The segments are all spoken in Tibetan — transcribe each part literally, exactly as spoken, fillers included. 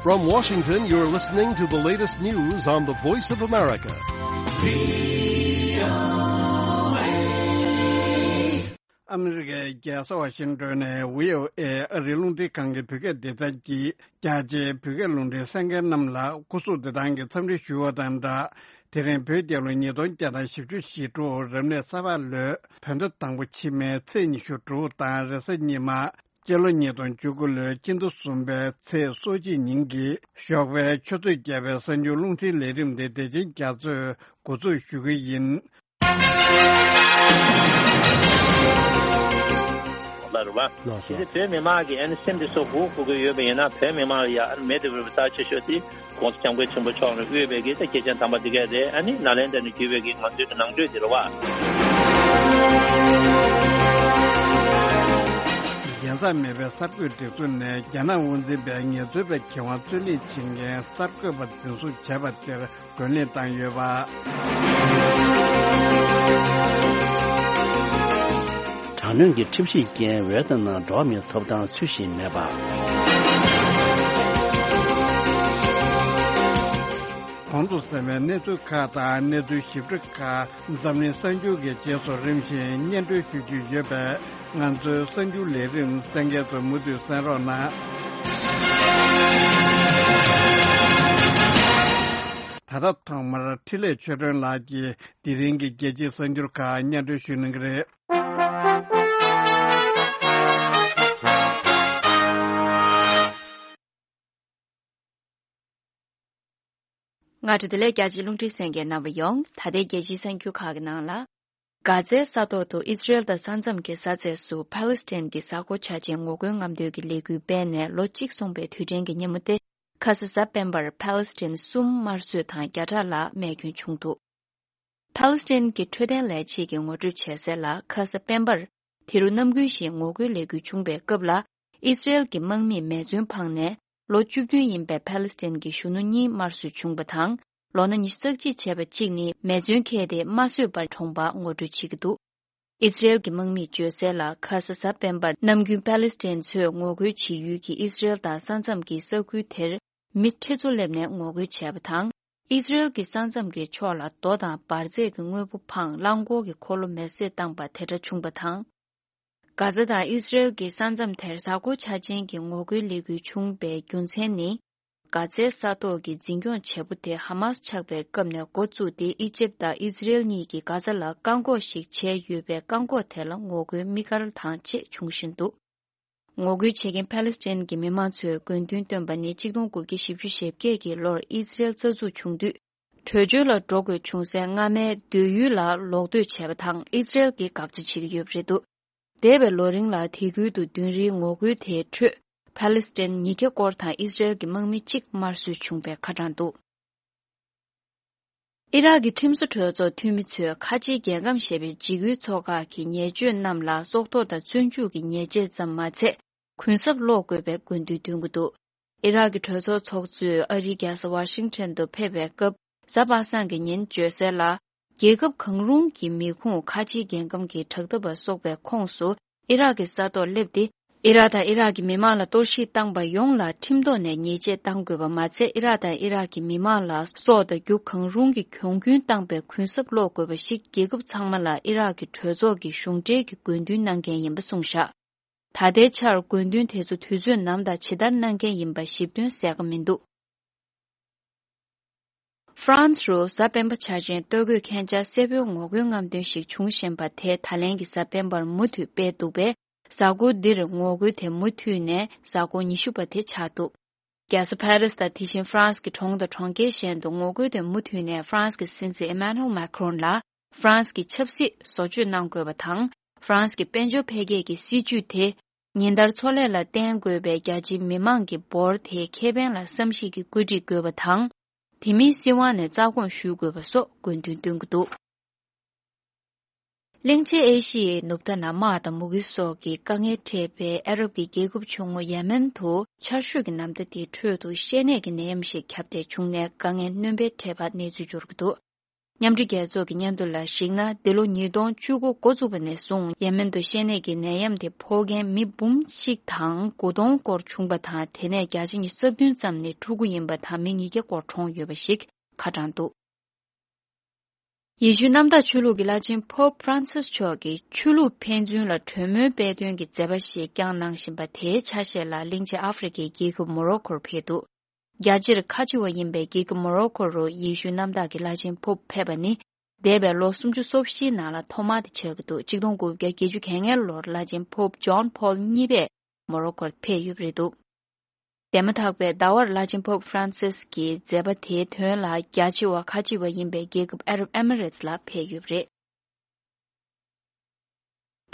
From Washington, you're listening to the latest news on the Voice of America. ཨ་མི་རི་ཀའི་རྒྱལ་ས་ཝ་ཤིང་ཏོན་ནས་བྷི་ཨོ་ཨེ་ཨ་རིའི་རླུང་འཕྲིན་ཁང་གི་བོད་སྐད་སྡེ་ཚན་གྱིས་རྒྱ་ཆེའི་བོད་སྐད་རླུང་འཕྲིན་གསན་མཁན་རྣམས་ལ་སྐུ་གཟུགས་བདེ་ཐང་གི་འཚམས་འདྲི་ཞུ་བ་དང་སྦྲགས། དེ་རིང་བོད་རྒྱལ་ལོ་ཉིས་སྟོང་བརྒྱ་དང་བཞི་བཅུ་ཞེ་དྲུག་རབ་གནས་ས་ཕག་ལོའི་བོད་ཟླ་དང་པོ་ཕྱི་མའི་ཚེས་ཉི་ཤུ་དྲུག་དང་རེས་གཟའ་ཉི་མ། སྤྱི་ལོ་ཉིས་སྟོང་བཅུ་དགུ་ལོའི་སྤྱི་ཟླ་གསུམ་པའི་ཚེས་སོ་གཅིག་ཉིན་གྱི་ཞོགས་པའི་ཆུ་ཚོད་བརྒྱད་པའི་གསར་འགྱུར་རླུང་འཕྲིན་ལས་རིམ་དེ་བདེ་ཆེན་རྒྱ་མཚོས་འགོ་འཛུགས་ཞུ་གི་ཡིན། ལ་རུ་བ། ལགས་སོ། དེ་བོད་མི་མང་གི་ཨ་ནི་སེམས་དེ་ཚོ་སྒུག་དགོས་ཀྱི་ཡོད་པ་ཡིན་ན། བོད་མི་མང་ལ་ཡ་ཨ་ནི་མེད་དུ་བར་བའི་རྩ་ཆེ་ཤོས་དེ་༸གོང་ས་༸སྐྱབས་མགོན་ཆེན་པོ་མཆོག་ནས་དབུས་པའི་གི་ད་སྐྱེས་ཆེན་དམ་པ་འདི་གས་རེད། ཨ་ནི་ནཱ་ལེནྡྲ་ནས་བརྒྱུད་པའི་གི་ང་ཚོའི་གི་ནང་ཆོས་འདི་རུ་བ། རྒྱལ་མཚམས་མེད་པའི་གསར་འགོད་སྒྲིག་འཛུགས་ནས་རྒྱ་ནག་དབང་འཛིན་པའི་ངལ་རྩོལ་པའི་གྱེན་དབང་རྩོད་ལེན་བྱེད་མཁན་གསར་འགོད་པ་འཛིན་བཟུང་བྱས་པ་དེར་རྒོལ་ལན་བཏང་ཡོད་པ། དྲག་གནོན་གྱི་ཁྲིམས་གཞིའི་རྐྱེན་ཝེ་ཏི་ནམ་འགྲོ་བ་མིའི་ཐོབ་ཐང་ཚུལ་བཞིན་མེད་པ། གོང་དུ་གསན་པའི་གནས་ཚུལ་ཁག་དང་གནས་ཚུལ་ཞིབ་ཕྲ་ཁག་འཛམ་གླིང་གསར་འགྱུར་གྱི་རྗེས་སུ་རིམ་བཞིན་སྙན་སྒྲོན་ཞུ་རྒྱུ་ཡོད་པས། ང་ཚོའི་གསར་འགྱུར་ལས་རིམ་གསན་མཁན་ཚོ་མུ་མཐུད་གསན་རོགས་གནང་། ད་ལྟ་ཐོག་མར་འཕྲིན་ལས་ཆོས་སྒྲོན་ལགས་ཀྱིས་དེ་རིང་གི་རྒྱལ་སྤྱིའི་གསར་འགྱུར་ཁག་སྙན་སྒྲོན་ཞུ་གནང་གི་རེད། སྔ་དྲོ་བདེ་ལེགས། རྒྱ་ཆེའི་རླུང་འཕྲིན་གསན་མཁན་རྣམ་པ་ཡོངས། ད་ལྟའི་རྒྱལ་སྤྱིའི་གསར་འགྱུར་ཁག་གི་ནང་ལ། གྷ་ཛའི་ས་ཐོག་ཏུ་ཨི་སི་རེལ་དང་ས་མཚམས་ཀྱི་ས་ཚད་སུ་ཕཱ་ལེ་སི་ཐན་གྱི་གཟའ་འཁོར་འཆར་ཅན་ངོ་རྒོལ་རྔམ་སྟོན་གྱི་ལས་འགུལ་སྤེལ་ནས་ལོ་གཅིག་སོང་པའི་དུས་དྲན་གྱི་ཉིན་མོ་སྟེ། ཁ་ས་གཟའ་སྤེན་པར་ཕཱ་ལེ་སི་ཐན་གསུམ་དམར་གསོད་དང་བརྒྱ་ཕྲག་ལྷག་རྨས་སྐྱོན་བྱུང་འདུག་ཕཱ་ལེ་སི་ཐན་གྱི་འཕྲོད་བསྟེན་ལས་བྱེད་ཀྱིས་ངོ་སྤྲོད་བྱས་གསལ་ལ། ཁ་ས་སྤེན་པར་དེ་རུ་ནམ་རྒྱུན་བཞིན་ངོ་རྒོལ་ལས་འགུལ་བྱུང་བའི་སྐབས་ལ། ཨི་སི་རེལ་གྱི་དམག་མིས་མེ་མཚོན་འཕངས་ནས། ལོ་བཅུ་བདུན་ཡིན་པའི་ཕཱ་ལེ་སི་ཐན་གྱི་གཞོན་ནུ་གཉིས་དམར་གསོད་བྱུང་བ་དང་། ལོ་ན་ཉི་ཤུ་རྩ་གཅིག་བྱས་པ་གཅིག་ནི་མེ་མཚོན་འཁྱེར་ཏེ་མ་གསོད་པར་གྲོངས་པ་ངོ་སྤྲོད་བྱེད་ཀྱི་འདུག་ཨི་སི་རེལ་གྱི་དམག་མིས་བརྗོད་གསལ་ལ། ཁ་ས་གཟའ་སྤེན་པར་ནམ་རྒྱུན་ཕཱ་ལེ་སི་ཐན་ཚོས་ངོ་རྒོལ་བྱེད་ཡུལ་གྱི་ཨི་སི་རེལ་དང་ས་མཚམས་ཀྱི་ས་ཁུལ་དེར་མི་ཁྲི་ཚོ་སླེབས་ནས་ངོ་རྒོལ་བྱས་པ་དང་། ཨི་སི་རེལ་གྱི་ས་མཚམས་ཀྱི་ཕྱོགས་ལ་རྡོ་དང་འབར་རྫས་ཀྱི་དངོས་པོ་འཕངས། རླངས་འཁོར་གྱི་འཁོར་ལོ་མེ་བསྲེགས་བཏང་པ་དེ་འདྲ་བྱུང་བ་དང་། གྷ་ཛ་དང་ཨི་སི་རེལ་གྱི་ས་མཚམས་དེར་གཟའ་འཁོར་འཆར་ཅན་གྱི་ངོ་རྒོལ་ལས་འགུལ་བྱུང་བའི་རྒྱུ་མཚན་ནི། གྷ་ཛའི་ས་ཐོག་གི་འཛིན་སྐྱོང་བྱེད་པོ་དེ་ཧ་མཱས་ཆགས་པའི་སྐབས་ནས་འགོ་བཙུགས་ཏེ། ཨི་ཇེབ་དང་ཨི་སི་རེལ་གཉིས་ཀྱིས་གྷ་ཛ་ལ་བཀག་འགོག་ཞིག་བྱས་ཡོད་པའི་བཀག་འགོག་དེ་ལ་ངོ་རྒོལ་དམིགས་བཀར་དང་བཅས་བྱུང་བཞིན་འདུག་ངོ་རྒོལ་བྱེད་མཁན་ཕཱ་ལེ་སི་ཐན་གྱི་མི་མང་ཚོས་དགོས་འདུན་བཏོན་པ་ནི། གཅིག་སྟོང་དགུ་བརྒྱ་བཞི་བཅུ་ཞེ་བརྒྱད་ཀྱི་ལོར་ཨི་སི་རེལ་རྩ་འཛུགས་བྱུང་དུས། བྲོས་བྱོལ་ལ་འགྲོ་དགོས་བྱུང་སའི་སྔ་མའི་སྡོད་ཡུལ་ལ་ལོག་སྡོད་བྱས་པ་དང་། ཨི་སི་རེལ་གྱིས་དགག་བྱ་བྱེད་ཀྱི་ཡོད་པ་རེད་འདུག་འདས་པའི་ལོ་རིང་ལ་དེ་ཁུལ་དུ་མདུན་རིའི་ངོ་རྒོལ་དེའི་ཁྲོད། ཕཱ་ལེ་སི་ཐན་ཉིས་བརྒྱ་སྐོར་དང་ཨི་སི་རེལ་གྱི་དམག་མི་གཅིག་དམར་གསོད་བྱུང་བའི་ཁ་གྲངས་འདུག་ཨི་རག་གི་ཁྲིམས་བཟོ་གྲོས་ཚོགས་འཐུས་མི་ཚོས་ཁ་ཆེའི་རྒྱལ་ཁམས་ཞེས་པའི་འཇིགས་སྐུལ་ཚོགས་ཁག་གི་ཉེས་སྤྱོད་རྣམས་ལ་སྲོག་ཐོག་དང་བཙོན་འཇུག་གི་ཉེས་ཆད་ཙམ་མ་ཚད། གུན་གསབ་སློག་དགོས་པའི་དགོས་འདུན་འདོན་གྱི་འདུག་ཨི་རག་གི་གྲོས་ཚོགས་ཚོགས་གཙོས་ཨ་རིའི་རྒྱལ་ས་ཝ་ཤིང་ཊོན་དུ་ཕེབས་པའི་སྐབས། གཟའ་པ་སངས་ཀྱི་ཉིན་བརྗོད་གསལ་ལ། རྒྱལ་ཁབ་གང་རུང་གི་མི་ཁུངས་ཁ་ཆེའི་རྒྱལ་ཁམས་ཀྱི་དྲག་འཐབ་པ་སོགས་པའི་ཁོངས་སུ་ཨི་རག་གི་ས་ཐོག་སླེབས་ཏེ། ཨི་རག་དང་ཨི་རག་གི་མི་མང་ལ་གཏོར་བཤིག་བཏང་པ་ཡོངས་ལ་ཁྲིམས་ཐོག་ནས་ཉེས་ཆད་གཏང་དགོས་པ་མ་ཚད། ཨི་རག་དང་ཨི་རག་གི་མི་མང་ལ་སྲོག་དང་རྒྱུ་གང་རུང་གི་གྱོང་གུན་བཏང་པའི་གུན་གསབ་སློག་དགོས་པ་ཞིག་རྒྱལ་ཁབ་ཚང་མ་ལ་ཨི་རག་གི་གྲོས་ཚོགས་ཀྱི་གཞུང་འབྲེལ་གྱི་དགོས་འདུན་གནང་མཁན་ཡིན་པ་གསུངས་བཞག་ད་ལྟའི་ཆར་དགོས་འདུན་དེ་ཚོ་དུས་ཚོད་ནམ་དང་ཇི་ལྟར་གནང་མཁན་ཡིན་པ་ཞིབ་དོན་གསལ་ཁ་མི་འདུག་ཧྥ་རན་སི་རུ་གཟའ་སྤེན་པ་འཆར་ཅན་ལྟོ་གོས་མཁན་ཆ་སེར་པོའི་ངོ་རྒོལ་རྔམ་སྟོན་ཞིག་བྱུང་བཞིན་པ་དེ་ད་ལན་གྱི་གཟའ་སྤེན་པར་མུ་མཐུད་སྤེལ་འདུག་པས། གཟའ་འཁོར་འདིར་ངོ་རྒོལ་དེ་མུ་མཐུད་ནས་གཟའ་འཁོར་ཉི་ཤུ་པ་དེ་ཆགས་འདུག་རྒྱལ་ས་ཕ་རི་སི་དང་དེ་བཞིན་ཧྥ་རན་སི་གི་གྲོང་དང་གྲོང་ཁྱེར་གཞན་དུ་ངོ་རྒོལ་དེ་མུ་མཐུད་ནས་ཧྥ་རན་སི་གི་སྲིད་འཛིན་ཨེ་མ་ནུའེལ་མཱ་ཁི་རོན་ལ་ཧྥ་རན་སི་གི་ཆབ་སྲིད་བཟོ་བཅོས་གནང་དགོས་པ་དང་། ཧྥ་རན་སི་གི་དཔལ་འབྱོར་འཕེལ་རྒྱས་ཀྱི་སྲིད་ཇུས་དེ། ཉིན་ལྟར་འཚོ་ལས་ལ་བརྟེན་དགོས་པའི་རྒྱ་ཆེའི་མི་མང་གི་འབོར་དེའི་ཁེ་ཕན་ལ་བསམ་གཞིག་གིས་བཀོད་སྒྲིག་དགོས་པ་དང་། དེ་མིན་སྲིད་དབང་ནས་རྩ་དགོངས་ཞུ་དགོས་པ་སོགས་དགོས་འདུན་བཏོན་གྱི་འདུག་གླིང་ཆེན་ཨེ་ཤི་ཡའི་ནུབ་མཐའ་ན་དམག་དང་མུ་གེ་སོགས་ཀྱི་དཀའ་ངལ་འཕྲད་པའི་ཨ་རབ་ཀྱི་རྒྱལ་ཁབ་ཆུང་ངུ་ཡེ་མེན་དུ་ཆར་ཞོད་ཀྱི་ནམ་ཟླ་འདིའི་ཁྲོད་དུ་བཤལ་ནད་ཀྱི་ནད་ཡམས་ཤིག་ཁྱབ་གདལ་བྱུང་ནས་དཀའ་ངལ་སྣོན་པར་འཕྲད་པ་གནས་ཚུལ་འབྱོར་གྱི་འདུག་མཉམ་འབྲེལ་རྒྱལ་ཚོགས་ཀྱི་སྙན་ཐོ་ལ་གཞིགས་ན། འདི་ལོ་ཉིས་སྟོང་བཅུ་དགུ་འགོ་བཙུགས་པ་ནས་བཟུང་ཡེ་མེན་དུ་བཤལ་ནད་ཀྱི་ནད་ཡམས་དེ་ཕོག་མཁན་མི་འབུམ་གཅིག་དང་དགུ་སྟོང་སྐོར་བྱུང་པ་དང་། དེ་ནས་བརྒྱ་ཆ་ཉི་ཤུ་རྩ་བདུན་ཙམ་ནི་ཕྲུ་གུ་ཡིན་པ་དང་མི་ཉིས་བརྒྱ་སྐོར་གྲོངས་ཡོད་པ་ཞིག་ཁ་བགྲངས་འདུག་ཡེ་ཤུའི་གནམ་བདག་ཆོས་ལུགས་ཀྱི་བླ་ཆེན་Pope Francis མཆོག་གིས་ཆོས་ལུགས་ཕན་ཚུན་ལ་གྲོས་མོལ་སྤེལ་དོན་གྱི་མཛད་པ་ཞིག་བསྐྱངས་གནང་བཞིན་པ་དེའི་ཆ་ཤས་ལ་གླིང་ཆེན་ཨ་ཧྥེ་རི་ཁའི་རྒྱལ་ཁབ་མོ་རོ་ཁོར་ཕེབས་འདུག་རྒྱལ་སྤྱིར་ཁ་ཆེ་བ་ཡིན་པའི་རྒྱལ་ཁབ་མོ་རོ་ཁོ་རུ་ཡེ་ཤུའི་གནམ་བདག་གི་བླ་ཆེན་Pope ཕེབས་པ་ནི་འདས་པའི་ལོ་སུམ་ཅུ་སོ་བཞིའི་ནང་ལ་ཐོག་མ་དེ་ཆགས་ཀྱི་འདུག་ཆིག་སྟོང་དགུ་བརྒྱ་བརྒྱད་ཅུ་གྱ་ལྔའི་ལོར་བླ་ཆེན་Pope John Paul གཉིས་པས་མོ་རོ་ཁོར་ཕེབས་ཡོད་པ་རེད་འདུག་འདས་མ་ཐག་པའི་ཟླ་བར་བླ་ཆེན་Pope Francis གྱི་མཛད་པ་དེའི་དོན་ལ་རྒྱ་ཆེ་བ་ཁ་ཆེ་བ་ཡིན་པའི་རྒྱལ་ཁབ་ཨ་རབ་ཨེ་མི་རེ་ཊི་ལ་ཕེབས་ཡོད་པ་རེད།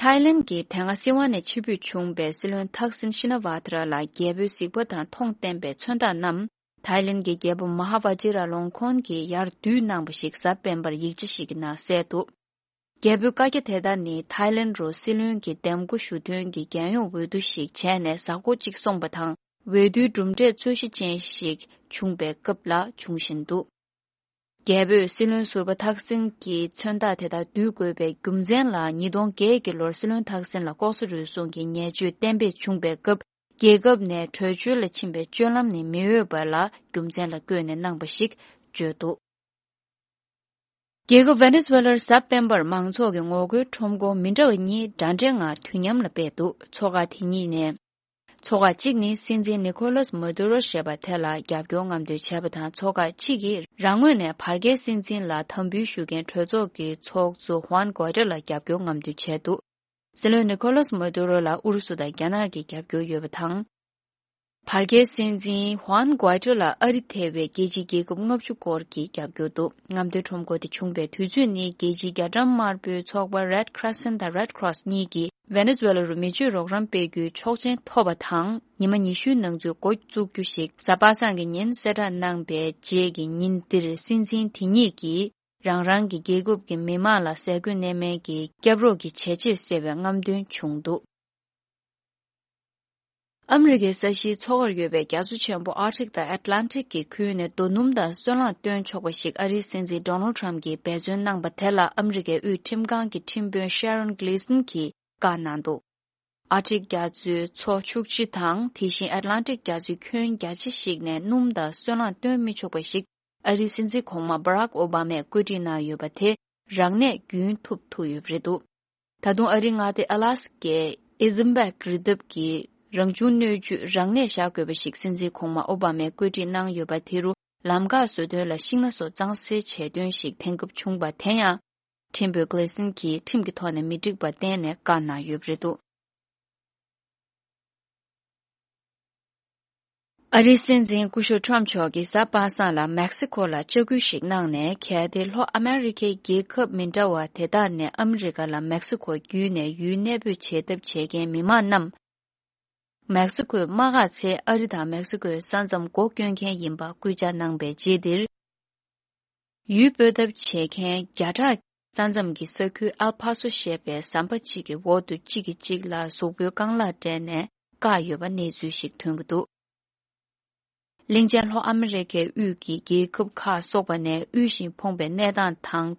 ཐའི་ལན་གྱི་དེ་སྔ་སྲིད་དབང་ནས་ཕྱིར་འབུད་བྱུང་བའི་སྲིད་བློན་ཐག་སིན་ཤི་ན་ཝ་ཐ་ར་ལ་རྒྱལ་པོའི་གཟིགས་པ་དང་མཐོང་བསྟན་པའི་མཚོན་རྟགས་རྣམས་ཐའི་ལན་གྱི་རྒྱལ་པོ་མ་ཧ་ཝ་ཇི་ར་ལོང་ཁོན་གྱིས་ཡར་བསྡུས་གནང་བ་ཞིག་གཟའ་སྤེན་པར་ཡིག་ཆ་ཞིག་གི་ནང་གསལ་འདུག་རྒྱལ་པོའི་བཀའ་རྒྱ་དེ་ལྟར་ནི་ཐའི་ལན་རུ་སྲིད་བློན་གྱི་འདེམས་བསྐོ་ཞུ་དོན་གྱི་རྒྱལ་ཡོངས་འོས་བསྡུ་ཞིག་བྱས་ནས་གཟའ་འཁོར་གཅིག་སོང་པ་དང་། འོས་བསྡུའི་གྲུབ་འབྲས་རྩོད་གཞི་ཅན་ཞིག་བྱུང་བའི་སྐབས་ལ་བྱུང་བཞིན་འདུག་རྒྱལ་པོས་སྲིད་བློན་ཟུར་པ་ཐག་སིན་གྱི་མཚོན་རྟགས་དེ་དག་བསྡུ་དགོས་པའི་རྒྱུ་མཚན་ལ། ཉིས་སྟོང་བརྒྱད་ཀྱི་ལོར་སྲིད་བློན་ཐག་སིན་ལ་ལྐོག་ཟ་རུལ་སུངས་ཀྱི་ཉེས་སྤྱོད་གཏན་འབེབས་བྱུང་བའི་སྐབས། རྒྱལ་ཁབ་ནས་བྲོས་བྱོལ་ལ་ཕྱིན་པའི་སྤྱོད་ལམ་ནི་མི་འོས་པ་ལ་རྒྱུ་མཚན་ལ་བཀོད་ནས་གནང་བ་ཞིག་བརྗོད་འདུག་རྒྱལ་ཁབ་ཝེ་ནེ་ཛུ་ཝེ་ལར་གཟའ་སྤེན་པར་མང་ཚོགས་ཀྱི་ངོ་རྒོལ་ཁྲོམ་སྐོར་མི་འདྲ་བ་གཉིས་འདྲ་འདྲའི་ངང་དུས་མཉམ་ལ་སྤེལ་འདུག་ཚོགས་ཁག་དེ་གཉིས་ནས། ཚོགས་ཁག་གཅིག་ནི་སྲིད་འཛིན་ནི་ཁོ་ལོས་མ་དུ་རོ་ཞེས་པ་དེ་ལ་རྒྱབ་སྐྱོར་རྔམ་སྟོན་བྱས་པ་དང་། ཚོགས་ཁག་གཅིག་གིས་རང་ངོས་ནས་བར་བརྒལ་སྲིད་འཛིན་ལ་དམ་འབུལ་ཞུ་མཁན་གྲོས་ཚོགས་ཀྱི་ཚོགས་གཙོ་ཧུའན་གོ་ཏྲ་ལ་རྒྱབ་སྐྱོར་རྔམ་སྟོན་བྱས་འདུག་སྲིད་བློན་ནི་ཁོ་ལོས་མ་དུ་རོ་ལ་ཨུ་རུ་སུ་དང་རྒྱ་ནག་གིས་རྒྱབ་སྐྱོར་ཡོད་པ་དང་། བར་བརྒལ་སྲིད་འཛིན་ཧུའན་གོ་ཏྲ་ལ་ཨ་རི་ཐེ་བའི་རྒྱལ་སྤྱིའི་རྒྱལ་ཁབ་ལྔ་བཅུ་སྐོར་གྱིས་རྒྱབ་སྐྱོར་འདུག་རྔམ་སྟོན་ཁྲོམ་སྐོར་དེ་བྱུང་བའི་དུས་ཚོད་ནི་རྒྱལ་སྤྱིའི་རྒྱ་གྲམ་དམར་པོའི་ཚོགས་པ་Red Crescent དང་Red Cross གཉིས་ཀྱིས་ཝེ་ནེ་ཛུ་ཝེ་ལ་རུ་མི་ཆོས་རོགས་རམ་སྤེལ་རྒྱུའི་ཆོག་མཆན་ཐོབ་པ་དང་། ཉི་མ་ཉི་ཤུའི་ནང་ཚུད་འགོ་བཙུགས་རྒྱུ་ཞིག་གཟའ་པ་སངས་ཀྱི་ཉིན་གསལ་བསྒྲགས་གནང་པའི་རྗེས་ཀྱི་ཉིན་འདིར་སྲིད་འཛིན་དེ་གཉིས་ཀྱིས་རང་རང་གི་རྒྱལ་ཁབ་ཀྱི་མི་མང་ལ་ཟས་གོས་གནས་མལ་གྱི་སྐྱབས་རོགས་ཀྱི་བྱས་རྗེས་གསལ་བའི་རྔམ་སྟོན་བྱུང་འདུག་ཨ་མི་རི་ཀའི་ས་གཞིའི་མཚོ་ཁར་ཡོད་པའི་རྒྱ་མཚོ་ཆེན་པོ་ཨར་ཀྲིག་དང་ཨེཊ་ལན་ཊིག་གི་ཁུལ་ནས་རྡོ་སྣུམ་དང་སོལ་རླངས་བཏོན་ཆོག་པ་ཞིག་ཨ་རིའི་སྲིད་འཛིན་ཌོ་ནལ་ཌི་ཊརམ་ཕུ་གྱིས་འབད་བརྩོན་གནང་པ་དེ་ལ་ཨ་མི་རི་ཀའི་དབུས་ཁྲིམས་ཁང་གི་ཁྲིམས་དཔོན་ཤེ་རོན་གྷི་ལི་སན་གྱིས་བཀའ་གནང་འདུག་ཨར་ཀྲིག་རྒྱ་མཚོའི་མཚོ་ཕྱུགས་སྤྱི་དང་དེ་བཞིན་ཨེཊ་ལན་ཊིག་རྒྱ་མཚོའི་ཁྱོན་རྒྱ་ཆེ་ཞིག་ནས་སྣུམ་དང་སོལ་རླངས་བཏོན་མི་ཆོག་པ་ཞིག་ཨ་རིའི་སྲིད་འཛིན་གོང་མ་བྷ་རག་ཨོ་བྷ་མས་བཀོད་སྒྲིག་གནང་ཡོད་པ་དེ་རང་ནས་རྒྱུན་མཐུད་ཐུབ་ཡོད་པ་རེད་འདུག་ད་དུང་ཨ་རིའི་མངའ་སྡེ་ཨ་ལ་སི་ཀའི་ཨི་ཛིམ་བྷེག་རི་འདབས་ཀྱི་རང་བྱུང་སྣོད་བཅུད་རང་ནས་བཞག་དགོས་པ་ཞིག་སྲིད་འཛིན་གོང་མ་ཨོ་བྷ་མས་བཀོད་སྒྲིག་གནང་ཡོད་པ་དེ་རུ་ལམ་འགག་བཟོ་དོན་ལ་ཤིང་སྣ་སོགས་གཙང་སེལ་བྱས་དོན་ཞིག་འཐེན་ཁབ་བྱུང་པ་དེ་ཡང་ཁྲིམས་དཔོན་གྷི་ལི་སན་གྱིས་ཁྲིམས་ཀྱི་ཐོག་ནས་མི་འགྲིག་པ་བསྟན་ནས་བཀའ་གནང་ཡོད་པ་རེད་འདུག་ཨ་རིའི་སྲིད་འཛིན་སྐུ་ཞབས་ཊརམ་མཆོག་གིས་གཟའ་པ་སངས་ལ་མེག་སི་ཁོ་ལ་བཅར་སྐུལ་ཞིག་གནང་ནས། གལ་ཏེ་ལྷོ་ཨ་མེ་རི་ཁའི་རྒྱལ་ཁབ་མི་འདྲ་བ་དེ་དག་ནས་ཨ་མི་རི་ཀ་ལ་མེག་སི་ཁོ་བརྒྱུད་ནས་ཡུལ་གནས་སྤོས་བྱེད་ཐབས་བྱེད་མཁན་མི་མང་རྣམས། མེག་སི་ཁོའི་དམག་སྒར་ཚེ་ཨ་རི་དང་མེག་སི་ཁོའི་ས་མཚམས་སྒོ་སྐྱོན་མཁན་ཡིན་པ་སྐུལ་ལྕག་གནང་པའི་རྗེས་འདིར། ཡུལ་སྤོས་ཐབས་བྱེད་མཁན་བརྒྱ་ཕྲག་ས་མཚམས་ཀྱི་ས་ཁུལ་ཨལ་ཕ་སོ་ཞེས་པའི་ཟམ་པ་གཅིག་གི་འོག་ཏུ་གཅིག་གིས་གཅིག་ལ་གཟུགས་པོའི་རྐང་ལག་སྤྲད་ནས་བཀག་ཡོད་པ་གནས་ཚུལ་ཞིག་ཐོན་གྱི་འདུག་གླིང་ཆེན་ལྷོ་ཨ་མེ་རི་ཁའི་དབུས་ཀྱི་རྒྱལ་ཁབ་ཁག་སོགས་པ་ནས་དབུལ་ཞིང་ཕོངས་པའི་གནས་སྟངས་དང་།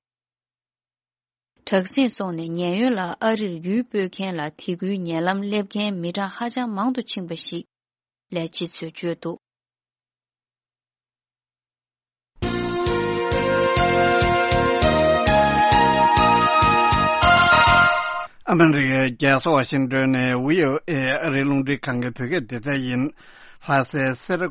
དྲག་ཟིང་སོགས་ནས་ཉེན་གཡོལ་ལ་ཨ་རིར་ཡུལ་སྤོས་མཁན་ལ་དེ་ཁུལ་ཉེ་ལམ་སླེབས་མཁན་མི་གྲངས་ཧ་ཅང་མང་དུ་ཕྱིན་པ་ཞིག་ལས་སྤྱི་ཚོས་བརྗོད་འདུག་ཨ་མེ་རི་ཀའི་རྒྱལ་ས་ཝ་ཤིང་ཏོན་ནས་བྷི་ཨོ་ཨེ་ཨ་རིའི་རླུང་འཕྲིན་ཁང་གི་བོད་སྐད་སྡེ་ཚན་ཡིན། ལྷ་སའི་སེ་ར་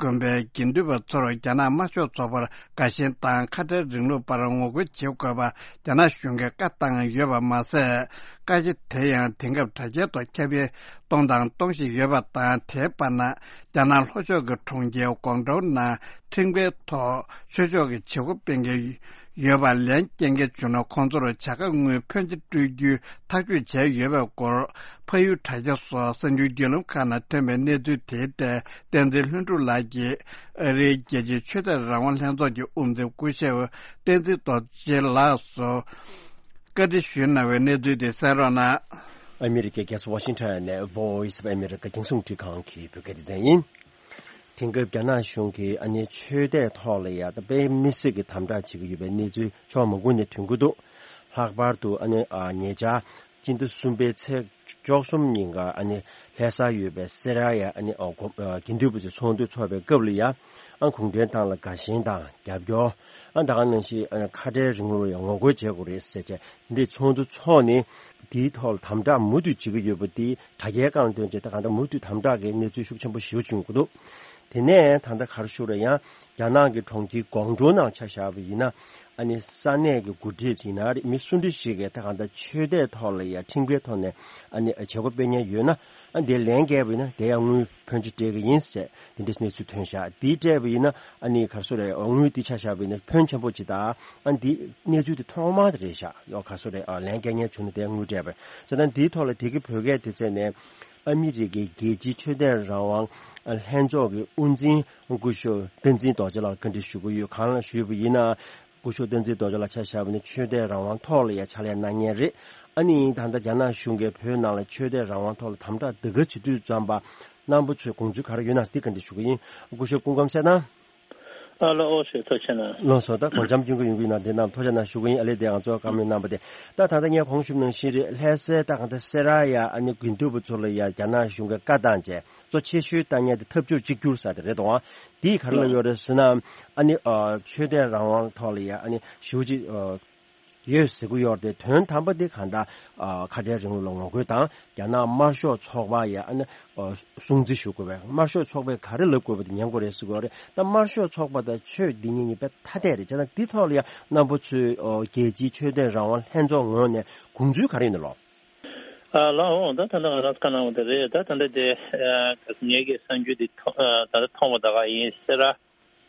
དགོན་པའི་དགེ་འདུན་པ་ཚོར་རྒྱ་ནག་དམར་ཤོག་ཚོགས་པར་དགའ་ཞེན་དང་ཁ་བྲལ་རིང་ལུགས་པར་ངོ་རྒོལ་བྱེད་དགོས་པ་རྒྱ་ནག་གཞུང་གིས་བཀའ་བཏང་ཡོད་པ་མ་ཟད། བཀའ་རྒྱ་དེ་ཡང་དེང་སྐབས་དྲ་རྒྱའི་ཐོག་ཁྱབ་སྤེལ་གཏོང་དང་གཏོང་བཞིན་ཡོད་པ་དང་། དེའི་བར་ན་རྒྱ་ནག་ལྷོ་ཕྱོགས་ཀྱི་གྲོང་ཁྱེར་ཀོང་ཀྲོའུ་ནང་ཁྲིམས་འགལ་ཐོག་ཆོས་ཕྱོགས་ཀྱི་བྱེད་སྒོ་སྤེལ་མཁན་ཡོད་པ་ལན་སྐྱེལ་མཁན་བྱུང་ན་ཁོང་ཚོར་བྱ་དགའ་དངུལ་ཕོན་ཆེ་སྤྲོད་རྒྱུའི་ཐག་གཅོད་བྱས་ཡོད་པའི་སྐོར། ཕ་ཡུལ་དྲ་རྒྱ་སོགས་གསར་འགྱུར་བརྒྱུད་ལམ་ཁག་ནང་ཐོན་པའི་གནས་ཚུལ་དེའི་ཐད་བསྟན་འཛིན་ལྷུན་གྲུབ་ལགས་ཀྱིས་ཨ་རིའི་རྒྱལ་སྤྱིའི་ཆོས་དད་རང་དབང་ལྷན་ཚོགས་ཀྱི་དབུ་འཛིན་སྐུ་ཞབས་བསྟན་འཛིན་རྡོ་རྗེ་ལགས་སུ་བཀའ་འདྲི་ཞུས་གནང་བའི་གནས་ཚུལ་དེ་གསན་རོགས་གནང་། ཨ་མི་རི་ཀའི་རྒྱལ་ས་ཝ་ཤིང་ཊོན་ནས་Voice of America རྒྱང་སྲིང་རླུང་འཕྲིན་ཁང་གི་བོད་སྐད་སྡེ་ཚན་ཡིན། དེང་སྐབས་རྒྱ་ནག་གཞུང་གིས་ཨ་ནི་ཆོས་དད་ཐོག་ལ་ཡ་ད་དཔེ་མི་སྲིད་ཀྱི་དམ་དྲག་བྱེད་ཀྱི་ཡོད་པའི་གནས་ཚུལ་ཕྱོགས་མང་པོ་ནས་ཐོན་གྱི་འདུག། ལྷག་པར་དུ་ཨ་ནི་ཨ་ཉེ་ཆར་སྤྱི་ཟླ་གསུམ་པའི་ཚེས་བཅུ་གསུམ་ཉིན་ཀ་ཨ་ནི་ལྷ་སར་ཡོད་པའི་སེ་ར་ཡ་ཨ་ནི་ཨ་དགོན་ཨ་དགེ་འདུན་པ་ཚོས་ཚོགས་འདུ་འཚོགས་པའི་སྐབས་ལ་ཡ་ཨ་གུང་ཁྲན་ཏང་ལ་དགའ་ཞེན་དང་རྒྱབ་སྐྱོར། ཨ་ད་ག་ནང་བཞིན་ཨ་ཁ་བྲལ་རིང་ལུགས་ལ་ཡང་ངོ་རྒོལ་བྱེད་དགོས་རེད་ཟེར་བྱས་འདི་ཚོགས་འདུ་འཚོགས་ནས་དེའི་ཐོག་ལ་དམ་དྲག་མུ་མཐུད་བྱེད་ཀྱི་ཡོད་པ་དེ་དྲ་རྒྱའི་སྒང་ཐོན་བྱས་ད་གང་ལྟར་མུ་མཐུད་དམ་དྲག་གི་གནས་ཚུལ་ཤུགས་ཆེན་པོ་ཞེ་པོ་བྱུང་གི་འདུག། དེ་ནས་ད་ལྟ་ག་རེ་ཞུ་རེད་ཡང་རྒྱ་ནག་གི་གྲོང་ཁྱེར་ཀོང་ཀྲོའུ་ནང་ཆ་བཞག་པ་ཡིན་ན་ཨ་ནི་ས་གནས་ཀྱི་འགོ་ཁྲིད་ཡིན་ན་རེད་མི་སུ་འདྲ་ཞིག་གིས་ད་གང་ལྟར་ཆོས་དད་ཐོག་ལ་ཡང་ཁྲིམས་འགལ་ཐོག་ནས་ཨ་ནི་བྱེད་སྒོ་སྤེལ་མཁན་ཡོད་ན་ཨ་དེ་ལན་བརྒྱབ་པ་ཡིན་ན་དེ་ཡང་དངུལ་ཕོན་ཆེ་སྤྲད་ཀྱི་ཡིན་ཟེར། དེ་འདྲའི་གནས་ཚུལ་ཐོན་ཤག། དེ་སྤྲད་པ་ཡིན་ན་ཨ་ནི་ག་རེ་ཟེར་རེད། དངུལ་དེ་ཆ་བཞག་པ་ཡིན་ན་ཕོན་ཆེན་པོ་ཅིག་དང་ཨ་ནི་དེ་གནས་ཚུལ་དེ་ཐོག་མ་དེ་རེད་ཤག། ཡོ་ག་རེ་ཟེར་རེད། ཨ་ལན་རྒྱག་མཁན་བྱུང་ན་དེ་དངུལ་སྤྲད་པ་ཟེར་ན་དེའི་ཐོག་ལ་དེ་གི་བོད་སྐད་དེ་བཙལ་ནས་ཨ་མི་རི་ཀའི་རྒྱལ་སྤྱིའི་ཆོས་དད་རང་དབང་ལྷན་ཚོགས་ཀྱི་དབུ་འཛིན་སྐུ་ཞབས་བསྟན་འཛིན་རྡོ་རྗེ་ལགས་བཀའ་འདྲི་ཞུ་གི་ཡོད། གང་ལ་ཞུས་པ་ཡིན་ན། སྐུ་ཞབས་བསྟན་འཛིན་རྡོ་རྗེ་ལགས་ཆ་བཞག་པ་ནི་ཆོས་དད་རང་དབང་ཐོག་ལ་ཡང་ཕྱག་ལས་གནང་མཁན་རེད། ཨ་ནི་ད་ལྟ་རྒྱ་ནག་གཞུང་གིས་བོད་ནང་ལ་ཆོས་དད་རང་དབང་ཐོག་ལ་དམ་དྲག་འདི་ག་བྱེད་དུས་ཙམ་པ་རྣམ་པ་ཚོས་དགོངས་ཚུལ་ག་རེ་ཡོད་ན་འདི་བཀའ་འདྲི་ཞུ་གི་ཡིན། སྐུ་ཞབས་སྐུ་ཁམས་གསལ་གནང་། ཨ་ལགས་ཨོ་ཞེས་ཐུགས་རྗེ་གནང་། ལགས་སོ། ད་དགོངས་འཆར་སྐྱོན་གྱི་ཡོང་གི་ཡིན་ན་དེ་རྣམས་ཐུགས་རྗེ་གནང་ཞུ་གི་ཡིན། ཨ་ལེ་དེ་ང་ཚོ་བཀའ་མོལ་གནང་བ་དེ་ད་ད་ལྟ་ངས་གོང་ཞུས་ནང་བཞིན་རེད། ལྷ་སའི་ད་གང་ལྟར་སེ་ར་ཡ་ཨ་ནི་དགེ་འདུན་པ་ཚོ་ལ་ཡ་རྒྱ་ནག་གཞུང་གིས་བཀའ་བཏང་བྱས། གཙོ་ཆེ་ཤོས་ལྟ་མཁན་དེ་འཐབ་ཕྱོགས་གཅིག་གྱུར་ཟེར་དེ་རེད་དོ། འདིས་ག་རེ་ལབ་ཡོད་རེད་ཟེར་ན། ཨ་ནི་ཨ་ཆོས་དད་རང་དབང་ཐོག་ལ་ཡ་ཨ་ནི་ཞེ་པོ་ཅིག་ཨ་ཡོད་ཟེར་གྱི་ཡོད་རེད་དེ། དོན་དམ་པ་དེ་གང་ལྟར་ཨ་ཁ་བྲལ་རིང་ལུགས་ལ་ངོ་རྒོལ་དང་རྒྱ་ནག་དམར་ཤོག་ཚོགས་པ་ཡ་ཨ་ནི་ཨ་སྲུང་བརྩི་ཞུ་དགོས་པས། དམར་ཤོག་ཚོགས་པས་ག་རེ་ལབ་དགོས་པ་དེ་ཉན་དགོས་རེད་ཟེར་གྱི་ཡོད་རེད། ད་དམར་ཤོག་ཚོགས་པ་དང་ཆོས་འདི་གཉིས་གཉིས་དཔེ་ཐ་དད་རེད། བྱས་ན་འདི་ཐོག་ལ་ཡ་རྣམ་པ་ཚོས་ཨ་རྒྱལ་སྤྱིའི་ཆོས་དད་རང་དབང་ལྷན་ཚོགས་ངོས་ནས་དགོངས་ཚུལ་ག་རེ་ཡིན་ནམ་ལགས། ཨ་ལགས་འོང་། ད་ད་ལྟ་ང་རང་བཀའ་གནང་བ་དེ་རེད། ད་ད་ལྟ་དེ་ཨ་ངེད་ཀྱི་གསར་འགྱུར་འདི་ཐོ་ཨ་ད་ལྟ་མཐོང་བ་ད་ག་ཡིན་ཟེར་ར།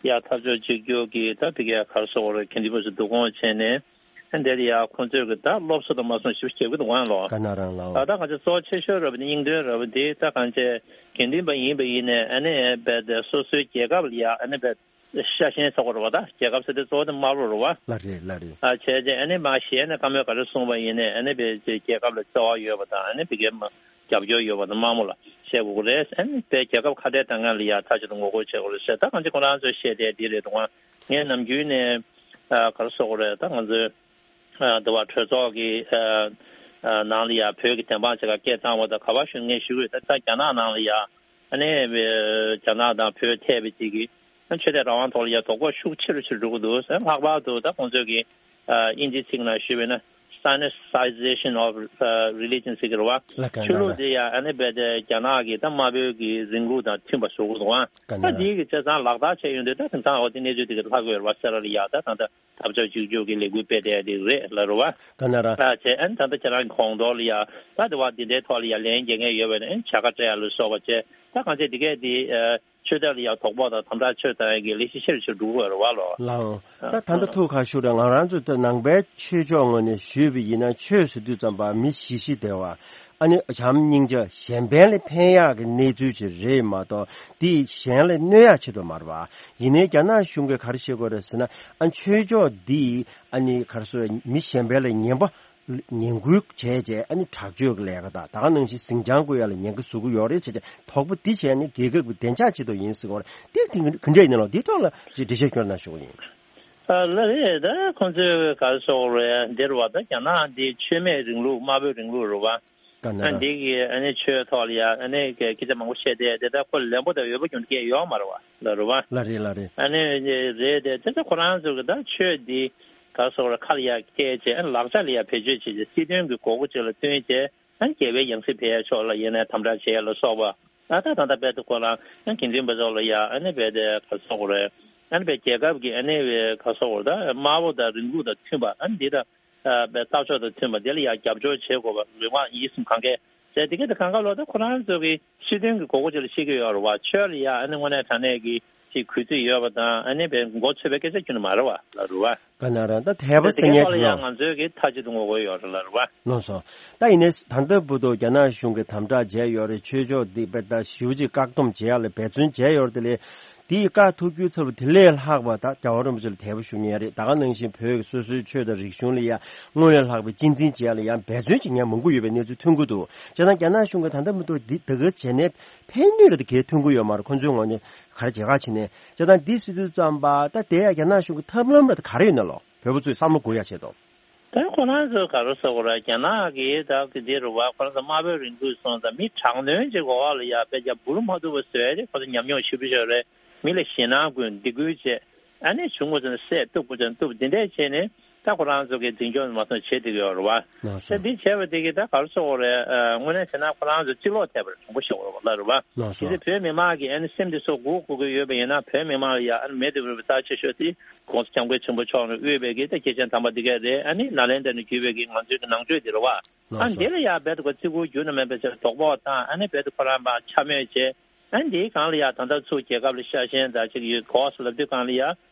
ཡ་འཐབ་ཕྱོགས་གཅིག་གྱུར་གྱི་ད་ཕ་གིའི་ག་རེ་ཟེར་དགོས་རེད། དགེ་འདུན་པ་ཚོ་བསྡུ་སྐོང་བྱས་ནས་ཨ་འདིར་ཡ་ཁོང་ཚོས་གི་ད་སློབ་གསོ་དང་མ་སོང་ཞིབ་བྱེད་ཀྱི་འདུག་ཨང་ལོ། ག་ན་རང་ལགས། ད་ད་གང་ཆེ་གཙོ་ཆེ་ཤོས་ར་བ་དེ་སྙིང་དོན་ར་བ་དེ་ད་གང་ཆེ་དགེ་འདུན་པ་ཡིན་པ་ཡིན་ནས་ཨ་ནི་རྦད་དེ་སོ་སོའི་རྒྱལ་ཁབ་ལ་ཡ་ཨ་ནི་རྦད་ཤ་ཞེན་ཚོགས་པ་རེད་བ། ད་རྒྱལ་ཁབ་ཟེར་དུས་གཙོ་བོ་དེ་དམར་པོ་རེད་བ། ལགས་རེད་ལགས་རེད། ཨ་བྱས་རྗེས་ཨ་ནི་མ་གཞི་ཨ་ནི་བཀའ་མོལ་ག་རེ་གསུངས་པ་ཡིན་ནའི་ཨ་ནི་བས་རྒྱལ་ཁབ་ལ་བརྩེ་བ་ཡོད་པ་དང་ཨ་ནི་བི་གའི་མ་རྒྱབ་སྐྱོར་ཡོད་པ་དང་དམར་མོ་ལ་བཤད་དགོས་ཀྱི་རེད། ཨ་ནི་བས་རྒྱལ་ཁབ་ཁ་བྲལ་བཏང་མཁན་ལ་ཡ་མཐའ་གཅིག་ཏུ་ངོ་རྒོལ་བྱེད་དགོས་རེད་ཟེར། ད་གང་ཅི་ཁོ་རང་ཚོས་བཤད་བསྡད་འདི་རེད་འདུག་ཨ། ངས་ནམ་རྒྱུན་ནས་ཨ་ག་རེ་ཟེར་དགོས་རེད། ད་ང་ཚོའི་ཨ་འདི་བ་གྲོས་ཚོགས་ཀྱི་ཨ་ཨ་ནང་ལ་ཡ་བོད་ཀྱི་བདེན་དཔང་བྱེད་ག་སྐད་བཏང་བ་དང་ག་པར་ཞུ་ངས་ཞུ་གི་རེད། ད་ད་རྒྱ་ནག་ནང་ལ་ཡ་ཨ་ནི་རྒྱ་ནག་དང་བོད་ཐད་པའི་ཅིག་གི་ཆོས་དད་རང་དབང་ཐོག་ལ་ཡ་དོགས་པ་ཤུགས་ཆེ་རུ་ཆེ་རུ་འགྲོ་གི་འདུག་ཟེར། ལྷག་པར་དུ་ད་ཁོང་ཚོས་ཀྱི་ཨ་དབྱིན་ཇིའི་ཚིག་ནང་ཞུས་པ་ཡིན་ན་Sinicization of religion ཟེར་གི་རེད་བ། ལགས་ཀ་ཆོས་ལུགས་དེ་ཡ་ཨ་ནི་རྦད་དེ་རྒྱ་ནག་གི་ད་དམར་པོའི་གི་རིང་ལུགས་དང་མཐུན་པ་བཟོ་གི་འདུག་ཨ། ལགས་ཀ་ད་འདི་གི་བྱས་ཙང་ལག་བསྟར་བྱས་ཡོང་དུས་ད་དེང་སང་འོ་དེ་གནས་ཚུལ་དེ་གི་ལྷག་གི་ཡོད་རེད་བ། སེ་ར་ལ་ཡ་ད་ད་ད་འཐབ་ཕྱོགས་གཅིག་གྱུར་གྱི་ལས་འགུལ་སྤེལ་བསྡད་དེ་རེད་ལ་རུ་བ། ག་ན་ར། ད་བྱས་ཨ་ནི་ད་ལྟ་ཁྱེད་རང་གི་གོང་ཐོག་ལ་ཡ་ད་དེ་བ་འདི་འདྲའི་ཐོག་ལ་ཡ་ལན་རྒྱག་མཁན་ཡོད་པ་ནི་ཨ་ནི་བྱ་དགའ་སྤྲད་ཡ་ལ་སོགས་པ་བྱས། ད་གང་ཅི་འདི་གས་འདི་ཨ་ཆོས་དད་ལ་ཡ་དོགས་པ་དང་དམ་དྲག་ཆོས་དང་ཡ་གི་ལས་གཞི་ཆེ་རུ་ཆེ་རུ་འགྲོ་གི་ཡོད་རེད་བ་ལོ། ལའོ། ད་ད་ལྟ་ཐུགས་ཁ་ཤུ་རེད། ང་རང་ཚོ་ད་ནང་པའི་ཆོས་ཕྱོགས་ངོས་ནས་ཞུས་པ་ཡིན་ན་ཆོས་ཟེར་དུས་ཙམ་པ་མི་ཞི་ཞི་བདེ་བ། ཨ་ནི་བྱམས་སྙིང་རྗེ་གཞན་ཕན་ལ་ཕན་ཡག་གི་གནས་ཚུལ་ཅིག་རེད་མ་གཏོགས་འདིས་གཞན་ལ་གནོད་ཡག་ཆེད་དུ་མ་རེད་བ། ཡིན་ནའི་རྒྱ་ནག་གཞུང་གིས་ག་རེ་བཤད་དགོས་རེད་ཟེར་ན། ཨ་ཆོས་ཕྱོགས་འདིས་ཨ་ནི་ག་རེ་ཟེར་མི་གཞན་ཕན་ལ་ངན་པ་ངན་སྐུལ་བྱས་རྗེས་ཨ་ནི་དྲག་སྤྱོད་ཀྱི་ལས་ཀ་དང་ད་ག་ནང་བཞིན་ཟིང་ཆ་བཀོད་ཡག་ལ་ཉེན་ཁ་བཟོ་གི་ཡོད་རེད་བྱས་རྗེས་དོགས་པ་འདི་བྱས་ནས་རྒྱལ་ཁབ་ཀྱི་བདེ་འཇགས་ཆེད་དུ་ཡིན་ཟེར་གྱི་ཡོད་རེད། འདི་དེ་ག་འདྲ་ཡིན་ནའང་འདི་ཐོག་ལ་འགྲེལ་བཤད་སྐྱོན་གནང་ཞུ་གི་ཡིན། ཨ་ལགས་རེད། ད་ཁོང་ཚོས་ག་རེ་ཟེར་དགོས་རེད། འདིར་བ་ད་རྒྱ་ནག་འདི་ཆོས་མེད་རིང་ལུགས་དམར་པོའི་རིང་ལུགས་རེད་བ། ག་ན་ཨ་ར། འདི་གི་ཨ་ནི་ཆོས་ཐོག་ལ་ཡ་ཨ་ནི་སྐད་ཆ་མང་པོ་བཤད་བསྡད་དེ་ད་ཁོ་ལན་པོ་དང་འོས་པ་རྒྱུ་འབྲས་ཡོད་མ་རེད་བ་ལ་རུ་བ། ལ་རེད་ལ་རེད། ཨ་ནི་རེད་དེ་དེ་ཚོ་ཁོ་རང་ཚོ་གི་ད་ཆོས་འདི་ག་རེ་ཟེར་དགོས་རེད། ཁ་ལ་ཡ་སྐད་བྱས་ཨ་ནི་ལག་ཆ་ལ་ཡ་བེད་སྤྱོད་བྱས་བྱས་སྲིད་དོན་གི་དགོས་མཁོ་ཅིག་ལ་བསྟུན་བྱས་ཨ་ནི་རྒྱལ་བའི་ཡང་སྲིད་སྤེལ་ཡ་ཕྱོགས་ལ་ཡིན་ནའི་དམ་དྲག་བྱས་ཡ་ལ་སོགས་པ། ད་ད་ད་ལྟ་དཔེ་དེ་ཁོ་རང་ཨ་དགེ་འདུན་པ་ཚོ་ལ་ཡ་ཨ་ནི་དཔེ་དེ་ག་རེ་ཟེར་དགོས་རེད། ཨ་ནི་དཔེ་རྒྱལ་ཁབ་ཀྱི་ཨ་ནི་དཔེ་ག་རེ་ཟེར་དགོས་རེད། ད་དམར་པོ་དང་རིང་ལུགས་དང་མཐུན་པ་ཨ་ནི་འདི་དང་ཨ་དཔེ་ལྟ་ཕྱོགས་དང་མཐུན་པ་དེ་ལ་ཡ་རྒྱབ་སྐྱོར་བྱེད་དགོས་པ་ལུས་ངག་ཡིད་གསུམ་གང་གས་ཟེར་དེ་ག་དེ་གང་ག་ལོ་ད་ཁོ་རང་ཚོ་གི་སྲིད་དོན་གྱི་དགོས་མཁོ་ཅིག་ལ་བཤད་ཀྱི་ཡོད་རེད་བ། ཆོས་ལ་ཡ་ཨ་ནི་དངོས་གནས་དྲང་གནས་ཀྱི་ཅིག་གུས་བརྩི་ཡོད་པ་དང་ཨ་ནི་དཔེ་མགོ་ཚོས་པའི་སྐད་ཆ་ཁྱོན་ནས་མ་རེད་བ་ལ་རུ་བ། ག་ན་ར་ད་དད་པ་ཟེར་མཁན་དེ་ལ་ཡང་ང་ཚོའི་གི་མཐའ་གཅིག་ཏུ་ངོ་རྒོལ་ཡོད་རེད་ལ་རེད་བ། ལགས་སོ། ད་ཡིན་ནའི་ད་ལྟ་བར་དུ་རྒྱ་ནག་གཞུང་གིས་དམ་དྲག་བྱས་ཡོད་རེད། ཆོས་ཕྱོགས་འདི་དཔེ་ད་ཞེ་པོ་ཅིག་བཀག་སྡོམ་བྱེད་ཡག་ལ་འབད་བརྩོན་བྱས་ཡོད་རེད། དེ་ལས་དེ་ཡི་བཀག་ཐུབ་རྒྱུ་ཚབ་དེ་ལས་ལྷག་པ་ད་རྒྱལ་བ་རིན་པོ་ཆེ་ལ་དད་པ་ཞུ་མཁན་རེད། ད་ག་ནང་བཞིན་བོད་ཀྱི་སོ་སོའི་ཆོས་དང་རིག་གཞུང་ལ་ཡང་སྔོན་ལས་ལྷག་པའི་གཅེས་འཛིན་བྱེད་ཡག་ལ་ཡང་འབད་བརྩོན་བྱེད་མཁན་མང་པོ་ཡོད་པའི་གནས་ཚུལ་ཐོན་གྱི་འདུག་བྱས་ཙང་རྒྱ་ནག་གཞུང་གིས་ད་ལྟ་བར་དུ་འདི་ད་ག་བྱས་ནའི་ཕན་ནུས་ལ་དེ་གའི་ཐོན་གྱི་ཡོད་མ་རེད། ཁོ་ཚོའི་ངོས་ནས་ག་རེ་བྱེད་ག་བྱེད་ནས་བྱས་ཙང་འདི་ཟེར་དུས་ཙམ་པ་ད་དེ་ཡང་རྒྱ་ནག་གཞུང་གི་ཐབས་ལམ་ལ་ད་ག་རེ་ཡོད་ན་ལོ། བོད་པ་ཚོས་བསམ་བློ་འགུག་ཡག་ཆེད་དུ། ད་ཁོ་རང་ཚོས་ག་རེ་ཟེར་དགོས་རེད། རྒྱ་ནག་གིས་ད་གི་འདི་རུ་བ་ཁོ་རང་ཚོ་དམར་པོའི་རིང་ལུགས་སོང་ཙང་མི་དྲག་གནོན་ཅིག་འོག་ལ་ཡ་དཔེ་རྒྱ་འབུར་མ་ཐུབ་པ་བཟོས་ཏེ་ཁོ་ཚོ་ཉམས་མྱོང་ཞེ་པོ་ཅིག་ཡོད་རེད། མི་ལ་ཞེད་སྣང་སྐུལ་སྡིགས་སྐུལ་བྱས། ཨ་ནི་བྱུང་དགོས་ཚེ་བསད་གཏུབ་དགོས་ཚེ་གཏུབ། འདི་འདྲས་བྱས་ནས་ད་ཁོ་རང་ཚོ་གི་འཛིན་སྐྱོང་མ་སོང་བྱེད་བསྡད་ཀྱི་ཡོད་རེད་བ། ད་འདི་བྱས་པ་དེ་གིས་ད་ག་རེ་ཟེར་དགོས་རེད། དངོས་གནས་བྱས་ན་ཁོ་རང་ཚོ་གཅིག་ལོག་ཐེབས་པ་རེད། དྲང་པོ་བཤད་དགོས་རེད་བ་ལ་རེད་བ། གལ་སྲིད་བོད་མི་མང་གིས་ཨ་ནི་སེམས་འདི་ཚོ་སྒུག་དགོས་ཀྱི་ཡོད་པ་ཡིན་ན་བོད་མི་མང་ལ་ཡ་ཨ་ནི་མེ་འདི་རུ་རྩ་ཆེ་ཤོས་དེ། གོང་ས་སྐྱབས་མགོན་ཆེན་པོ་མཆོག་ནས་དབུས་པའི་གི་ད་སྐྱེས་ཆེན་དམ་པ་འདི་གས་རེད། ཨ་ནི་ནཱ་ལེནྡྲ་ནས་བརྒྱུད་པའི་གི་ང་ཚོའི་གི་ནང་ཆོས་འདི་རེད་བ། ཨ་འདི་ལ་ཡ་རྦད་དེ་ཁོ་བརྩི་བཀུར་རྒྱུན་དུ་མེད་པའི་ཆེད་དོགས་པ་དང་ཨ་ནི་རྦད་དེ་ཁོ་རང་པ་འཕྱ་སྨོད་བྱས། ཨ་འདིའི་སྒང་ལ་ཡ་ད་ལྟ་ཚུར་རྒྱལ་ཁབ་ལ་ཤ་ཞེན་ད་ཅིག་ཡོད་གོ་ཟེར་ལབ་དུས་སྒང་ལ་ཡ།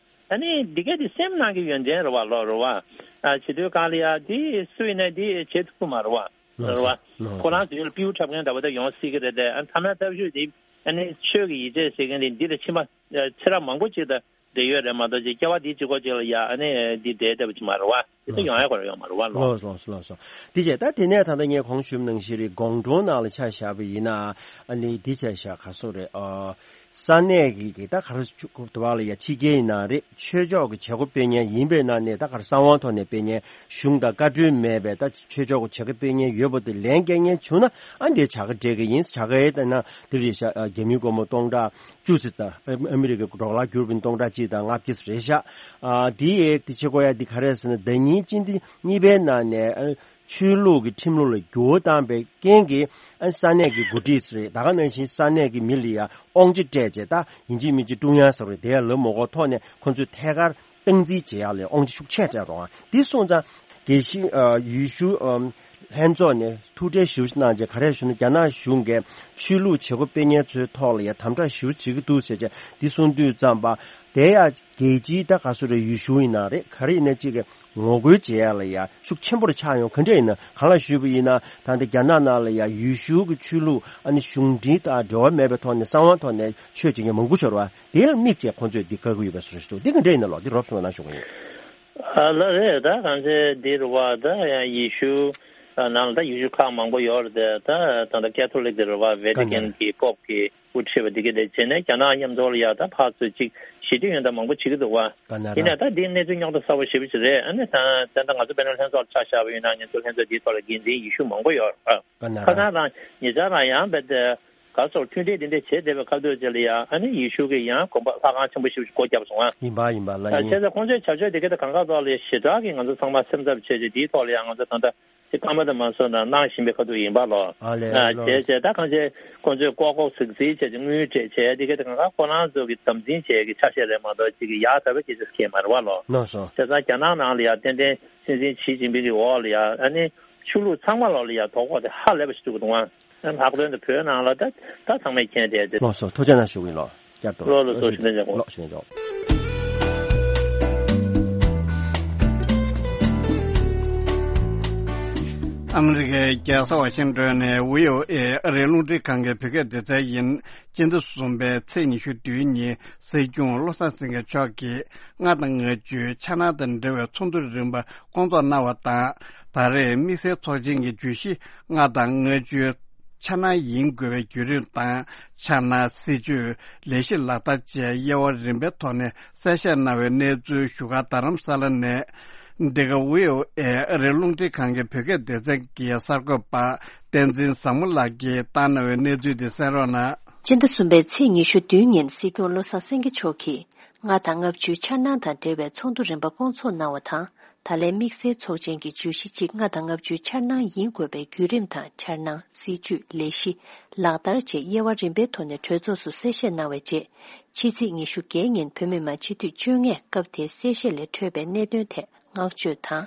ཨ་ནི་འདི་གས་འདི་སེམས་ནང་གི་ཡོན་ཏན་རེད་བ་ལོ་རེད་བ། ཨ་བྱེད་དུས་སྒང་ལ་ཡ་འདི་སུ་ཡིན་ན་འདི་བྱེད་ཐུབ་ཀྱི་མ་རེད་བ། རེད་བ། ཁོ་རང་ཚོ་ཡུལ་ལ་སྤྲེའུ་འཁྲབ་མཁན་འདྲ་བོ་ད་ཡོང་སྲིད་ཀྱི་རེད་དེ། ཨ་ཐ་མའི་སྟབས་ཤུགས་འདི་ཨ་ནི་ཆོས་ཀྱི་ཡིད་ཆེས་ཟེར་མཁན་འདི་འདི་ལ་ཕྱིན་པ་ཚེ་རབས་མང་པོ་ཅིག་ད་བསྡད་ཡོད་རེད་མ་གཏོགས་ཅིག་སྐྱེ་བ་འདི་གཅིག་པོ་ཅིག་ལ་ཡ་ཨ་ནི་འདི་བསྡད་བསྡད་པ་ཅིག་མ་རེད་བ། འདི་ད་ཡོང་ཡ་ག་རེ་ཡོང་མ་རེད་བ་ལོ། ལགས་སོ་ལགས་སོ་ལགས་སོ། འདི་བྱས་ད་དེ་ནས་ད་ལྟ་ངས་གོང་ཞུས་ནང་བཞིན་རེད། དགོང་དྲོ་ནང་ལ་ཆ་བཞག་པ་ཡིན་ན་ཨ་ནི་འདི་བྱས་བཞག་ག་སོ་རེད། ཨ་ས་གནས་ཀྱི་གི་ད་ག་རེ་ཆུ་དུ་བ་ལ་ཡ་ཕྱི་རྒྱལ་ཡིན་ན་རེད། ཆོས་ཕྱོགས་ཀྱི་བྱེད་སྒོ་སྤེལ་མཁན་ཡིན་པའི་ནང་ནས་ད་ག་རེ་གསང་བའི་ཐོག་ནས་སྤེལ་མཁན་གཞུང་དང་བཀའ་འཁྲོལ་མེད་པའི་ད་ཆོས་ཕྱོགས་ཀྱི་བྱེད་སྒོ་སྤེལ་མཁན་ཡོད་པ་དེ་ལན་སྐྱེལ་མཁན་བྱུང་ན་ཨ་འདི་བྱ་དགའ་སྤྲད་ཀྱི་ཡིན། བྱ་དགའ་ཡས་ལྟ་ན་འདི་རེད་ཤག་རྒྱ་མིའི་སྒོར་མོ་སྟོང་ཕྲག་བཅུ་ཙམ་དང་ཨ་མི་རི་ཀའི་ཌོ་ལར་བསྒྱུར་བའི་སྟོང་ཕྲག་གཅིག་དང་ལྔ་བཅུ་རེད་ཤག་ཨ་འདི་ཡས་འདི་བྱེད་དགོས་ཡ་འདི་ག་རེ་ཟེར་ན་ཟླ་ཉིན་སྤྱི་ཟླ་གཉིས་པའི་ནང་ནས་ཨ་ཆོས་ལུགས་ཀྱི་ཁྲིམས་ལུགས་ལ་འགྱུར་བ་བཏང་པའི་རྐྱེན་གྱིས་ཨ་ས་གནས་ཀྱི་འགོ་ཁྲིད་རེད། ད་ག་ནང་བཞིན་ས་གནས་ཀྱི་མི་ལ་ཡ་དབང་ཆ་སྤྲད་བྱས་ད་ཡིན་གཅིག་མིན་གཅིག་ཀྲུང་དབྱང་ཟེར་བའི་དེ་ཡ་ལབ་མ་དགོས་ཐོག་ནས་ཁོ་ཚོས་ཐད་ཀར་སྟངས་འཛིན་བྱེད་ཡག་ལ་དབང་ཆ་ཤུགས་ཆེ་སྤྲད་རོགས་ཨ། འདི་སོང་ཙང་དགེ་བཤེས་ཨ་ཡུལ་ཤུལ་ཨ་ལྷན་ཚོགས་ནས་ཐུགས་ཁྲལ་ཞེ་པོ་ཅིག་གནང་རྗེས་ག་རེ་ཞུ་ན་རྒྱ་ནག་གཞུང་གིས་ཆོས་ལུགས་བྱེད་སྒོ་སྤེལ་མཁན་ཚོའི་ཐོག་ལ་ཡ་དམ་དྲག་ཞེ་པོ་བྱེད་ཀྱི་འདུག་ཟེར་བྱས་འདི་གསུང་དུས་ཙམ་པ་དེ་ཡ་རྒྱལ་སྤྱིའི་ད་ག་སོ་རེ་ཡུལ་ཤུལ་ཡིན་ན་རེད་ག་རེ་ཡིན་ན་ཅིག་གི་ངོ་རྒོལ་བྱེད་ཡ་ལ་ཡ་ཤུགས་ཆེན་པོ་རུ་ཆགས་ཡོང་ག་འདྲ་ཡིན་ན་གང་ལ་ཞུས་པ་ཡིན་ན་ད་ལྟ་རྒྱ་ནག་ནང་ལ་ཡ་ཡུལ་ཤུལ་གྱི་ཆོས་ལུགས་ཨ་ནི་གཞུང་འབྲེལ་དང་འབྲེལ་བ་མེད་པའི་ཐོག་ནས་གསང་བའི་ཐོག་ནས་ཆོས་བྱེད་མཁན་མང་པོ་ཤོར་བ་དེ་ལ་དམིགས་བྱས་ཁོང་ཚོས་འདི་བཀག་གི་ཡོད་པའི་བཟོ་ཞིག་འདུག་འདི་ག་འདྲ་ཡིན་ན་ལོ་འདི་རོབ་སོང་ན་ཞུ་གི་ཡིན། ཨ་ལ་རེད། ད་གང་ཚེ་འདི་རུ་བ་ད་ཡང་ཡེ་ཤུ་ནང་ལ་ད་ཡེ་ཤུ་ཁག་མང་པོ་ཡོད་རེད་དེ། ད་ད་ལྟ་ཀེ་ཐོ་ལིག་དེ་རུ་བ་ཝེ་ཏི་ཀན་གྱི་པོབ་ཀྱི་དབུ་ཁྲིད་པ་འདི་ག་དེ་བྱས་ནས་རྒྱ་ནག་མཉམ་དུ་ལ་ཡ་ད་ཕར་ཚུར་ཅིག་ཞི་བདེ་ཡོན་ད་མང་པོ་བྱེད་ཀྱི་འདུག་བ། ཡིན་ནའི་ད་འདི་གནས་ཚུལ་རྙོག་དྲ་གསར་པ་ཞེ་པོ་ཅིག་རེད། ཨ་ནི་ད་ད་ལྟ་ང་ཚོ་དཔེར་ན་ལྷན་ཚོགས་ལ་ཆ་བཞག་པ་ཡིན་ན་ང་ཚོ་ལྷན་ཚོགས་འདིའི་ཐོག་ལ་འགན་འཛིན་ཡེ་ཤུ་མང་པོ་ཡོད་རེད། ཁ་སང་རང་ཉེ་ཆར་རང་ཡང་བས་ཏེ་ག་སོགས་མཐུན་སྒྲིལ་འདི་འདྲ་བྱས་བསྡད་པའི་སྐབས་དུས་ཅིག་ལ་ཡང་ཨ་ནི་ཡེ་ཤུ་གི་ཡང་དགོན་པ་ལྷ་ཁང་ཆེན་པོ་ཞིག་སྒོ་བརྒྱབ་སོང་ཨ། ཡིན་པ་ཡིན་པ་ལ་ཡིན། བྱས་ཙང་ཁོང་ཚོའི་བྱ་སྤྱོད་དེ་ག་ད་གང་ག་ཐོག་ལ་ཞེ་དྲག་གི་ང་ཚོ་ཚང་མ་སེམས་འཚབ་བྱས་རྗེས་འདིའི་ཐོག་ལ་ཡང་ང་ཚོ་ད་ལྟ་དེ་ཀ་མ་ད་མ་སོང་ན་གནང་བཞིན་པའི་ཁ་ཐུག་ཡིན་པ་ལོ། ཨ་ལས་ཨ་ལོ། བྱས་བྱས་ད་གང་བྱས་ཁོང་ཚོས་ལྐོག་ལྐོག་ཟིག་ཟིག་བྱས་ཀྱི་དངུལ་སྤྲད་བྱས་དེ་ག་ད་གང་ག་ཁོ་རང་ཚོ་གི་དམ་འཛིན་བྱས་ཀྱི་ཆ་ཤས་རེད་མ་གཏོགས་ཅིག་གི་ཡག་ད་བའི་སྐད་ཆ་ཟེར་མཁན་མ་རེད་བ་ལོ། ལགས་སོ། བྱས་ཙང་རྒྱ་ནག་ནང་ལ་ཡང་ཏན་ཏན་སྲིད་འཛིན་ཞི་ཅིན་ཕིང་གི་འོག་ལ་ཡང་ཨ་ནི་ཆོས་ལུགས་ཚང་མ་ལོག་ལ་ཡང་དོ་ཕོག་དེ་ཧ་ལས་པ་ཞིག་འདུག་གི་འདུག་ཨ། ལྷག་དོན་དུ་བོད་ནང་ལ་ད་ད་ཚང་མས་མཁྱེན་བསྡད་དེ། ལགས་སོ། ཐུགས་རྗེ་གནང་ཞུ་གི་ཡིན་ལོ། བསྐྱར་དུ་ལོ་ལོ་ལོ་ཞུ་ཞུ་ཞུ་ལོ་ཞུ་ཞུ། ཨ་མི་རི་ཀའི་རྒྱལ་ས་ཝ་ཤིང་ཏོན་ནས་བྷི་ཨོ་ཨེ་ཨ་རིའི་རླུང་འཕྲིན་ཁང་གི་བོད་སྐད་སྡེ་ཚན་ཡིན། སྤྱི་ཟླ་གསུམ་པའི་ཚེས་ཉི་ཤུ་བདུན་ཉིན་སྲིད་སྐྱོང་བློ་བཟང་སེང་གེ་མཆོག་གིས་ལྔ་དང་ལྔ་བཅུའི་འཆར་སྣང་དང་འབྲེལ་བའི་ཚོགས་འདུ་རིམ་པ་སྐོང་ཚོགས་གནང་བ་དང་། ད་རེས་དམིགས་བསལ་ཚོགས་ཆེན་གྱི་བརྗོད་གཞི་ལྔ་དང་ལྔ་བཅུའི་འཆར་སྣང་ཡིན་དགོས་པའི་བརྒྱུད་རིམ་དང་། འཆར་སྣང་། སྲིད་ཇུས། ལས་གཞི་ལག་བསྟར་བཅས་དབྱེ་བ་རིམ་པའི་ཐོག་ནས་གསལ་བཤད་གནང་བའི་གནས་ཚུལ་བཞུགས་སྒར་རྡ་རམ་ས་ལ་ནས། འདི་ག་བྷི་ཨོ་ཨེ་ཨ་རིའི་རླུང་འཕྲིན་ཁང་གི་བོད་སྐད་སྡེ་ཚན་གྱི་གསར་འགོད་པ་བསྟན་འཛིན་བཟང་མོ་ལགས་ཀྱིས་བཏང་གནང་བའི་གནས་ཚུལ་དེ་གསན་རོགས་གནང་། སྤྱི་ཟླ་གསུམ་པའི་ཚེས་ཉི་ཤུ་བདུན་ཉིན་སྲིད་སྐྱོང་བློ་བཟང་སེང་གེ་མཆོག་གིས་ལྔ་དང་ལྔ་བཅུའི་འཆར་སྣང་དང་འབྲེལ་བའི་ཚོགས་འདུ་རིམ་པ་སྐོང་ཚོགས་གནང་བ་དང་། ད་ལན་དམིགས་བསལ་ཚོགས་ཆེན་གྱི་བརྗོད་གཞི་གཅིག་ལྔ་དང་ལྔ་བཅུའི་འཆར་སྣང་ཡིན་དགོས་པའི་བརྒྱུད་རིམ་དང་འཆར་སྣང་། སྲིད་ཇུས། ལས་གཞི། ལག་བསྟར་བཅས་དབྱེ་བ་རིམ་པའི་ཐོག་ནས་གྲོས་ཚོགས་སུ་གསལ་བཤད་གནང་བའི་རྗེས། ཕྱི་ཚེས་ཉི་ཤུ་བརྒྱད་ཉིན་བོད་མི་མང་སྤྱི་འཐུས་བཅོ་ལྔས་སྐབས་དེའི་གསལ་བཤད་ལས་འཕྲོས་པའི་གནད་དོན་ཐད་བསྔགས་བརྗོད་དང་།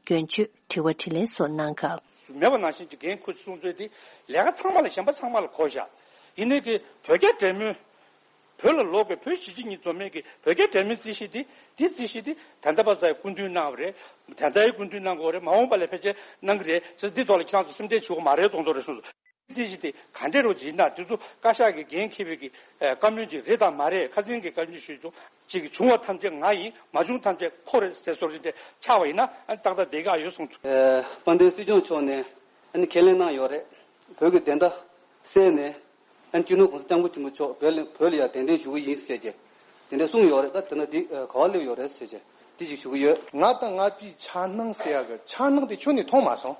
སྐྱོན་བརྗོད། དྲི་བ་དྲིས་ལན་སོགས་གནང་སྐབས། མེད་པ་ནང་བཞིན་གྱི་འགན་ཁུར་གསུང་ཚུལ་དེ་ལས་ཀ་ཚང་མ་ལ་གཞན་པ་ཚང་མ་ལ་གོ་བཞག་ཡིན་ནའི་གི་བོད་རྒྱ་འབྲེལ་མོལ། བོད་ལ་ལོག་གི་བོད་གཞིས་བྱེས་གཉིས་འཛོམས་མེད་ཀྱི་བོད་རྒྱ་འབྲེལ་མོལ་རྩིས་གཞི་འདི་འདི་རྩིས་གཞི་འདི་ད་ལྟ་བར་ཙམ་སྐུ་མདུན་གནང་བ་རེད། ད་ལྟའི་སྐུ་མདུན་གནང་དགོས་རེད། མ་འོངས་པ་ལ་ཕལ་ཆེར་གནང་གི་རེད་ཟེར། འདི་ཐོག་ལ་ཁྱེད་རང་ཚོ་སེམས་ཁྲལ་བྱེད་དགོས་མ་རེད་མདོག་མདོག་རེད་གསུངས་སོང་། རྩིས་གཞི་དེ་ག་འདྲས་རོ་ཇི་ན་དེ་ཚོ་བཀའ་ཤག་གི་འགན་འཁྱེར་བའི་གི་ཨ་བཀའ་མོལ་ཅིག་རེད་དམ་མ་རེད། ཁ་སང་གི་བཀའ་མོལ་ཞུས་བྱུང་ཅིག་བྱུང་བ་ཐམས་ཅད་ང་ཡིན། མ་བྱུང་ཐམས་ཅད་ཁོ་རེད་ཟེར་བཟོ་འདྲ་ཆགས་པ་ཡིན་ན་ཨ་ཏག་ཏག་བསྡད་ཀྱི་ཨ་ཡོད་གསུངས་འདུག། ཨ་དཔལ་ལྡན་སྲིད་སྐྱོང་མཆོག་ནས་ཨ་ནི་ཁས་ལེན་གནང་ཡོད་རེད། བོད་ཀྱི་བདེན་མཐའ་གསལ་ནས་ཨ་ནི་སྤྱི་ནོར་༸གོང་ས་༸སྐྱབས་མགོན་ཆེན་པོ་མཆོག་བོད་ལ་བོད་ལ་ཡང་གདན་འདྲེན་ཞུ་གི་ཡིན་ཟེར་བྱས་དེ་འདྲ་གསུངས་ཡོད་རེད། ད་དེ་ན་འདི་ག་བ་སླེབས་ཡོད་རེད་ཟེར་བྱས་འདི་ཞིག་ཞུ་གི་ཡོད། ང་དང་ང་བཅས་འཆར་སྣང་ཟེར་ཡག་གི་འཆར་སྣང་དེ་ཁྱོན་ནས་མཐོང་མ་སོང་།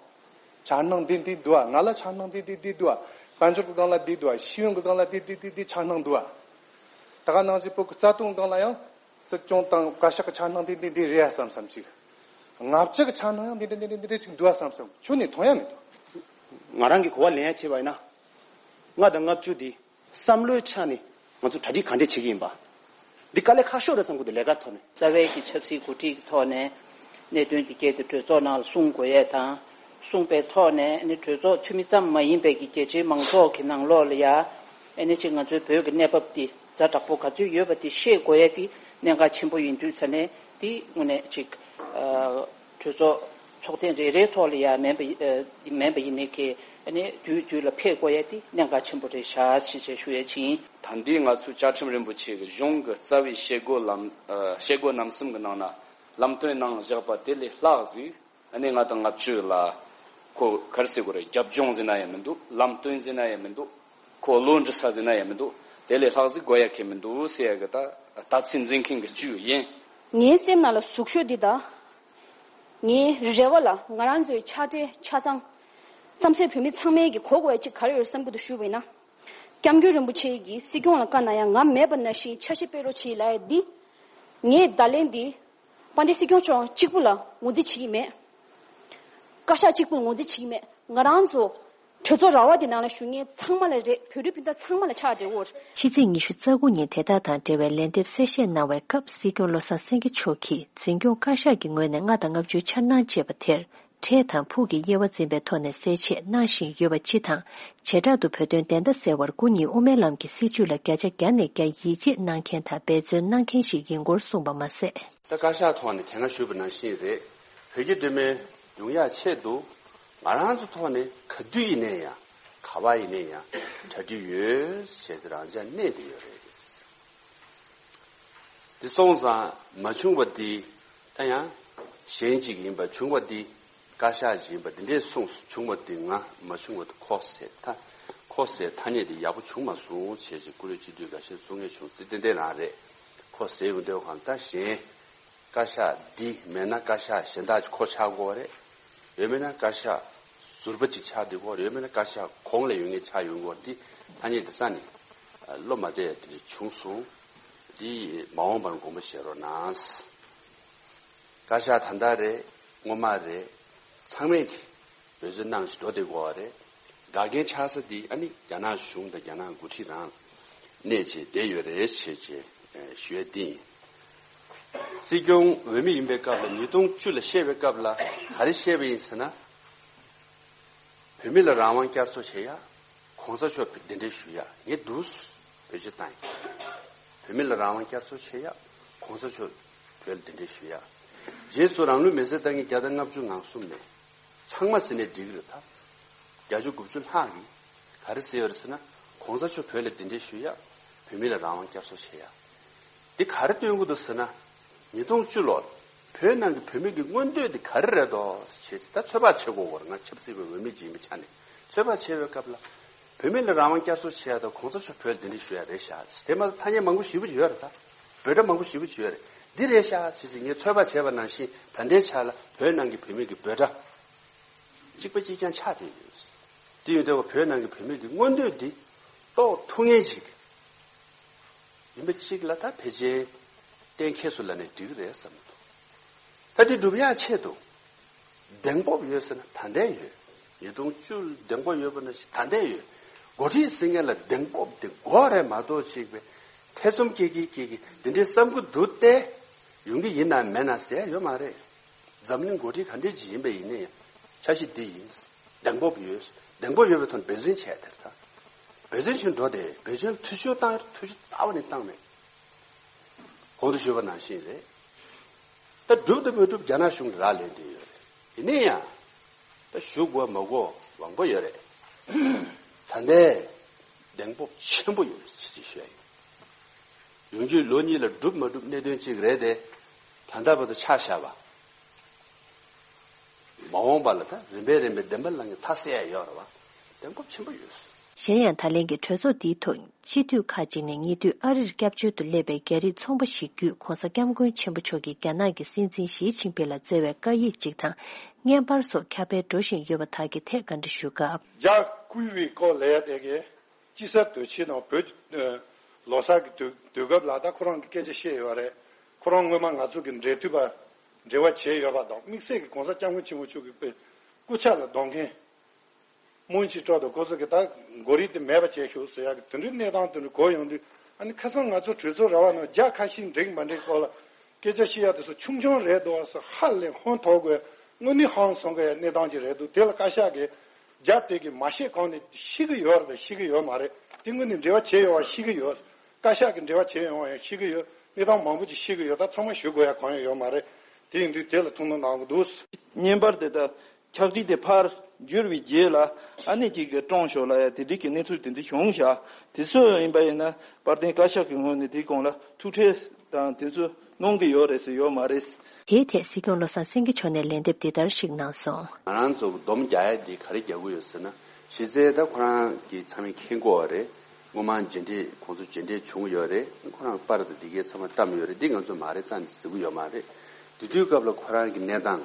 འཆར་སྣང་འདི་འདི་འདུག་ཨ། ང་ལ་འཆར་སྣང་འདི་འདི་འདི་འདུག་ཨ། དཔལ་འབྱོར་གྱི་སྒང་ལ་འདི་འདུག་ཨ། ཤེས་ཡོན་གྱི་སྒང་ལ་འདི་འདི་འདི་འདི་འཆར་སྣང་འདུག་ཨ། ད་ག་ནང་བཞིན་བོད་ཀྱི་རྩ་དོན་སྒང་ལ་ཡང་སྲིད་སྐྱོང་དང་བཀའ་ཤག་གི་འཆར་སྣང་འདི་འདི་འདི་རེད་ཨ་བསམ་བསམ་ཅིག། ང་བཅས་ཀྱི་འཆར་སྣང་ཡང་འདི་འདི་འདི་འདི་འདི་ཅིག་འདུག་ཨ་བསམ་བསམ་ཁྱོན་ནས་མཐོང་ཡ་མི་འདུག། ང་རང་གི་གོ་བ་ལེན་ཡ་བྱས་པ་ཡིན་ན། ལྔ་དང་ལྔ་བཅུ་འདི་བསམ་བློའི་ཆ་ནས་ང་ཚོ་གྲ་སྒྲིག་ག་འདྲས་བྱེད་ཀྱི་ཡིན་པ། འདི་དཀའ་ལས་ཁག་ཤོས་རེད་བསམ་གྱི་འདུག། ལས་ཀ་ཐོག་ནས། རྩ་བའི་གི་ཆབ་སྲིད་འགོ་ཁྲིད་ཀྱི་ཐོག་ནས་གནད་དོན་འདི་སྐད་དུ་གྲོས་ཚོགས་ནང་ལ་གསུང་དགོས་ཡས་དང་། གསུངས་པའི་ཐོག་ནས་ཨ་ནི་གྲོས་ཚོགས་འཐུས་མི་ཙམ་མ་ཡིན་པའི་གི་རྒྱ་ཆེའི་མང་ཚོགས་ཀྱི་ནང་ལོགས་ལ་ཡ་ཨ་ནི་ཅིག་ང་ཚོའི་བོད་ཀྱི་གནས་བབ་འདི་ཛ་དྲག་པོ་ག་ཚོད་ཡོད་པ་འདི་ཤེས་དགོས་ཡས་འདི་གནད་འགག་ཆེན་པོ་ཡིན་དུས་ཙ་ནས་འདི་དངོས་གནས་ཅིག་ཨ་གྲོས་ཚོགས་ཚོགས་ཐེངས་རེ་རེའི་ཐོག་ལ་ཡ་མིན་པ་ཨ་མིན་པ་ཡིན་ནའི་གི་ཨ་ནི་དུས་དུས་ལ་ཕེབས་དགོས་ཡས་འདི་གནད་འགག་ཆེན་པོ་རེད་ཤག་ཅེས་བྱས་ཞུ་ཡས་ཅིག་ཡིན། ད་འདི་ང་ཚོའི་བཅའ་ཁྲིམས་རིན་པོ་ཆེ་གི་གཞུང་གི་རྩ་བའི་བྱེད་སྒོ་ལམ་ཨ་བྱེད་སྒོ་རྣམ་གསུམ་གི་ནང་ན་ལམ་སྟོན་གནང་བཞག་པ་དེ་ལས་ལྷག་ཟིག་ཨ་ནི་ལྔ་དང་ལྔ་བཅུ་ལ་ཁོ་ག་རེ་ཟེར་དགོས་རེད། རྒྱབ་ལྗོངས་ཟེར་ན་ཡང་མི་འདུག། ལམ་སྟོན་ཟེར་ན་ཡང་མི་འདུག། ཁོ་བློ་འདྲི་ས་ཟེར་ན་ཡང་མི་འདུག། དེ་ལས་ལྷག་ཟིག་དགོས་ཡ་གང་མི་འདུག་ཟེར་ཡ་གི་ད་ལྟ་ཚུལ་འཛིན་མཁན་གྱི་བཅུ་ཡིན། ངའི་སེམས་ནང་ལ་ཟུག་ཤོས་འདི་དང་། ངའི་རེ་བ་ལ་ང་རང་ཚོའི་ཕྱག་སྦྲེལ་ཆ་ཚང་། རྩམ་ཟན་བོད་མི་ཚང་མས་ཀྱི་གོ་དགོས་ཡ་གཅིག་ག་རེ་ཡོད་བསམ་གྱི་འདུག་ཞུས་པ་ཡིན་ན། སྐྱབས་མགོན་རིན་པོ་ཆེ་གིས་སྲིད་སྐྱོང་ལ་བཀའ་གནང་ཡ་ང་མེད་པ་ནང་བཞིན་ཆ་ཤས་སྤེལ་རོགས་བྱེད་ལབ་ཡ་འདི། ངས་བརྡ་ལན་འདི། དཔལ་ལྡན་སྲིད་སྐྱོང་མཆོག་གཅིག་པུ་ལ་ངོས་འཛིན་བྱེད་ཀྱི་མེད། བཀའ་ཤག་གཅིག་པུ་ལ་ངོས་འཛིན་བྱེད་ཀྱི་མེད། ང་རང་ཚོ་གྲོས་ཚོགས་ར་བ་དེ་ནང་ལ་བཞུགས་མཁན་ཚང་མ་ལ་རེད། བོད་རིགས་སྤུན་ཟླ་ཚང་མ་ལ་ཕྱག་འབྲེལ་འོར། ཕྱི་ཚེས་ཉི་ཤུ་རྩ་དགུ་ཉིན་དེ་དག་དང་འབྲེལ་བའི་ལན་འདེབས་གསལ་བཤད་གནང་བའི་སྐབས་སྲིད་སྐྱོང་བློ་བཟང་སེང་གེ་མཆོག་གིས་འཛིན་སྐྱོང་བཀའ་ཤག་གི་ངོས་ནས་ལྔ་དང་ལྔ་བཅུའི་འཆར་སྣང་ཅེས་པ་དེར། འཕྲལ་དང་ཕུགས་ཀྱི་དབྱེ་བ་འཛིན་པའི་ཐོག་ནས་གསལ་བཤད་གནང་བཞིན་ཡོད་པ་སྤྱི་དང་། བྱེ་བྲག་ཏུ་བོད་དོན་བདེན་མཐའ་གསལ་བར་སྐུ་ཉིད་དབུ་མའི་ལམ་གྱི་སྲིད་བྱུས་ལ་བརྒྱ་ཆ་བརྒྱ་ནས་བརྒྱ་ཡིད་ཆེས་གནང་མཁན་དང་འབད་བརྩོན་གནང་མཁན་ཞིག་ཡིན་སྐོར་གསུངས་པ་མ་ཟད། ད་བཀའ་ཤག་ཐོག་ནས་དེ་སྔ་ཞུས་པ་ནང་བཞིན་རེད། བོད་ཀྱི་གདོད་མའི་ཡོང་ཡག་ཆེད་དུ་ང་རང་ཚོ་ཐོག་ནས་ག་དུས་ཡིན་ནའི་ཡང་ག་པར་ཡིན་ནའི་ཡང་གྲ་སྒྲིག་ཡོད་ཞེས་དེ་རང་འཇགས་གནས་བསྡད་ཡོད་རེད། དེ་སོང་ཙང་མ་བྱུང་བ་དེ་ད་ཡང་གཞན་ཅིག་ཡིན་པ། བྱུང་བ་དེ་བཀའ་ཤག་ཅིག་ཡིན་པ། དེ་འདྲས་གསུངས། བྱུང་བ་དེ་ང་མ་བྱུང་བ་དེ་ཁོ་ཟེར་ཐ་ཁོ་ཟེར་ཐ་སྙད་དེ་ཡག་པོ་བྱུང་མ་སོང་ཞེས་ཅིག་བཀུར་འོས་སྤྱི་འཐུས་འགའ་ཤས་གསུང་མཁན་བྱུང་། དེ་ཏན་ཏན་རང་རེད། ཁོ་ཟེར་ཡོང་དུས་གང་ད་གཞན། བཀའ་ཤག་འདི་མེད་ན་བཀའ་ཤག་གཞན་དག་ཅིག་ཁོ་ཆགས་དགོས་པ་རེད། ཡོད་མེད་ན་བཀའ་ཤག་ཟུར་པ་ཅིག་ཆགས་བསྡད་དགོས་པ་རེད། ཡོད་མེད་ན་བཀའ་ཤག་གོང་ལ་ཡོད་མཁན་ཆགས་ཡོང་དགོས་པ་རེད། འདི་ཐ་སྙད་འདི་ས་ནས་བློ་མ་བདེ་ཡ་དེ་འདྲ་བྱུང་སོང་། འདི་མ་འོངས་པར་དགོངས་པ་བཞེས་རོགས་གནང་། བཀའ་ཤག་ད་ལྟ་རེད། སྔོན་མ་རེད། ཚང་མས་ཀྱི་འབད་བརྩོན་གནང་བཞིན་འགྲོ་བསྡད་དགོས་པ་རེད། འགག་རྐྱེན་ཆགས་ས་འདི་ཨ་ནི་རྒྱ་ནག་གཞུང་དང་རྒྱ་ནག་འགོ་ཁྲིད་རང་གནས་བྱས་བསྡད་ཡོད་རེད་ཞེས་བྱས་ཞུ་ཡས་འདི་ཡིན། སྲིད་སྐྱོང་འོས་མི་ཡིན་པའི་སྐབས་ལ་ཉིས་སྟོང་བཅུ་ལ་བཤད་པའི་སྐབས་ལ་ག་རེ་བཤད་པ་ཡིན་ཟེར་ན། བོད་མི་ལ་རང་དབང་བསྐྱར་གསོ་བྱེད་ཡ། གོང་ས་མཆོག་གདན་འདྲེན་ཞུ་ཡ། ངས་འདུག་བོད་སྤྱི་བཏང་ཡིན། བོད་མི་ལ་རང་དབང་བསྐྱར་གསོ་བྱེད་ཡ། གོང་ས་མཆོག་བོད་ལ་གདན་འདྲེན་ཞུ་ཡ། རྗེས་སུ་རང་ལུས་མེར་སྲེག་བཏང་མཁན་བརྒྱ་དང་ལྔ་བཅུ་ང་གསུམ་མེད། ཚང་མ་ཟེར་ནས་འགྲིག་གི་རེད་ད། བརྒྱད་ཅུ་དགུ་བཅུ་ལྷག་གིས་ག་རེ་ཟེར་ཡོད་རེད་ཟེར་ན། གོང་ས་མཆོག་བོད་ལ་གདན་འདྲེན་ཞུ་ཡ། བོད་མི་ལ་རང་དབང་བསྐྱར་གསོ་བྱེད་ཡ། འདི་ག་རེ་སྟོན་གྱི་འདུག་ཟེར་ན། ཉིས་སྟོང་བཅུ་ལོར་བོད་ནང་གི་བོད་མི་གི་མངོན་འདོད་འདི་ག་རེ་རེད་དོ་ཞེས་ད་ཚོད་དཔག་བྱེད་དགོས་པར་ང་ཆབ་སྲིད་པའི་འོས་མི་ཅིག་ཡིན་པའི་ཆ་ནས་ཚོད་དཔག་བྱེད་པའི་སྐབས་ལ། བོད་མི་ལ་རང་དབང་བསྐྱར་གསོ་བྱེད་ཡ་དང་གོང་ས་མཆོག་བོད་ལ་གདན་འདྲེན་ཞུ་ཡ་རེད་ཤག། དེ་མ་གཏོགས་ཐ་སྙད་མང་པོ་ཞེ་པོ་ཅིག་ཡོད་རེད་ད། འབོད་སྒྲ་མང་པོ་ཞེ་པོ་ཅིག་ཡོད་རེད། འདི་རེད་ཤག་ཟེར་ཞིག་ངས་ཚོད་དཔག་བྱས་པ་ནང་བཞིན་ད་ལྟའི་ཆ་ལ་བོད་ནང་གི་བོད་མི་གི་འབོད་སྒྲ་གཅིག་པ་གཅིག་རྐྱང་ཆགས་བསྡད་ཡོད། དེ་ཡོད་དུས་བོད་ནང་གི་བོད་མི་གི་མངོན་འདོད་འདི་རྟོགས་ཐུབ་མཁན་ཅིག་ཡིན་པ་གཅིག་ལ་ད་ཕལ་ཆེར་གཏན་འཁེལ་སོང་ལབ་ནས་འགྲིག་གི་རེད་བསམ་གྱི་འདུག། ད་དེ་སྒྲུབ་ཡག་ཆེད་དུ་གདེང་སྤོབས་ཡོད་ཟེར་ན་ད་ལྟ་ཡོད། ཉིས་སྟོང་བཅུ་གདེང་སྤོབས་ཡོད་པ་ནང་བཞིན་ད་ལྟ་ཡོད། འགོ་ཁྲིད་ཟེར་མཁན་ལ་གདེང་སྤོབས་དེ་དགོས་རེད་མ་གཏོགས་ཅིག་པའི་ཐེ་ཚོམ་སྐྱེ་གི་སྐྱེ་གི་འདི་འདྲའི་བསམ་གྱི་འདུག་སྟེ། ཡོང་གི་ཡིན་ནམ་མེད་ན་ཟེར་ཡོད་མ་རེད། འཛམ་གླིང་འགོ་ཁྲིད་ག་འདྲས་ཅིག་ཡིན་པ་ཡིན་ན་ཡང་འཆར་གཞི་འདི་ཡིན། གདེང་སྤོབས་ཡོད། གདེང་སྤོབས་ཡོད་པའི་ཐོག་ནས་འབད་བརྩོན་བྱས་དེར་ད། བོད་བཙན་བྱོལ་འགྲོ་དེ་བོད་བཙན་བྱོལ་འཐུས་ཤོར་བཏང་ཡོད། འཐུས་ཤོར་རྩ་བ་ནས་བཏང་མེད། གོང་དུ་ཞུས་པ་ནང་བཞིན་རེད། ད་སྒྲུབ་དང་མ་སྒྲུབ་རྒྱ་ནག་གཞུང་གིས་རག་ལས་བསྡད་ཡོད་རེད། ཡིན་ན་ཡང་ད་ཞུ་དགོས་མ་དགོས་དབང་པོ་ཡོད་རེད། ད་ལྟའི་གདེང་སྤོབས་ཆེན་པོ་ཡོད་ཅེས་ཅིག་ཞུ་ཡ་ཡིན། ཡོང་རྒྱུའི་ལོ་གཉིས་ལ་སྒྲུབ་མ་སྒྲུབ་གནད་དོན་གཅིག་རེད་དེ། ད་ལྟ་བར་དུ་ཆ་བཞག་པ། མ་འོངས་པ་ལ་ད་རིམ་པས་རིམ་པས་བདེན་པ་ལ་ངས་མཐའ་གསལ་ཡ་ཡོད་རེད་བ། གདེང་སྤོབས་ཆེན་པོ་ཡོད། གཞན་ཡང་ད་ལན་གྱི་གྲོས་ཚོགས་འདིའི་ཐོག་སྤྱི་འཐུས་ཁག་ཅིག་ནས་ཉེ་དུས་ཨ་རིར་སྐྱབས་བཅོལ་དུ་སླེབས་པའི་རྒྱ་རིགས་ཚོང་པ་ཞིག་བརྒྱུད་༧གོང་ས་༧སྐྱབས་མགོན་ཆེན་པོ་མཆོག་གིས་རྒྱ་ནག་གི་སྲིད་འཛིན་ཞི་ཅིན་ཕིང་ལ་བསྩལ་བའི་བཀའ་ཡིག་ཅིག་དང་བརྙན་པར་སོགས་ཁྱབ་སྤེལ་འགྲོ་བཞིན་ཡོད་པ་དག་གི་ཐད་བཀའ་འདྲི་ཞུས་སྐབས། རྒྱ་བསྐུལ་བའི་སྐོར་ལ་ཡ་དེ་གས། དཔྱིད་གསར་དུས་ཆེན་དང་བོད་ཀྱི་ལོ་གསར་གྱི་དུས་དུས་སྐབས་ལ་ད་ཁོ་རང་གི་སྐད་ཆ་བཤད་ཡོད་རེད། ཁོ་རང་སྔོན་མ་ང་ཚོ་གི་འབྲེལ་མཐུད་པ་འབྲེལ་བ་བྱས་ཡོད་པ་དང་། དམིགས་བསལ་གྱི་༧གོང་ས་༧སྐྱབས་མགོན་ཆེན་པོ་མཆོག་གི་དཔེ་སྐུ་ཕྱྭ་ལ་གདོང་མཁན་སྨོན་ཅིག་སྤྲོ་དང་། ཁོ་ཚོ་གི་ད་མགོ་རིལ་དེ་མེད་པ་བྱས་ཤོག་ཟེར་ཡག་གི་དེ་འདྲའི་གནས་སྟངས་དེ་འདྲ་གོ་ཡོང་དུས། ཨ་ནི་ཁ་སང་ང་ཚོ་གྲོས་ཚོགས་ར་བ་ནང་རྒྱ་ཁ་ཤས་འགྲིག་མ་འགྲིག་སྐོར་ལ་སྐད་ཆ་བཤད་ཡག་དེ་ཚོ་ཆུང་ཆུང་རེད་འདུག་བ་ཟེར། ཧ་ལས་ཧོན་ཐོག་དགོས། དངོས་གནས་ཧང་སང་དགོས་ཡ་གནས་སྟངས་ཅིག་རེད་འདུག་དེ་ལ་བཀའ་ཤག་གིས་རྒྱ་དེ་གི་མ་ཤེས་གང་ནས་ཤེས་ཀྱི་ཡོད་རེད་དང་ཤེས་ཀྱི་ཡོད་མ་རེད། དེ་དངོས་གནས་འབྲེལ་བ་བྱས་ཡོད་པ་ཤེས་ཀྱི་ཡོད། བཀའ་ཤག་གི་འབྲེལ་བ་བྱས་ཡོང་བ་ཡང་ཤེས་ཀྱི་ཡོད། གནས་སྟངས་མང་པོ་ཅིག་ཤེས་ཀྱི་ཡོད། ད་ཚང་མ་ཞུ་དགོས་ཡ་གང་ཡང་ཡོད་མ་རེད། དེ་ཡིན་དུས་དེ་ལ་ཐུགས་སྣང་གནང་གི་འདུག་བརྙན་པར་དེ་དག་ཕྱག་བྲིས་དེ་ཕར་བསྒྱུར་བའི་རྗེས་ལ་ཨ་ནེ་གཅིག་གིས་བཀྲོངས་ཤོག་ལབ་ཡ་དེ་འདྲའི་གི་གནས་ཚུལ་དེ་འདྲ་བྱུང་ཤག་དེ་ཚོ་ཡིན་པ་ཡིན་ན་དཔལ་ལྡན་བཀའ་ཤག་གི་ངོས་ནས་དེའི་གོང་ལ་ཐུགས་ཁྲལ་དང་དེ་ཚོ་གནང་གི་ཡོད་རེད་ཟེར་ཡོད་མ་རེད། དེའི་ཐད་སྲིད་སྐྱོང་བློ་བཟང་སེང་གེ་མཆོག་ནས་ལན་འདེབས་འདི་ལྟར་ཞིག་གནང་སོང་། ང་རང་ཚོ་སྡོམ་རྒྱག་ཡ་འདི་ག་རེ་རྒྱག་གི་ཡོད་ཟེར་ན། གཞི་རྩའི་ད་ཁོ་རང་གི་ཚང་མས་མཁྱེན་གྱི་ཡོད་རེད། སྔོན་མ་མཇལ་འཕྲད་ཁོང་ཚོ་མཇལ་འཕྲད་བྱུང་ཡོད་རེད། ཁོ་རང་པར་དང་འདི་གའི་ཚང་མ་བཀྲམ་ཡོད་རེད། འདི་ང་ཚོ་མ་རེད་རྩ་ནས་ཟེར་གྱི་ཡོད་མ་རེད། དེ་དུས་སྐབས་ལ་ཁོ་རང་གི་གནས་སྟངས།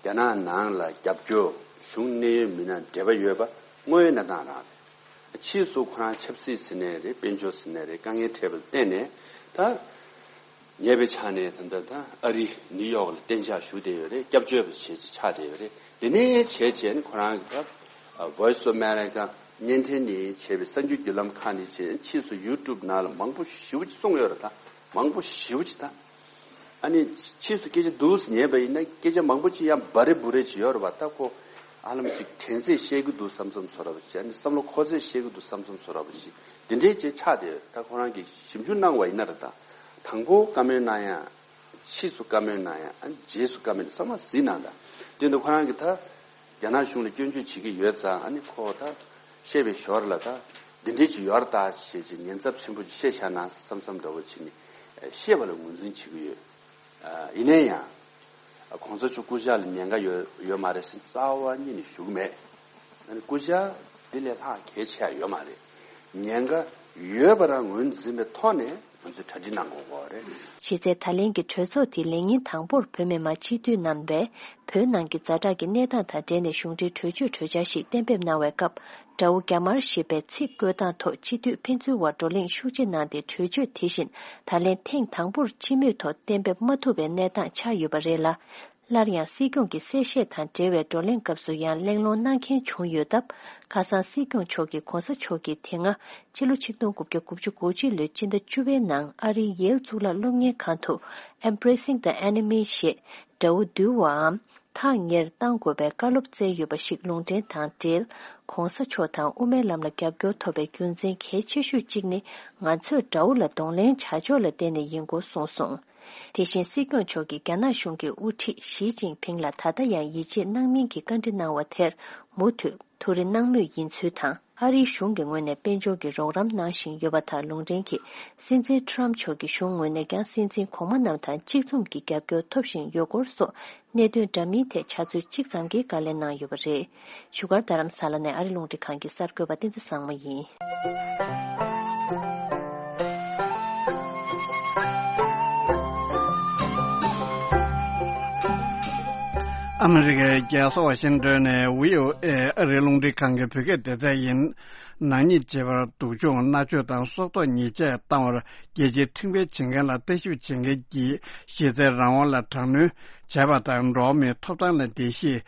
རྒྱ་ནག་ནང་ལ་རྒྱབ་སྐྱོར། གཞུང་གནད་ཡོད་མི་སྣ་འབྲེལ་བ་ཡོད་པ་དངོས་ཡོད་གནས་སྟངས་རང་རེད། ཕྱིས་སུ་ཁོ་རང་ཆབ་སྲིད་ཟེར་ནའི་རེད། དཔལ་འབྱོར་ཟེར་ནའི་རེད། དཀའ་ངལ་འཕྲད་པ་ལ་བརྟེན་ནས་ད། ཉེ་བའི་ཆར་ནས་ད་ལྟ་ད་ཨ་རི་ནིའུ་ཡོག་ལ་གཏན་འཇགས་ཞུགས་བསྡད་ཡོད་རེད། སྐྱབས་བཅོལ་བ་བྱས་ཅིག་ཆགས་བསྡད་ཡོད་རེད། དེ་ནས་བྱས་བྱས་ནས་ཁོ་རང་གི་ད་Voice of America་བརྙན་འཕྲིན་ནས་བྱས་པའི་གསར་འགྱུར་བརྒྱུད་ལམ་ཁག་ནས་བྱས། ཕྱིས་སུ་ཡུ་ཊུབ་ནང་ལ་མང་པོ་ཞེ་པོ་ཅིག་གསུངས་ཡོད་རེད། ད་མང་པོ་ཞེ་པོ་ཅིག་ད། ཨ་ནི་ཕྱིས་སུ་སྐད་ཆ་འདུག་སེ་ཉན་པ་ཡིན་ན་སྐད་ཆ་མང་པོ་ཅིག་ཡང་འབའ་རེ་འབུ་རེ་ཅིག་ཡོད་རེད་བ། ད་ཁོ་ཧ་ལམ་ཅིག་དྲན་ཚད་བཤད་གི་འདུག་བསམ་བསམ་ཚོར་བ་ཅིག་ཨ་ནི་བསམ་བློ་འཁོར་ཚད་བཤད་གི་འདུག་བསམ་བསམ་ཚོར་བ་ཅིག་འདི་འདྲའི་ཅིག་ཆགས་བསྡད་ཡོད། ད་ཁོ་རང་གིས་ཞིབ་འཇུག་གནང་བ་ཡིན་ན་རེད། ད་དང་པོ་བཀའ་མོལ་གནང་ཡ། ཕྱིས་སུ་བཀའ་མོལ་གནང་ཡ། ཨ་ནི་རྗེས་སུ་བཀའ་མོལ་ཚང་མ་གཟིགས་གནང་དང་། དེ་འདུག་ཁོ་རང་གིས་ད་རྒྱ་ནག་གཞུང་ལ་སྐྱོན་བརྗོད་བྱེད་ཀྱི་ཡོད་ཙང་། ཨ་ནི་ཁོ་ད་བཤད་པའི་ཞོར་ལ་ད་འདི་འདྲའི་ཅིག་ཡོད་རེད་ད་ཞེས་ཅིག་ཉེན་ཚབས་ཆེན་པོ་ཅིག་བཤད་བཞག་ན་བསམ་བསམ་འདྲ་བོ་བྱས་ནས་བཤད་པ་ལ་ངོས་འཛིན་བྱེད་ཀྱི་ཡོད། ཡིན་ན་ཡང་། གོང་ས་མཆོག་སྐུ་ཕྱྭ་ལ་ཉེན་ཁ་ཡོད་ཡོད་མ་རེད་ཟེར་རྩ་བ་ཉིད་ནས་ཞུ་གི་མེད། ཨ་ནི་སྐུ་ཕྱྭ་འདི་ལས་ལྷག་གལ་ཆེ་ཡ་ཡོད་མ་རེད། ཉེན་ཁ་ཡོད་པ་རང་ངོས་འཛིན་པའི་ཐོག་ནས་ང་ཚོས་གྲ་སྒྲིག་གནང་དགོས་ཀྱི་རེད། གཞི་རྩའི་ད་ལན་གྱི་གྲོས་ཚོགས་དེའི་ལས་ཉིན་དང་པོར་བོད་མི་མང་སྤྱི་འཐུས་རྣམ་པས་བོད་ནང་གི་ཛ་དྲག་གི་གནས་སྟངས་དང་འབྲེལ་ནས་གཞུང་འབྲེལ་གྲོས་ཆོད་གྲོས་འཆར་ཞིག་གཏན་འབེབས་གནང་བའི་སྐབས། དགྲ་བོ་རྒྱ་དམར་ཞེས་པའི་ཚིག་བཀོད་སྟངས་ཐོག་སྤྱི་འཐུས་ཕན་ཚུན་དབར་བགྲོ་གླེང་ཤུགས་ཆེ་གནང་སྟེ་གྲོས་ཆོད་དེ་བཞིན་ད་ལན་ཐེངས་དང་པོར་སྤྱི་མོས་ཐོག་གཏན་འབེབས་མ་ཐུབ་པའི་གནས་སྟངས་ཆགས་ཡོད་པ་རེད་ལ། སླར་ཡང་སྲིད་སྐྱོང་གི་གསལ་བཤད་དང་འབྲེལ་བའི་བགྲོ་གླེང་སྐབས་སུ་ཡང་གླེང་སློང་གནང་མཁན་བྱུང་ཡོད་སྟབས། ཁ་སང་སྲིད་སྐྱོང་མཆོག་གིས་གོང་ས་མཆོག་གིས་དེ་སྔ་ཕྱི་ལོ་ཆིག་སྟོང་དགུ་བརྒྱ་དགུ་བཅུ་གོ་གཅིག་ལོའི་སྤྱི་ཟླ་བཅུ་པའི་ནང་ཨ་རིའི་ཡེལ་གཙུག་ལག་སློབ་གཉེར་ཁང་དུ་Embracing the Enemy་ཞེས་དགྲ་བོ་འདུལ་བའམ། ཐག་ཉེར་གཏང་དགོས་པའི་བཀའ་སློབ་སྩལ་ཡོད་པ་ཞིག་ལུང་འདྲེན་དང་འབྲེལ། གོང་ས་མཆོག་དང་དབུ་མའི་ལམ་ལ་རྒྱབ་སྐྱོར་ཐོབ་པའི་རྒྱུ་མཚན་གལ་ཆེ་ཤོས་གཅིག་ནི་ང་ཚོས་དགྲ་བོ་ལ་གདོང་ལེན་བྱ་ཕྱོགས་ལ་བརྟེན་ནས་ཡིན་སྐོར་གསུངས་སོང་། དེ་བཞིན་སྲིད་སྐྱོང་མཆོག་གིས་རྒྱ་ནག་གཞུང་གི་དབུ་ཁྲིད་ཞི་ཅིན་ཕིང་ལ་ད་ལྟ་ཡང་ཡིད་ཆེས་གནང་མིན་གྱི་བཀའ་འདྲི་གནང་བ་དེར་མུ་མཐུད་ཐུགས་རེ་གནང་མུས་ཡིན་ཚུལ་དང་། ཨ་རིའི་གཞུང་གི་ངོས་ནས་དཔལ་འབྱོར་གྱི་རོགས་རམ་གནང་བཞིན་ཡོད་པ་དང་། ལུང་འདྲེན་གྱིས་སྲིད་འཛིན་ཊམ་མཆོག་གི་གཞུང་ངོས་ནས་ཀྱང་སྲིད་འཛིན་གོང་མ་རྣམས་དང་གཅིག་མཚུངས་ཀྱི་རྒྱབ་སྐྱོར་ཐོབ་བཞིན་ཡོད་སྐོར་སོགས་གནད་དོན་འདྲ་མིན་ཐད་ཕྱག་ཚོད་གཅིག་ཙམ་གྱི་བཀའ་ལན་གནང་ཡོད་པ་རེད། བཞུགས་སྒར་རྡ་རམ་ས་ལ་ནས་ཨ་རི་རླུང་འཕྲིན་ཁང་གི་གསར་འགོད་པ་བསྟན་འཛིན་བཟང་མོ་ཡིན། ཨ་མི་རི་ཀའི་རྒྱལ་ས་ཝ་ཤིང་ཏོན་ནས་བྷི་ཨོ་ཨེ་ཨ་རིའི་རླུང་འཕྲིན་ཁང་གི་བོད་སྐད་སྡེ་ཚན་ཡིན། ནག་ཉེས་བྱེད་པར་སྡུག་སྦྱོང་མནར་གཅོད་དང་སྲོག་ཐོག་ཉེས་ཆད་བཏང་བར་རྒྱལ་སྤྱིའི་ཁྲིམས་འགལ་བྱེད་མཁན་ལ་ལྟ་ཞིབ་བྱེད་མཁན་གྱིས་གཞི་རྩའི་རང་དབང་ལ་དྲག་གནོན་བྱས་པ་དང་། འགྲོ་བ་མིའི་ཐོབ་ཐང་ལ་འགྲེལ་བཤད་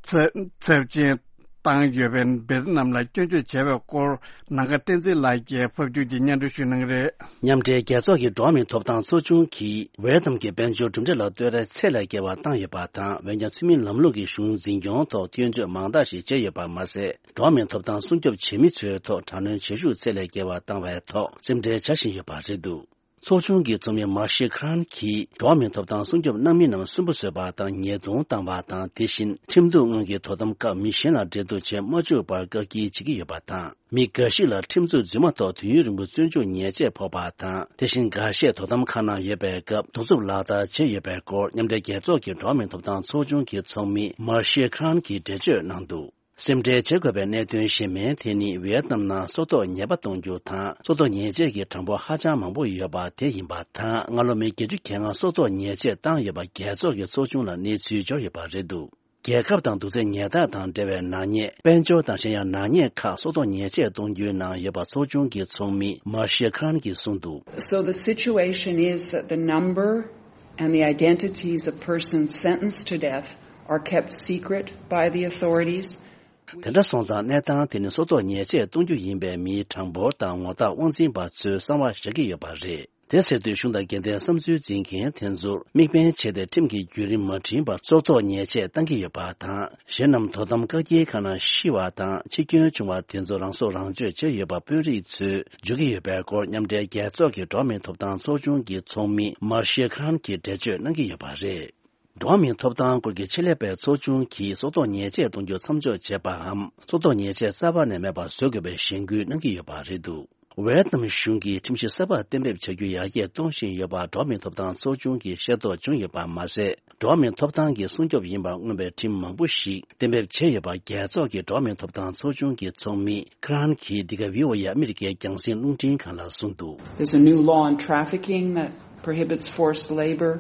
ཚབས་ཆེན། བཏང་ཡོད་པའི་འབེར་རྣམས་ལ་སྐྱོན་བརྗོད་བྱས་པའི་སྐོར་ནམ་མཁའ་བསྟན་འཛིན་ལགས་ཀྱིས་ཕབ་སྒྱུར་གྱིས་སྙན་སྒྲོན་ཞུ་གནང་གི་རེད། མཉམ་འབྲེལ་རྒྱལ་ཚོགས་ཀྱི་འགྲོ་བ་མིའི་ཐོབ་ཐང་ཚོགས་ཆུང་གིས་ཝེ་ཏམ་གྱི་དཔལ་འབྱོར་གྲུབ་འབྲས་ལ་བསྟོད་ར་ཚད་ལས་བརྒལ་བ་བཏང་ཡོད་པ་དང་། འོན་ཀྱང་ཚུལ་མིན་ལམ་ལུགས་ཀྱི་གཞུང་འཛིན་སྐྱོང་ཐོག་སྐྱོན་བརྗོད་མང་དག་ཞིག་བྱས་ཡོད་པ་མ་ཟད། འགྲོ་བ་མིའི་ཐོབ་ཐང་སྲུང་སྐྱོབ་བྱེད་མི་ཚོའི་ཐོག་དྲག་གནོན་བྱེད་ཤུགས་ཚད་ལས་བརྒལ་བ་བཏང་བའི་ཐོག་སེམས་ཁྲལ་བྱ་བཞིན་ཡོད་པ་རེད་འདུག་ཚོགས་ཆུང་གི་ཚོགས་མི་མར་ཤེ་ཁྲན་གྱིས་འགྲོ་བ་མིའི་ཐོབ་ཐང་སྲུང་སྐྱོབ་གནང་མི་རྣམས་སུན་པོ་བཟོས་པ་དང་ཉེས་རྡུང་བཏང་བ་དང་། དེ་བཞིན་ཁྲིམས་གཏུག་སྔོན་གྱི་དོ་དམ་སྐབས་མི་གཞན་ལ་འབྲེལ་གཏུག་བྱེད་མ་བཅུག་པར་བཀག་སྐྱིལ་བྱེད་ཀྱི་ཡོད་པ་དང་། མི་འགའ་ཞིག་ལ་ཁྲིམས་རྩོད་རྫུན་མ་ཐོག་དུས་ཡུན་རིང་པོ་བཙོན་འཇུག་ཉེས་ཆད་ཕོག་པ་དང་། དེ་བཞིན་འགའ་ཤས་དོ་དམ་ཁང་ནང་ཡོད་པའི་སྐབས་གདུག་རྩུབ་ལག་བསྟར་བྱས་ཡོད་པའི་སྐོར་མཉམ་འབྲེལ་རྒྱལ་ཚོགས་ཀྱི་འགྲོ་བ་མིའི་ཐོབ་ཐང་ཚོགས་ཆུང་གི་ཚོགས་མི་མར་ཤེ་ཁྲན་གྱིས་འགྲེལ་བརྗོད་གནང་འདུག་སེམས་ཁྲལ་བྱེད་དགོས་པའི་གནད་དོན་གཞན་མིན་དེ་ནི་ཝི་ཡེད་ནམ་ནང་སྲོག་ཐོག་ཉེས་པ་གཏོང་རྒྱུ་དང་། སྲོག་ཐོག་ཉེས་ཆད་ཀྱི་གྲངས་འབོར་ཧ་ཅང་མང་པོ་ཡོད་པ་དེ་ཡིན་པ་དང་། སྔ་ལོ་མི་བརྒྱད་ཅུ་གྱ་ལྔ་སྲོག་ཐོག་ཉེས་ཆད་བཏང་ཡོད་པ་རྒྱལ་ཚོགས་ཀྱི་ཚོགས་ཆུང་ལ་གནས་ཚུལ་འབྱོར་ཡོད་པ་རེད་འདུག་རྒྱལ་ཁབ་དང་གདུག་རྩུབ་ཉལ་ཐ་དང་འབྲེལ་བའི་ནག་ཉེས། དཔལ་འབྱོར་དང་གཞན་ཡང་ནག་ཉེས་ཁག་སྲོག་ཐོག་ཉེས་ཆད་གཏོང་རྒྱུའི་ནང་ཡོད་པ་ཚོགས་ཆུང་གི་ཚོགས་མི་མར་ཤེ་ཁྲན་གྱིས་གསུངས་འདུག So the situation is that the number and the identities of persons sentenced to death are kept secret by the authorities. དེ་འདྲ་སོང་ཙང་གནས་སྟངས་དེ་ནི་སྲོག་ཐོག་ཉེས་ཆད་གཏོང་རྒྱུ་ཡིན་པའི་མིའི་གྲངས་འབོར་དང་ངོ་རྟགས་དབང་འཛིན་པ་ཚོས་གསང་བ་བཞག་གི་ཡོད་པ་རེད། དེ་ཟེར་དུས་གཞུང་དང་དགེ་ལྡན་བསམ་ཚུལ་འཛིན་མཁན་དེ་ཚོར་དམིགས་འབེན་བྱས་ཏེ་ཁྲིམས་ཀྱི་བརྒྱུད་རིམ་མ་འཁྲིལ་བར་སྲོག་ཐོག་ཉེས་ཆད་གཏང་གི་ཡོད་པ་དང་། གཞན་རྣམས་དོ་དམ་བཀག་སྐྱིལ་ཁང་ནང་ཤི་བ་དང་འཆི་སྐྱོན་བྱུང་བ་དེ་ཚོ་རང་སྲོག་རང་གཅོད་བྱས་ཡོད་པ་དཔོན་རིགས་ཚོས་བརྗོད་ཀྱི་ཡོད་པའི་སྐོར་མཉམ་འབྲེལ་རྒྱལ་ཚོགས་ཀྱི་འགྲོ་བ་མིའི་ཐོབ་ཐང་ཚོགས་ཆུང་གི་ཚོགས་མི་མར་ཤེ་ཁྲན་གྱིས་འགྲེལ་བརྗོད་གནང་གི་ཡོད་པ་རེད། འགྲོ་བ་མིའི་ཐོབ་ཐང་སྐོར་གྱི་ཆེད་ལས་པའི་ཚོགས་ཆུང་གིས་སྲོག་ཐོག་ཉེས་ཆད་གཏོང་རྒྱུ་མཚམས་འཇོག་བྱེད་པའམ། སྲོག་ཐོག་ཉེས་ཆད་རྩ་བ་ནས་མེད་པར་བཟོ་དགོས་པའི་གཞེན་སྐུལ་གནང་གི་ཡོད་པ་རེད་འདུག་ཝེ་ཏི་ནམ་གཞུང་གིས་ཁྲིམས་གཞི་གསར་པ་གཏན་འབེབས་བྱ་རྒྱུ་ཡར་རྒྱས་གཏོང་བཞིན་ཡོད་པ་འགྲོ་བ་མིའི་ཐོབ་ཐང་ཚོགས་ཆུང་གིས་ཤེས་རྟོགས་བྱུང་ཡོད་པ་མ་ཟད། འགྲོ་བ་མིའི་ཐོབ་ཐང་གི་སྲུང་སྐྱོབ་ཡིན་པར་མངོན་པའི་ཁྲིམས་མང་པོ་ཞིག་གཏན་འབེབས་བྱས་ཡོད་པ་རྒྱལ་ཚོགས་ཀྱི་འགྲོ་བ་མིའི་ཐོབ་ཐང་ཚོགས་ཆུང་གི་ཚོགས་མི་ཁ་རན་གྱིས་འདི་ག་བྷི་ཨོ་ཨེ་ཨ་མི་རི་ཀའི་རྒྱང་སྲིང་རླུང་འཕྲིན་ཁང་ལ་གསུངས་འདུག There's a new law on trafficking that prohibits forced labor.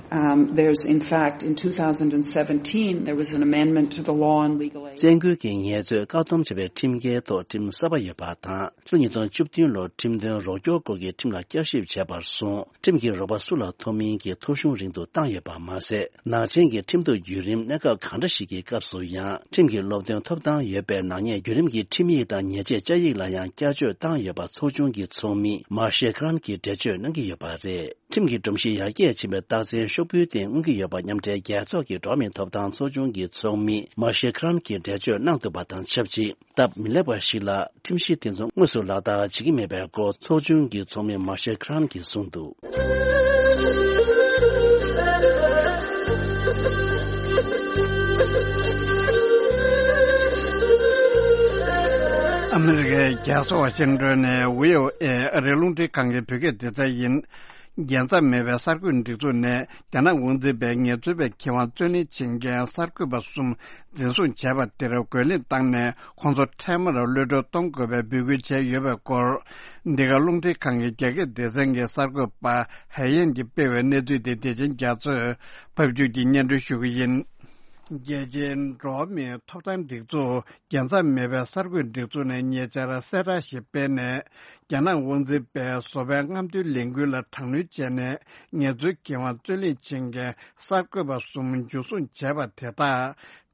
Um, there's, in fact, in two thousand seventeen, there was an amendment to the law on legal aid. བཙན་སྐུལ་གྱི་ངལ་རྩོལ་བཀག་སྡོམ་བྱ་བའི་ཁྲིམས་འགལ་ཐོག་ཁྲིམས་གསར་པ་ཡོད་པ་དང་། ཕྱི་ལོ་ཉིས་སྟོང་བཅུ་བདུན་ལོར་ཁྲིམས་དོན་རོགས་སྐྱོར་སྐོར་གྱི་ཁྲིམས་ལ་བསྐྱར་ཞིབ་བྱས་པར་སོང་། ཁྲིམས་ཀྱི་རོགས་པ་སུ་ལ་ཐོབ་མིན་གྱི་ཐོ་གཞུང་རིང་དུ་བཏང་ཡོད་པ་མ་ཟད། ནག་ཅན་གྱི་ཁྲིམས་གཏུག་བརྒྱུད་རིམ་གནད་འགག་གང་འདྲ་ཞིག་གི་སྐབས་སུ་ཡང་ཁྲིམས་ཀྱི་སློབ་སྟོན་ཐོབ་ཐང་ཡོད་པའི་ནག་ཉེས་བརྒྱུད་རིམ་གྱི་ཁྲིམས་ཡིག་དང་ཉེས་ཆད་བཅའ་ཡིག་ལ་ཡང་བསྐྱར་བཅོས་བཏང་ཡོད་པ་ཚོགས་ཆུང་གི་ཚོགས་མི་མར་ཤེ་ཁ་རན་གྱིས་འགྲེལ་བརྗོད་གནང་གི་ཡོད་པ་རེད། ཁྲིམས་ཀྱི་སྒྲོམ་གཞི་ཡར་རྒྱས་ཕྱིན་པའི་རྟགས་མཚན་ཤོག་བུའི་སྟེང་མངོན་གྱི་ཡོད་པ་མཉམ་འབྲེལ་རྒྱལ་ཚོགས་ཀྱི་འགྲོ་བ་མིའི་ཐོབ་ཐང་ཚོགས་ཆུང་གི་ཚོགས་མི་མར་ཤེ་ཁ་རན་གྱིས་འགྲེལ་བརྗོད་གནང་འདུག་པ་དང་ཆབས་ཅིག་སྟབས་མི་ལེགས་པ་ཞིག་ལ་ཁྲིམས་གཞི་དེ་ཚོ་དངོས་སུ་ལག་བསྟར་བྱེད་ཀྱི་མེད་པའི་སྐོར་ཚོགས་ཆུང་གི་ཚོགས་མི་མར་ཤེ་ཁ་རན་གྱིས་གསུངས་འདུག་ཨ་མི་རི་ཀའི་རྒྱལ་ས་ཝ་ཤིང་ཏོན་ནས་བྷི་ཨོ་ཨེ་ཨ་རིའི་རླུང་འཕྲིན་ཁང་གི་བོད་སྐད་སྡེ་ཚན་ཡིན། རྒྱལ་མཚམས་མེད་པའི་གསར་འགོད་སྒྲིག་འཛུགས་ནས་རྒྱ་ནག་དབང་འཛིན་པས་ངལ་རྩོལ་པའི་ཁེ་དབང་རྩོད་ལེན་བྱེད་མཁན་གསར་འགོད་པ་གསུམ་འཛིན་བཟུང་བྱས་པ་དེར་རྒོལ་ལན་བཏང་ནས་ཁོང་ཚོ་འཕྲལ་མར་གློད་གྲོལ་གཏོང་དགོས་པའི་འབོད་སྐུལ་བྱས་ཡོད་པའི་སྐོར། འདི་ག་རླུང་འཕྲིན་ཁང་གི་རྒྱ་སྐད་སྡེ་ཚན་གྱི་གསར་འགོད་པ་ཧའེ་ཡན་གྱིས་སྤེལ་བའི་གནས་ཚུལ་དེ་བདེ་ཆེན་རྒྱ་མཚོས་ཕབ་སྒྱུར་གྱིས་སྙན་སྒྲོན་ཞུ་གི་ཡིན། རྒྱལ་སྤྱིའི་འགྲོ་བ་མིའི་ཐོབ་ཐང་སྒྲིག་འཛུགས་རྒྱལ་མཚམས་མེད་པའི་གསར་འགོད་སྒྲིག་འཛུགས་ནས་ཉེ་ཆར་གསལ་བསྒྲགས་ཤིག་སྤེལ་ནས། རྒྱ་ནག་དབང་འཛིན་པས་བཟོ་པའི་རྔམ་སྟོན་ལས་འགུལ་ལ་དྲག་གནོན་བྱས་ནས་ངལ་རྩོལ་ཁེ་དབང་རྩོད་ལེན་བྱེད་མཁན་གསར་འགོད་པ་གསུམ་འཇུ་བཟུང་བྱས་པ་དེ་དག་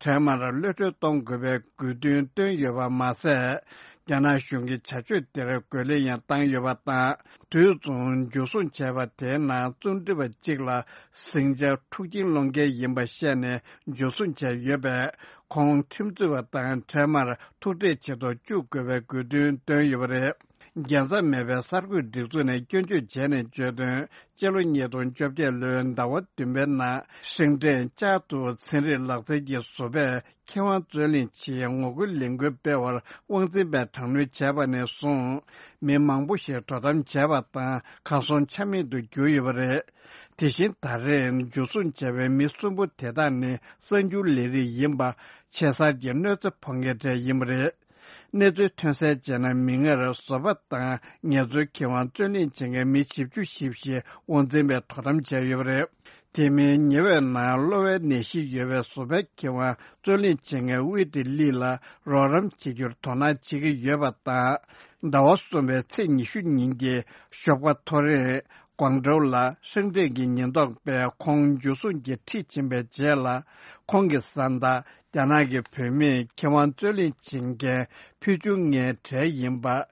འཕྲལ་མར་གློད་གྲོལ་གཏོང་དགོས་པའི་དགོས་འདུན་བཏོན་ཡོད་པ་མ་ཟད། རྒྱ་ནག་གཞུང་གི་བྱ་སྤྱོད་དེར་རྒོལ་ལན་ཡང་བཏང་ཡོད་པ་དང་། དུས་མཚུངས་འཇུ་བཟུང་བྱས་པ་དེའི་ནང་རྩོམ་སྒྲིག་པ་གཅིག་ལ་ཟིང་ཆ་འཁྲུག་རྐྱེན་སློང་མཁན་ཡིན་པ་བཤད་ནས་འཇུ་བཟུང་བྱས་ཡོད་པས། ཁོང་ཁྲིམས་རྩོད་པ་དང་འཕྲལ་མར་ཐུག་འཕྲད་བྱེད་དུ་བཅུག་དགོས་པའི་དགོས་འདུན་བཏོན་ཡོད་པ་རེད། རྒྱལ་མཚམས་མེད་པའི་གསར་འགོད་སྒྲིག་འཛུགས་ནས་སྐྱོན་བརྗོད་བྱས་ནས་བརྗོད་དོན། སྤྱི་ལོ་ཉིས་སྟོང་བཅོ་བརྒྱད་ལོའི་ཟླ་བ་བདུན་པའི་ནང་ཧྲེང་ཀྲེན་ཅཱ་ཏུའུ་ཚན་རིག་ལག་རྩལ་གྱི་བཟོ་པས་ཁེ་དབང་རྩོད་ལེན་ཆེད་ངོ་རྒོལ་ལས་འགུལ་སྤེལ་བར་དབང་འཛིན་པས་དྲག་གནོན་བྱས་པ་ནས་བཟུང་། མི་མང་པོ་ཞིག་དོ་དམ་བྱས་པ་དང་གར་སོང་ཆ་མེད་དུ་གྱུར་ཡོད་པ་རེད། དེ་བཞིན་ད་རེས་འཇུ་བཟུང་བྱས་པའི་མི་གསུམ་པོ་དེ་དག་ནི་གསར་འགྱུར་ལས་རིགས་ཡིན་པ། ཆེ་སར་གྱི་གནོད་འཚེ་ཕོག་མཁན་གྲས་ཡིན་པ་རེད། གནས་ཚུལ་ཐོན་གསལ་བྱས་ན། མིག་སྔར་བཟོ་པ་དང་ངལ་རྩོལ་ཁེ་དབང་རྩོད་ལེན་བྱེད་མཁན་མི་བཞི་བཅུ་ཞེ་བཞི་དབང་འཛིན་པས་དོ་དམ་བྱས་ཡོད་པ་རེད། དེ་མིན་ཉེ་བའི་ནང་གློ་བའི་ནད་གཞི་ཡོད་པའི་བཟོ་པའི་ཁེ་དབང་རྩོད་ལེན་བྱེད་མཁན་ཝེ་ཏི་ལི་ལ་རོགས་རམ་བྱེད་རྒྱུར་དོ་སྣང་བྱེད་ཀྱི་ཡོད་པ་དང་། ཟླ་བ་གསུམ་པའི་ཚེས་ཉི་ཤུ་ཉིན་གྱི་ཞོགས་པ་ཐོ་རེངས་ཀོང་ཀྲོའུ་ལ་ཧྲེང་ཀྲེན་གྱི་ཉེན་རྟོག་པས་ཁོང་འཇུ་བཟུང་གིས་ཁྲིད་ཕྱིན་པའི་རྗེས་ལ། ཁོང་གི་བཟའ་ཟླ་ རྒྱ་ནག་གི་བོད་མིས་ཁེ་དབང་རྩོད་ལེན་བྱེད་མཁན་ཕུལ་བྱུང་ལྔའི་གྲས་ཡིན་པ།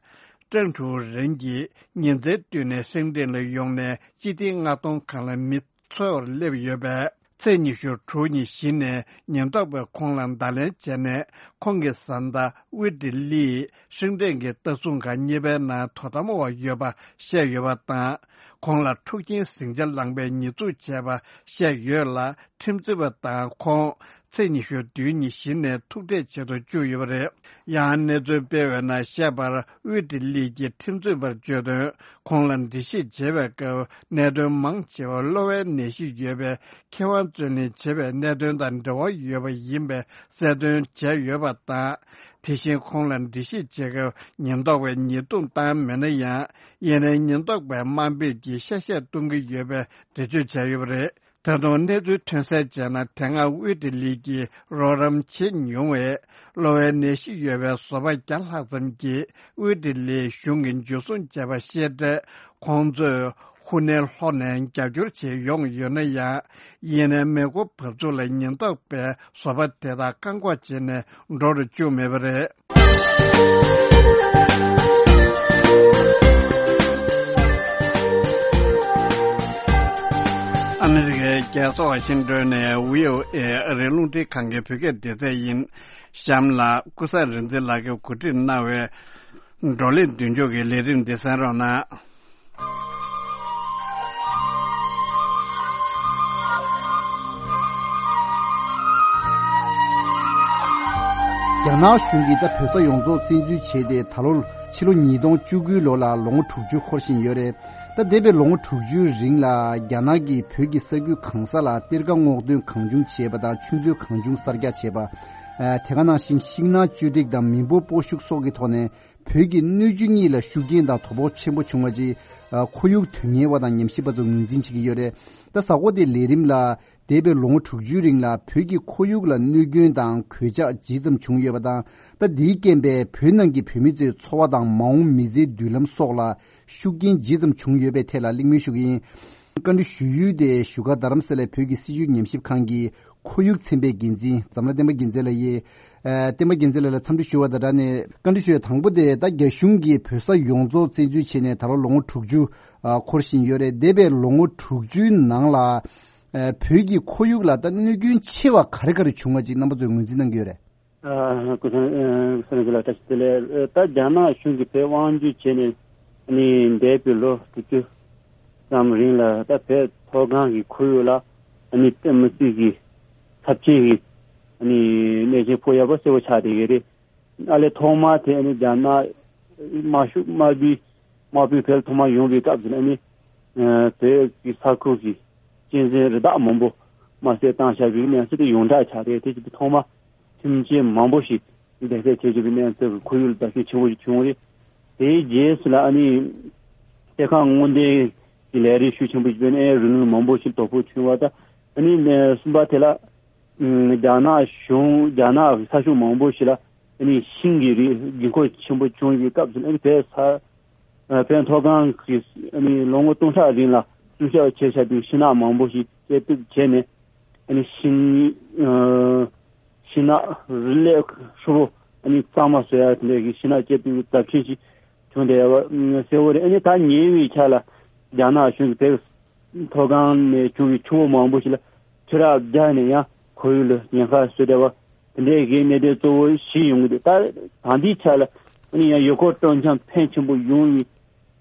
ཀྲང་ཀྲུའུ་རེན་གྱིས་ཉིན་མཚན་བསྟུན་ནས་ཧྲེང་ཀྲེན་ལ་ཡོང་ནས་སྤྱི་ཐེངས་ལྔ་སྟོང་སྒང་ལ་མི་འཚོལ་བར་སླེབས་ཡོད་པས། ཚེས་ཉི་ཤུ་དྲུག་ཉིན་གཞི་ནས་ཉེན་རྟོག་པས་ཁོང་ལ་བརྡ་ལན་བྱས་ནས། ཁོང་གི་བཟའ་ཟླ་ཝི་ཏི་ལིས་ཧྲེང་ཀྲེན་གྱི་ལྟ་སྲུང་ཁང་གཉིས་པའི་ནང་དོ་དམ་འོག་ཡོད་པ་བཤད་ཡོད་པ་དང་། ཁོང་ལ་འཁྲུག་རྐྱེན་ཟིང་ཆ་ལངས་པའི་ཉེས་འཛུགས་བྱས་པ་བཤད་ཡོད་ལ། ཁྲིམས་རྩོད་པ་དང་ཁོང་ཚེས་ཉི་ཤུ་བདུན་ཉིན་གཞི་ནས་ཐུག་འཕྲད་བྱེད་དུ་བཅུག་ཡོད་པ་རེད། ཡང་གནས་ཚུལ་སྤེལ་བའི་ནང་བཤད་པར། ཝི་ཏི་ལི་གྱིས་ཁྲིམས་རྩོད་པར་བརྗོད་དོན། ཁོང་ལ་འགྲེལ་བཤད་བྱེད་པའི་སྐབས་གནད་དོན་མང་ཆེ་བ་གློ་བའི་ནད་གཞི་ཡོད་པའི་ཁེ་དབང་རྩོད་ལེན་བྱེད་པའི་གནད་དོན་དང་འབྲེལ་བ་ཡོད་པ་ཡིན་པའི་གསལ་སྟོན་བྱས་ཡོད་པ་དང་། དེ་བཞིན་ཁོང་ལ་འགྲེལ་བཤད་བྱེད་སྐབས་ཉེན་རྟོག་པས་ཉེས་རྡུང་བཏང་མེད་ན་ཡང་། ཡིན་ནའི་ཉེན་རྟོག་པས་དམའ་འབེབས་ཀྱིས་གཤེ་གཤེ་གཏོང་གི་ཡོད་པའི་འགྲེལ་བརྗོད་བྱས་ཡོད་པ་རེད། ད་དུང་གནས་ཚུལ་ཐོན་གསལ་བྱས་ན། དེ་སྔ་ཝི་ཏི་ལི་གིས་རོགས་རམ་བྱེད་མྱོང་བའི་གློ་བའི་ནད་གཞི་ཡོད་པའི་བཟོ་པ་བརྒྱ་ལྷག་ཙམ་གྱིས་ཝི་ཏི་ལིའི་གཞུང་གི་འཇུ་བཟུང་བྱས་པ་ཤེས་འཕྲལ། ཁོང་ཚོས་ཧུ་ནན་ལྷོ་ནས་རྒྱབ་སྐྱོར་བྱེད་ཡོང་ཡོད་ན་ཡང་། ཡིན་ནའི་མེ་འཁོར་བབས་ཚུགས་ལ་ཉེན་རྟོག་པས་བཟོ་པ་དེ་དག་བཀག་འགོག་བྱས་ནས་འགྲོ་རུ་བཅུག་མེད་པ་རེད། ཨ་མི་རི་ཀའི་རྒྱལ་ས་ཝ་ཤིང་ཏོན་ནས་བྷི་ཨོ་ཨེ་ཨ་རིའི་རླུང་འཕྲིན་ཁང་གི་བོད་སྐད་སྡེ་ཚན་ཡིན། གཤམ་ལ་ཀུན་བཟང་རིག་འཛིན་ལགས་ཀྱིས་གོ་སྒྲིག་གནང་བའི་བགྲོ་གླེང་མདུན་ལྕོག་གི་ལས་རིམ་འདི་གསན་རོགས་གནང་། རྒྱ་ནག་གཞུང་གིས་ད་བོད་ས་ཡོངས་རྫོགས་བཙན་འཛུལ་བྱས་ཏེ། ད་ལོ་ཕྱི་ལོ་ཉིས་སྟོང་བཅུ་དགུའི་ལོ་ལ་ལོ་ངོ་དྲུག་ཅུ་འཁོར་བཞིན་ཡོད་རེད། ད་འདས་པའི་ལོ་ངོ་དྲུག་ཅུའི་རིང་ལ་རྒྱ་ནག་གིས་བོད་ཀྱི་ས་ཁུལ་གང་ས་ལ་གཏེར་ཁ་སྔོག་འདོན་གང་བྱུང་བྱས་པ་དང་། ཆུ་མཛོད་གང་བྱུང་གསར་རྒྱག་བྱས་པ། ཨ། དེ་ག་ནང་བཞིན་ཤིང་ནགས་གཅོད་འབྲེག་དང་མི་འབོར་སྤོ་ཤུགས་སོགས་ཀྱི་ཐོག་ནས། བོད་ཀྱི་སྣོད་བཅུད་གཉིས་ལ་ཤུགས་རྐྱེན་དང་དོ་ཕོག་ཆེན་པོ་བྱུང་བ་ཅིག་ཨ། ཁོར་ཡུག་དོན་གཉེར་བ་དང་ཉམས་ཞིབ་པ་ཚོས་ངོས་འཛིན་བྱེད་ཀྱི་ཡོད་རེད། ད་གཟའ་འཁོར་འདིའི་ལས་རིམ་ལ། འདས་པའི་ལོ་ངོ་དྲུག་ཅུའི་རིང་ལ་བོད་ཀྱི་ཁོར་ཡུག་ལ་གནོད་སྐྱོན་དང་གོད་ཆག་ཇི་ཙམ་བྱུང་ཡོད་པ་དང་། ད་འདིའི་རྐྱེན་པས་བོད་ནང་གི་བོད་མི་ཚོའི་འཚོ་བ་དང་མ་འོངས་མི་ཚེའི་མདུན་ལམ་སོགས་ལ་ཤུགས་རྐྱེན་ཇི་ཙམ་བྱུང་ཡོད་པའི་ཐད་ལ་གླེང་མོལ་ཞུ་གི་ཡིན། བཀའ་འདྲི་ཞུ་ཡུལ་དེ་བཞུགས་སྒར་རྡ་རམ་ས་ལའི་བོད་ཀྱི་སྲིད་བྱུས་ཉམས་ཞིབ་ཁང་གི་ཁོར་ཡུག་ཚན་པའི་འགན་འཛིན་འཛམ་ལྷ་བསྟན་པ་རྒྱལ་མཚན་ལགས་ཡིན། ཨ། བསྟན་པ་རྒྱལ་མཚན་ལགས་ལ་འཚམས་འདྲི་ཞུ་བ་དང་སྦྲགས་ནས་བཀའ་འདྲི་ཞུ་ཡ་དང་པོ་དེ། ད་རྒྱ་གཞུང་གིས་བོད་ས་ཡོངས་རྫོགས་བཙན་འཛུལ་བྱས་ནས་ད་ལོ་ལོ་ངོ་དྲུག་ཅུ་ཨ། འཁོར་བཞིན་ཡོད་རེད། འདས་པའི་ལོ་ངོ་དྲུག་ཅུའི་ནང་ལ། ཨ། བོད་ཀྱི་ཁོར་ཡུག་ལ་ད་གནོད་སྐྱོན་ཆེ་བ་ག་རེ་ག་རེ་བྱུང་བ་ཅིག་རྣམ་པ་ཚོས་ངོས་འཛིན་གནང་གི་ཡོད་རེད། ཨ། སྐུ་ཚེ་ཨ། སྐུ་ཚེ་ལགས་བཀྲ་ཤིས་བདེ་ལེགས། ད་རྒྱ་ནག་གཞུང་གིས་བོད་དབང་བསྒྱུར་བྱས་ནས་ནི་འདས་པའི་ལོ་དྲུག་ཅུ་ཙམ་རིང་ལ། ད་བོད་མཐོ་སྒང་གི་ཁོར་ཡུག་ལ་ནི་དཔེ་མི་སྲིད་ཀྱི་ཚབས་ཆེན་གྱི་ནི་གནོད་སྐྱོན་ཕོག་ཡག་པོ་གསལ་པོ་ཆགས་བསྡད་ཡོད་རེད། ཨ་ལས་ཐོག་མ་དེ་ནི་རྒྱ་ནག་དམར་ཤོག་དམར་པོའི་དམར་པོའི་བོད་ཐོག་མ་ཡོང་བའི་སྐབས་སུ་ནི་ཨ་ནི་བོད་ཀྱི་ས་ཁུལ་གྱི་གཅན་གཟན་རི་དྭགས་མང་པོ་དམར་གསོད་བཏང་བཞག་པའི་གནས་ཚུལ་དེ་ཡོངས་གྲགས་ཆགས་རེད། དེ་བཞིན་དུ་ཐོག་མ་ཁྱིམ་ཆས་མང་པོ་ཞིག་འདེད་སྤྱོད་བྱེད་བཞིན་པའི་གནས་ཚུལ་གྱི་ཁོར་ཡུག་ལ་བརྡབ་གསིག་ཆེན་པོ་ཞིག་བྱུང་བ་རེད། དེའི་རྗེས་སུ་ལ་ཨ་ནི་གཏེར་ཁ་སྔོག་འདོན་གྱི་ལས་རིགས་ཤུགས་ཆེན་པོ་ཞིག་སྤེལ་ནས་རི་ལུང་མང་པོ་ཞིག་དོ་ཕོག་བྱུང་བ་དང་། ཨ་ནི་གསུམ་པ་དེ་ལ་རྒྱ་ནག་གཞུང་རྒྱ་ནག་ས་ཕྱོགས་མང་པོ་ཞིག་ལ་ཨ་ནི་ཤིང་གི་རིགས་རྒྱུན་འཁོར་ཆེན་པོ་བྱུང་བའི་སྐབས་སུ། ཨ་ནི་བོད་ས་བོད་མཐོ་སྒང་གི་ཨ་ནི་ལོ་ངོ་སྟོང་ཕྲག་རིང་ལ་བཙུགས་སྐྱོང་བྱས་བཞག་པའི་ཤིང་ནགས་མང་པོ་ཞིག་བཅད་གཏུབ་བྱས་ནས། ཨ་ནི་ཤིང་ཨ་ཤིང་ནགས་རི་ལས་ཧྲིལ་པོ་ཨ་ནི་གཙང་མ་བཟོ་ཡ་དེ་འདྲའི་གི་ཤིང་ནགས་བཅད་གཏུབ་ཀྱི་ཚབས་ཆེན་ཞིག་བྱུང་བསྡད་ཡོད་པ་གསལ་པོ་རེད། ཨ་ནི་ད་ཉེ་བའི་ཆར་ལ་རྒྱ་ནག་གཞུང་གིས་བོད་མཐོ་སྒང་ནས་བྱུང་བའི་ཆུ་བོ་མང་པོ་ཞིག་ལ་ཆུ་རགས་བརྒྱབ་ནས་ཡང་ཁོར་ཡུག་ལ་ཉེན་ཁ་བཟོས་བསྡད་པ། དེ་འདྲའི་གི་གནད་དོན་གཙོ་བོ་བཞི་ཡོང་གི་འདུག་ད་ད་ལྟའི་ཆ་ལ་ཨ་ནི་ཡང་ཡུལ་སྐོར་སྤྲོ་འཆམ་ཕོན་ཆེན་པོ་ཡོང་བའི་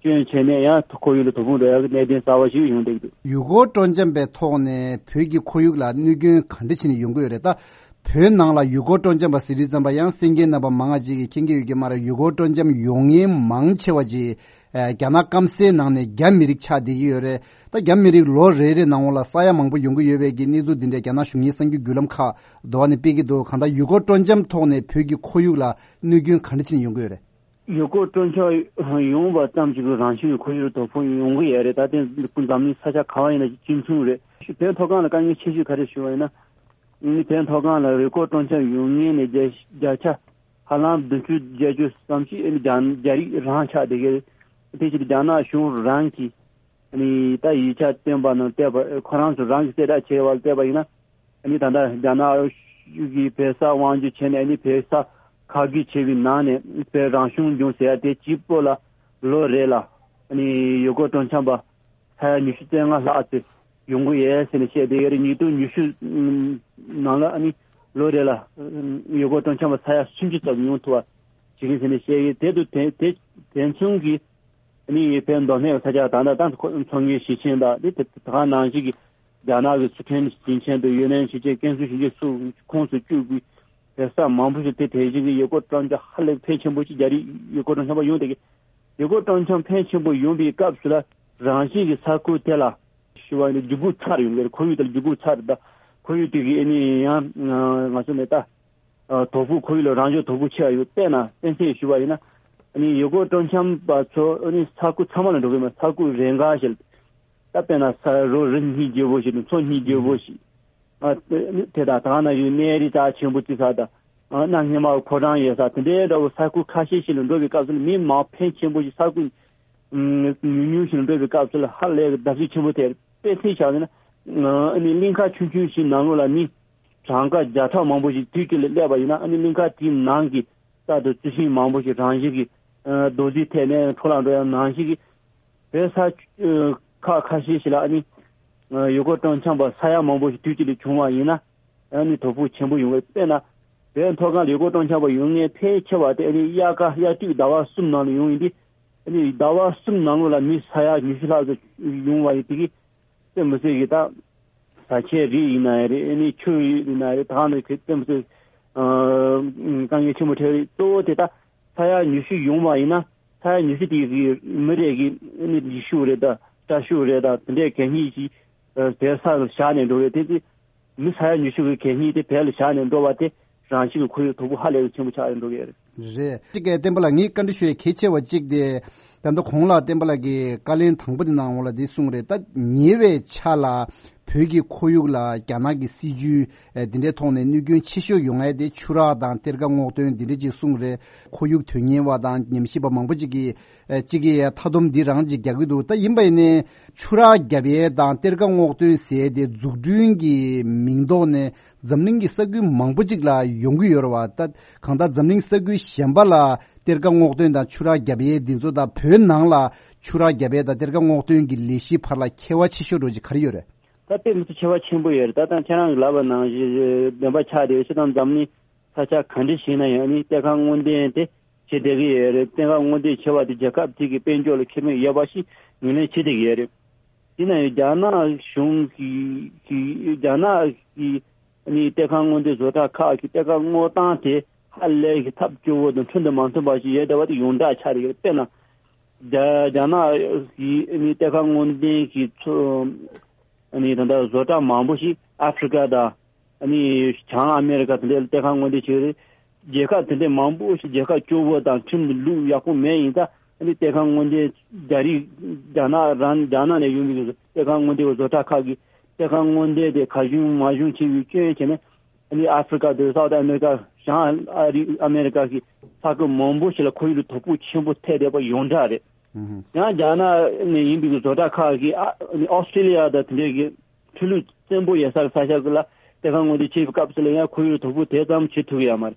སྐྱོན་བྱས་ནས་ཡང་ཁོར་ཡུག་ལ་དོ་ཕོག་འགྲོ་ཡག་གི་གནད་དོན་གསར་བ་ཞིག་ཡོང་བསྡད་ཀྱི་འདུག་ཡུལ་སྐོར་སྤྲོ་འཆམ་པའི་ཐོག་ནས་བོད་ཀྱི་ཁོར་ཡུག་ལ་གནོད་སྐྱོན་ག་འདྲ་བྱས་ནས་ཡོང་གི་ཡོད་རེད། ད་བོད་ནང་ལ་ཡུལ་སྐོར་སྤྲོ་འཆམ་པ་ཟེར་དུས་ཙམ་པ་ཡང་གསན་མཁན་རྣམ་པ་མང་ང་ཅིག་གིས་མཁྱེན་གྱི་ཡོད་ཀྱི་མ་རེད། ཡུལ་སྐོར་སྤྲོ་འཆམ་ཡོང་མཁན་མང་ཆེ་བ་ཅིག་ཨ། རྒྱ་ནག་སྐམ་སའི་ནང་ནས་རྒྱ་མི་རིགས་ཆགས་བསྡད་ཀྱི་ཡོད་རེད། ད་རྒྱ་མི་རིགས་ལོ་རེ་རེ་ནང་ལ་ས་ཡ་མང་པོ་ཡོང་གི་ཡོད་པའི་གི་གནས་ཚུལ་འདི་འདྲ་རྒྱ་ནག་གཞུང་གིས་གསར་འགྱུར་བརྒྱུད་ལམ་ཁག་འདྲ་བ་ནས་སྤེལ་གྱི་འདུག་གང་ལྟར་ཡུལ་སྐོར་སྤྲོ་འཆམ་ཐོག་ནས་བོད་ཀྱི་ཁོར་ཡུག་ལ་གནོད་སྐྱོན་ག་འདྲ་ཕྱིན་ཡོང་གི་ཡོད་རེད། ཡུལ་སྐོར་སྤྲོ་འཆམ་ཡོང་བ་ཙམ་གྱིས་རང་བཞིན་གྱི་ཁོར་ཡུག་ལ་དོ་ཕོག་ཡོང་གི་ཡོད་རེད། ད་ལྟའི་འཛམ་གླིང་ས་ཆ་ག་བ་ཡིན་ན་གཅིག་མཚུངས་རེད། བོད་མཐོ་སྒང་ལ་དཀའ་ངལ་ཆེ་ཤོས་ག་རེ་ཞུ་བ་ཡིན་ན། ཨ་ནི་བོད་མཐོ་སྒང་ལ་ཡུལ་སྐོར་སྤྲོ་འཆམ་ཡོང་མཁན་ནི་བརྒྱ་བརྒྱ་ཆ་ཧ་ལམ་བདུན་ཅུ་བརྒྱད་ཅུ་ཙམ་ཞིག་ཨ་ནི་རྒྱ་རྒྱ་རིགས་རང་ཆགས་བསྡད་ཀྱི་རེད། དེ་བཞིན་རྒྱ་ནག་གཞུང་རང་གིས་ཨ་ནི་ད་ཡིག་ཆ་བཏོན་པ་ནང་བལྟས་པ། ཁོ་རང་ཚོ་རང་གིས་གསལ་བསྒྲགས་བྱས་པ་ལ་བལྟས་པ་ཡིན་ན། ཨ་ནི་ད་ལྟ་རྒྱ་ནག་ གི་བོད་ས་དབང་སྒྱུར་བྱས་ནས་ཨ་ནི་བོད་ས་ཁ་བསྒྱུར་བྱས་པའི་ནང་ནས་བོད་རང་གཞུང་ལྗོངས་ཟེར་ཡ་དེ་གཅིག་པོ་ལ་ལོ་རེ་ལ་ཨ་ནི་ཡུལ་སྐོར་སྤྲོ་འཆམ་པ་ས་ཡ་ཉི་ཤུ་རྩ་ལྔ་ལྷག་ཙམ་ཡོང་གི་ཡོད་ཟེར་ནས་བཤད་བསྡད་ཡོད་རེད། ཉིས་སྟོང་ཉི་ཤུ་ནང་ལ་ཨ་ནི་ལོ་རེ་ལ་ཡུལ་སྐོར་སྤྲོ་འཆམ་པ་ས་ཡ་སུམ་ཅུ་ཙམ་ཡོང་ཐུབ་པ་བྱེད་ཀྱི་ཟེར་ནས་བཤད་ཡོད། དེ་དུ་དེ་དེ་དེ་མཚུངས་ཀྱི་ཨ་ནི་བོད་མདོ་སྨད་ས་ཆ་ད་ལྟ་ད་ཚོང་གཉེར་ཞིང་ཆེན་དང་དེ་དེ་ག་ནང་བཞིན་གྱི་རྒྱ་ནག་གི་སི་ཁྲོན་ཞིང་ཆེན་དང་ཡུན་ནན་ཞིང་ཆེན་ཀན་སུའུ་ཞིང་ཆེན་སོགས་ཁོངས་སུ་བཅུག་པའི་བོད་ས་མང་པོ་ཞིག་དེ་དེ་བཞིན་གྱི་ཡུལ་སྐོར་སྤྲོ་འཆམ་ཧ་ལས་ཕལ་ཆེན་པོ་ཞིག་རྒྱ་རིགས་ཡུལ་སྐོར་སྤྲོ་འཆམ་པ་ཡོང་བསྡད་ཀྱི། ཡུལ་སྐོར་སྤྲོ་འཆམ་ཕལ་ཆེན་པོ་ཡོང་བའི་སྐབས་སུ་ལ་རང་བཞིན་གྱི་ས་ཁུལ་དེ་ལ་ཞུ་བ་ཡིན་ན་རྒྱུད་སྐུད་ཚར་ཡོང་གི་རེད། ཁོར་ཡུག་དེ་ལ་རྒྱུད་སྐུད་ཚར་རེད། ད་ཁོར་ཡུག་དེ་གི་ཨ་ནི་ཡང་ང་ཚོ་ནས་ད་དོ་ཕོག་ཁོར་ཡུག་ལ་རང་ཕྱོགས་དོ་ཕོག་ཆེ་བ་ཡོད། དཔེར་ན་གཏན་ཚིགས་ཞུ་བ་ཡིན་ན་ཨ་ནི་ཡུལ་སྐོར་སྤྲོ་འཆམ་པ་ཚོ་ཨ་ནི་ས་ཁུལ་ཚང་མ་ལ་འགྲོ་གི་མ་ས་ཁུལ་རེ་འགའ་ཞིག་ད་དཔེར་ན་ས་རོ་རི་གཉིས་བརྗེ་པོ་ཞིག་དང་མཚོ་གཉིས་བརྗེ་པོ་ཞིག་ཨ་དེ་དང་ད་ན་ཡོད་གནས་རི་རྩ་ཆེན་པོ་བརྩིགས་ས་དང་གནའ་སྔ་མ་ཕོ་བྲང་ཡོད་ས་དེ་འདྲའི་འདྲ་བོ་ས་ཁུལ་ཁ་ཤས་ཤིག་ལ་འགྲོ་བའི་སྐབས་སུ་ལ་མི་མང་ཕོན་ཆེན་པོ་ཞིག་ས་ཁུལ་ཉུང་ཉུང་ཞིག་ལ་འགྲོ་བའི་སྐབས་སུ་ལ་ཧ་ལས་ཀྱི་བརྡབ་གསིག་ཆེན་པོ་ཐེབས་རེད། དཔེ་མཚོན་བཞག་ན་ཨ་ནི་གླིང་ཁ་ཆུང་ཆུང་ཞིག་ནང་ལོགས་ལ་མི་གྲངས་ཀ་བརྒྱ་ཕྲག་མང་པོ་ཞིག་དུས་གཅིག་ལ་སླེབས་པ་ཡིན་ན་ཨ་ནི་གླིང་ཁ་དེའི་ནང་གི་རྩྭ་དང་རྩི་ཤིང་མང་པོ་ཞིག་རང་བཞིན་གྱིས་རྡོ་རྫིས་ཐེབས་ནས་འཕྲོ་བརླག་འགྲོ་ཡ་ནང་བཞིན་གྱི་བོད་ས་ཁག་ཁ་ཤས་ཤིག་ལ་ཨ་ནི་ཡུལ་སྐོར་སྤྲོ་འཆམ་པ་ས་ཡ་མང་པོ་ཞིག་དུས་གཅིག་ལ་བྱུང་བ་ཡིན་ན་ཨ་ནི་དོ་ཕོག་ཆེན་པོ་ཡོང་གི། དཔེར་ན་བོད་མཐོ་སྒང་ལ་ཡུལ་སྐོར་སྤྲོ་འཆམ་པ་ཡོང་མཁན་ཕལ་ཆེ་བ་དེ་ཨ་ནི་དབྱར་ཁ་དབྱར་དུས་ཟླ་བ་གསུམ་ནང་ལ་ཡོང་ཡིན་དུས་ཨ་ནི་ཟླ་བ་གསུམ་ནང་ལོགས་ལ་མི་ས་ཡ་ཉི་ཤུ་ལྷག་ཙམ་ཡོང་བ་ཡིན་དེ་གི་དཔེ་མི་སྲིད་ཀྱི་ད་བཟའ་ཆས་རིགས་ཡིན་ན་ཡང་རེད། ཨ་ནི་ཆུ་ཡིན་ན་ཡང་རེད། ད་ག་ནང་བཞིན་དཔེ་མི་སྲིད་དཀའ་ངལ་ཆེན་པོ་འཕྲད་རེད། གཙོ་བོ་དེ་ད་ས་ཡ་ཉི་ཤུ་ཡོང་བ་ཡིན་ན་ས་ཡ་ཉི་ཤུ་དེ་གི་མི་རེ་གི་ཨ་ནི་ཡིག་ཤུགས་རེད་ད་སྐྲ་ཤུགས་རེད་ད་དེ་འདྲའི་གད་སྙིགས་ཤིག་བོད་ས་ལ་བཞག་ནས་འགྲོ་རེད། དེ་དེ་མི་ས་ཡ་ཉི་ཤུ་གི་གད་སྙིགས་དེ་བོད་ལ་བཞག་ནས་འགྲོ་བ་དེ་རང་བཞིན་གྱི་ཁོར་ཡུག་དོ་ཕོག་ཧ་ལས་པའི་ཆེན་པོ་ཆགས་ཡོད་འགྲོ་གི་རེད། རེད། གཅིག་གིས་བསྟན་པ་ལགས་ངས་བཀའ་འདྲི་ཞུ་ཡས་གལ་ཆེ་བ་གཅིག་དེ་ད་ལྟ་གོང་ལ་བསྟན་པ་ལགས་ཀྱིས་བཀའ་ལན་དང་པོ་དེ་གནང་འོང་ལ་འདི་གསུངས་རེད། ད་ཉེ་བའི་ཆར་ལ་བོད་ཀྱི་ཁོར་ཡུག་ལ་རྒྱ་ནག་གི་སྲིད་ཇུས་འདི་འདྲའི་ཐོག་ནས་གནོད་སྐྱོན་ཆེ་ཤོས་ཡོང་ཡས་དེ་ཆུ་རགས་དང་གཏེར་ཁ་སྔོག་འདོན་འདི་འདྲ་ཅིག་གསུངས་རེད། ཁོར་ཡུག་དོན་གཉེར་བ་དང་ཉམས་ཞིབ་པ་མང་པོ་ཅིག་གིས་གཅིག་གིས་མཐའ་སྡོམ་འདི་རང་ཅིག་རྒྱག་གི་འདུག་ད་ཡིན་པ་ཡིན་ནའི་ཆུ་རགས་བརྒྱབ་ཡས་དང་གཏེར་ཁ་སྔོག་འདོན་ཟེར་ཡས་དེ་འཛུགས་སྐྲུན་གྱི་མིང་ཐོག་ནས་འཛམ་གླིང་གི་ས་ཁུལ་མང་པོ་ཅིག་ལ་ཡོང་གི་ཡོད་རེད་བ། ད་གང་ལྟར་འཛམ་གླིང་ས་ཁུལ་གཞན་པ་ལ་གཏེར་ཁ་སྔོག་འདོན་དང་ཆུ་རགས་བརྒྱབ་ཡས་འདི་ཚོ་དང་བོད་ནང་ལ་ཆུ་རགས་བརྒྱབ་ཡས་དང་གཏེར་ཁ་སྔོག་འདོན་གྱི་ལས་གཞི་བར་ལ་ཁྱད་པར་ཆེ་ཤོས་འགྲོ་གི་ག་རེ་ཡོད་རེད། ད་དཔེ་མི་སྲིད་ཁྱད་པར་ཆེན་པོ་ཡོད་རེད། ད་ད་ཁྱེད་རང་གིས་ལབ་པ་ནང་བཞིན་བདེན་པ་ཆགས་བསྡད་ཡོད། སྤྱིར་བཏང་འཛམ་གླིང་ས་ཆ་ག་འདྲ་ཞིག་ན་ཡང་ནི་གཏེར་ཁ་སྔོག་འདོན་དེ་བྱེད་བསྡད་ཀྱི་ཡོད་རེད། གཏེར་ཁ་སྔོག་འདོན་བྱེད་པ་དེ་རྒྱལ་ཁབ་དེ་གི་དཔལ་འབྱོར་ལ་ཁེ་ཕན་ཡོད་པ་ཞིག་ངོས་ལེན་བྱེད་བསྡད་ཀྱི་ཡོད་རེད། དེ་ན་ཡང་རྒྱ་ནག་གཞུང་གི་གི་རྒྱ་ནག་གི་ནི་གཏེར་ཁ་སྔོག་འདོན་བཟོ་གྲྭ་ཁག་གི་གཏེར་ཁ་སྔོག་སྟངས་དེ་ཧ་ལས་ཀྱི་ཐབས་སྐྱོ་བོ་དང་ཁྲིམས་དང་མ་མཐུན་པ་ཞིག་ཡོད་བསྡད་པ་དེ་ཡོངས་གྲགས་ཆགས་བསྡད་ཀྱི་རེད། དཔེར་ན་རྒྱ་རྒྱ་ནག་གི་ནི་གཏེར་ཁ་སྔོག་འདོན་གྱི་ཚོ་ནི་ད་ལྟ་བཟོ་གྲྭ་མང་པོ་ཞིག་ཨ་ཧྥེ་རི་ཀ་དང་ནི་བྱང་ཨ་མེ་རི་ཀ་དེ་འདྲའི་གཏེར་ཁ་སྔོག་འདོན་བྱེད་ཀྱི་རེད། རྒྱལ་ཁབ་དེ་འདྲའི་མང་པོ་ཞིག་རྒྱལ་ཁབ་སྐྱོ་བོ་དང་ཁྲིམས་ལུགས་ཡག་པོ་མེད་ཡིན་ཙང་ཨ་ནི་གཏེར་ཁ་སྔོག་འདོན་རྒྱ་རིགས་རྒྱ་ནག་རང་རྒྱ་ནག་ནས་ཡོང་བའི་གཏེར་ཁ་སྔོག་འདོན་བཟོ་གྲྭ་ཁག་གིས་གཏེར་ཁ་སྔོག་འདོན་དེ་གར་བྱུང་མར་བྱུང་བྱས་པའི་སྐྱོན་བྱས་ནས་ཨ་ནི་ཨ་ཧྥེ་རི་ཀ་དང་སའུ་ཐི་ཨ་མེ་རི་ཀ་བྱང་ཨ་རི་ཨ་མེ་རི་ཀ་གི་ས་ཁུལ་མང་པོ་ཞིག་ལ་ཁོར་ཡུག་ལ་དོ་ཕོག་ཆེན་པོ་ཐེབས་བསྡད་པ་ཡོངས་གྲགས་རེད། ཨུ་ཧུ། ཡང་རྒྱ་ནག་ནས་ཡིན་པའི་བཟོ་གྲྭ་ཁག་གིས་ཨ་ནི་ཨོ་སི་ཁྲི་ལི་ཡ་དང་དེ་འདྲའི་གི་ཆུ་ལུད་བཙན་པོ་ཡོད་ས་ས་ཆ་ཟིག་ལ་གཏེར་ཁ་སྔོག་འདོན་བྱེད་པའི་སྐབས་སུ་ལ་ཡང་ཁོར་ཡུག་ལ་དོ་ཕོག་དེ་ཙམ་བྱེད་ཐུབ་ཀྱི་ཡོད་མ་རེད།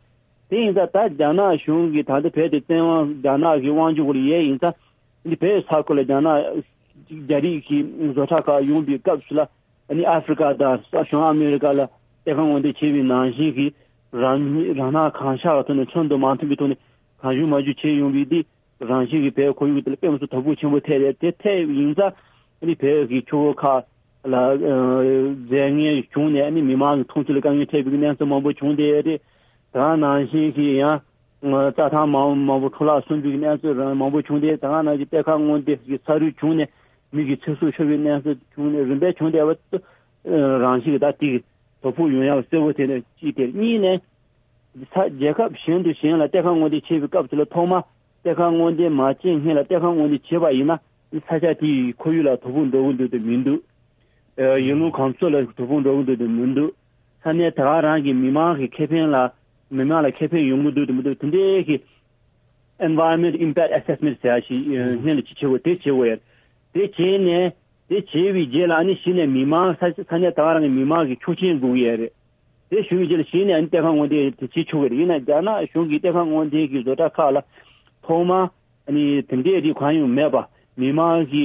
དེ་ཡིན་ཙང་ད་རྒྱ་ནག་གཞུང་གིས་ད་ལྟ་བོད་དེ་བཙན་དབང་རྒྱ་ནག་གི་དབང་སྒྱུར་འོག་ལ་ཡོད་ཡིན་ཙང་འདི་བོད་ས་ཁུལ་ལ་རྒྱ་ནག་རྒྱ་རིགས་ཀྱི་བཟོ་གྲྭ་ཁག་ཡོང་པའི་སྐབས་སུ་ལ་ཨ་ནི་ཨ་ཧྥེ་རི་ཀ་དང་བྱང་ཨ་མེ་རི་ཀ་ལ་གཏེར་ཁ་སྔོག་འདོན་བྱེད་པའི་ནང་བཞིན་གྱི་རང་རང་སྣང་གང་ཤར་བའི་ཐོག་ནས་ཁྲིམས་དང་མ་མཐུན་པའི་ཐོག་ནས་གང་བྱུང་མང་བྱུང་བྱས་ཡོང་བའི་འདི། རང་བཞིན་གྱིས་བོད་ཁོར་ཡུག་དེ་ལ་དཔེ་མི་སྲིད་དོ་ཕོག་ཆེན་པོ་ཐེབས་རེད། དེ་ཐེབས་ཡིན་ཙང་ཨ་ནི་བོད་ཀྱི་ཆུ་བོ་ཁག་ལ་ཨ་རྫས་ངན་བྱུང་ནས་ཨ་ནི་མི་མང་གི་འཐུང་ཆུ་ལ་དཀའ་ངལ་འཕྲད་པའི་གནས་ཚུལ་མང་པོ་བྱུང་བསྡད་ཡོད་རེད། དེ་ག་ནང་བཞིན་གྱི་ཡང་རྩྭ་ཐང་མང་མང་པོ་འཕྲོ་བརླག་སོང་པའི་གནས་ཚུལ་རང་མང་པོ་བྱུང་སྟེ། དེ་ག་ནང་བཞིན་གཏེར་ཁ་སྔོག་འདོན་གྱི་ས་རུད་བྱུང་ནས་མི་གི་ཚེ་སྲོག་ཤོར་བའི་གནས་ཚུལ་བྱུང་ནས་རིམ་པས་བྱུང་བསྡད་པ་རང་བཞིན་གྱི་ད་དེ་གི་དོ་ཕོག་ཡོང་ཡག་གསལ་པོ་དེ་ནས་གཅིག་དེ་གཉིས་ནས། ས་རྒྱལ་ཁབ་གཞན་དུ་གཞན་ལ་གཏེར་ཁ་སྔོག་འདོན་བྱེད་པའི་སྐབས་སུ་ལ་ཐོག་མ་གཏེར་ཁ་སྔོག་འདོན་མ་བྱས་སྔོན་ལ་གཏེར་ཁ་སྔོག་འདོན་བྱས་པ་ཡིན་ན་ས་ཆ་དེའི་ཁོར་ཡུག་ལ་དོ་ཕོག་འགྲོ་གི་འདུག་དང་མི་འདུག་ཨ་ཡུལ་ལུང་གང་ཚོ་ལ་དོ་ཕོག་འགྲོ་གི་འདུག་དང་མི་འདུག་ས་གནས་ད་ག་རང་གི་མི་མང་གི་ཁེ་ཕན་ལ་མི་མང་ལ་ཁེ་ཕན་ཡོང་གི་འདུག་དང་མི་འདུག་དེ་འདྲའི་གི་Environment Impact Assessment ཟེར་ཡ་ཞིག་ཨ་སྔོན་ལ་ཅིག་བྱེད་དགོས། དེ་བྱེད་དགོས་ཡ་རེད། དེ་བྱས་ནས་དེ་བྱས་པའི་རྗེས་ལ་ཨ་ནི་གཞི་ནས་མི་མང་ས་ས་གནས་ད་ག་རང་གི་མི་མང་གི་ཆོག་མཆན་དགོས་ཀྱི་ཡ་རེད། དེ་ཞུ་བའི་རྗེས་ལ་གཞི་ནས་ཨ་ནི་གཏེར་ཁ་སྔོག་འདོན་དེ་བྱེད་ཆོག་གི་རེད། ཡིན་ན་རྒྱ་ནག་གཞུང་གིས་གཏེར་ཁ་སྔོག་འདོན་གྱི་བཟོ་གྲྭ་ཁག་ལ་ཐོག་མར་ཨ་ནི་དེ་འདྲས་དེ་གང་ཡང་མེད་པ། མི་མང་གི་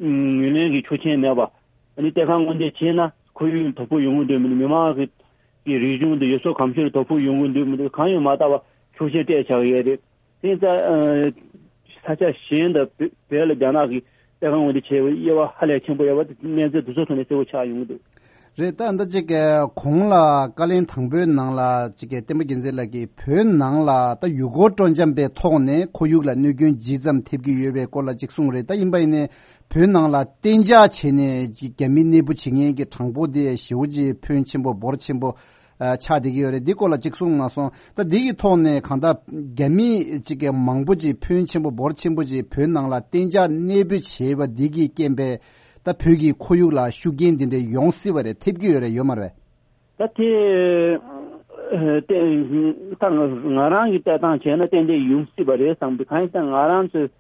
ངོས་ལེན་གྱི་ཆོག་མཆན་མེད་པ། ཨ་ནི་གཏེར་ཁ་སྔོག་འདོན་བྱས་ན་ཁོར་ཡུག་དོ་ཕོག་ཡོང་གི་འདུག་མི་འདུག་མི་མང་གི་གི་རིག་གཞུང་དང་ཡུལ་སྲོལ་གོམས་གཤིས་ལ་དོ་ཕོག་ཡོང་གི་འདུག་མི་འདུག་གང་ཡང་མ་བལྟ་བར་ཆོག་མཆན་སྤྲད་བཞག་ཡོད་རེད། དེ་ཙང་ས་ཆ་གཞན་དང་བོད་ལ་རྒྱ་ནག་གིས་གཏེར་ཁ་སྔོག་འདོན་བྱས་པའི་དབྱེ་བ་ཧ་ལས་ཆེན་པོ་ཡོད་པ་དེ་གནས་ཚུལ་དེ་ཚོ་ཐོག་ནས་གསལ་པོ་ཆགས་ཡོང་གི་འདུག་རེད། ད་ལྟ་ཅིག་གོང་ལ་བཀའ་ལན་དང་པོའི་ནང་ལ་ཅིག་བསྟན་པ་རྒྱལ་མཚན་ལགས་ཀྱིས་བོད་ནང་ལ་ད་ཡུལ་སྐོར་སྤྲོ་འཆམ་པའི་ཐོག་ནས་ཁོར་ཡུག་ལ་གནོད་སྐྱོན་ཇི་ཙམ་ཐེབས་ཀྱི་ཡོད་པའི་སྐོར་ལ་ཅིག་གསུངས་རེད། ད་ཡིན་པ་ཡིན་ནའི་བོད་ནང་ལ་གཏན་འཇགས་བྱས་ནས་ཅིག་རྒྱ་མི་གནས་སྤོ་བྱེད་མཁན་གྱི་གྲངས་འབོར་དེ་ཞེ་པོ་ཅིག་ཕོན་ཆེན་པོ་འབོར་ཆེན་པོ་ཨ་ཆགས་བསྡད་ཀྱི་ཡོད་རེད། འདི་སྐོར་ལ་ཅིག་གསུངས་མ་སོང་། ད་འདི་གི་ཐོག་ནས་གང་ལྟར་རྒྱ་མི་ཅིག་གི་མང་པོ་ཅིག་ཕོན་ཆེན་པོ་འབོར་ཆེན་པོ་ཅིག་བོད་ནང་ལ་གཏན་འཇགས་གནས་སྤོས་བྱས་པ་འདི་གི་རྐྱེན་པས་ད་བོད་ཀྱི་ཁོར་ཡུག་ལ་ཤུགས་རྐྱེན་འདི་འདྲ་ཡོང་སྲིད་པ་རེད། ཐེབས་ཀྱི་ཡོད་རེད། ཡོད་མ་རེད། ད་དེ་ད་ང་རང་གི་ལྟ་སྟངས་བྱས་ན་ཏན་ཏན་ཡོང་སྲིད་པ་རེད་བསམ་གི། གང་ཡིན་ཟེར་ན་ང་རང་ཚོའི་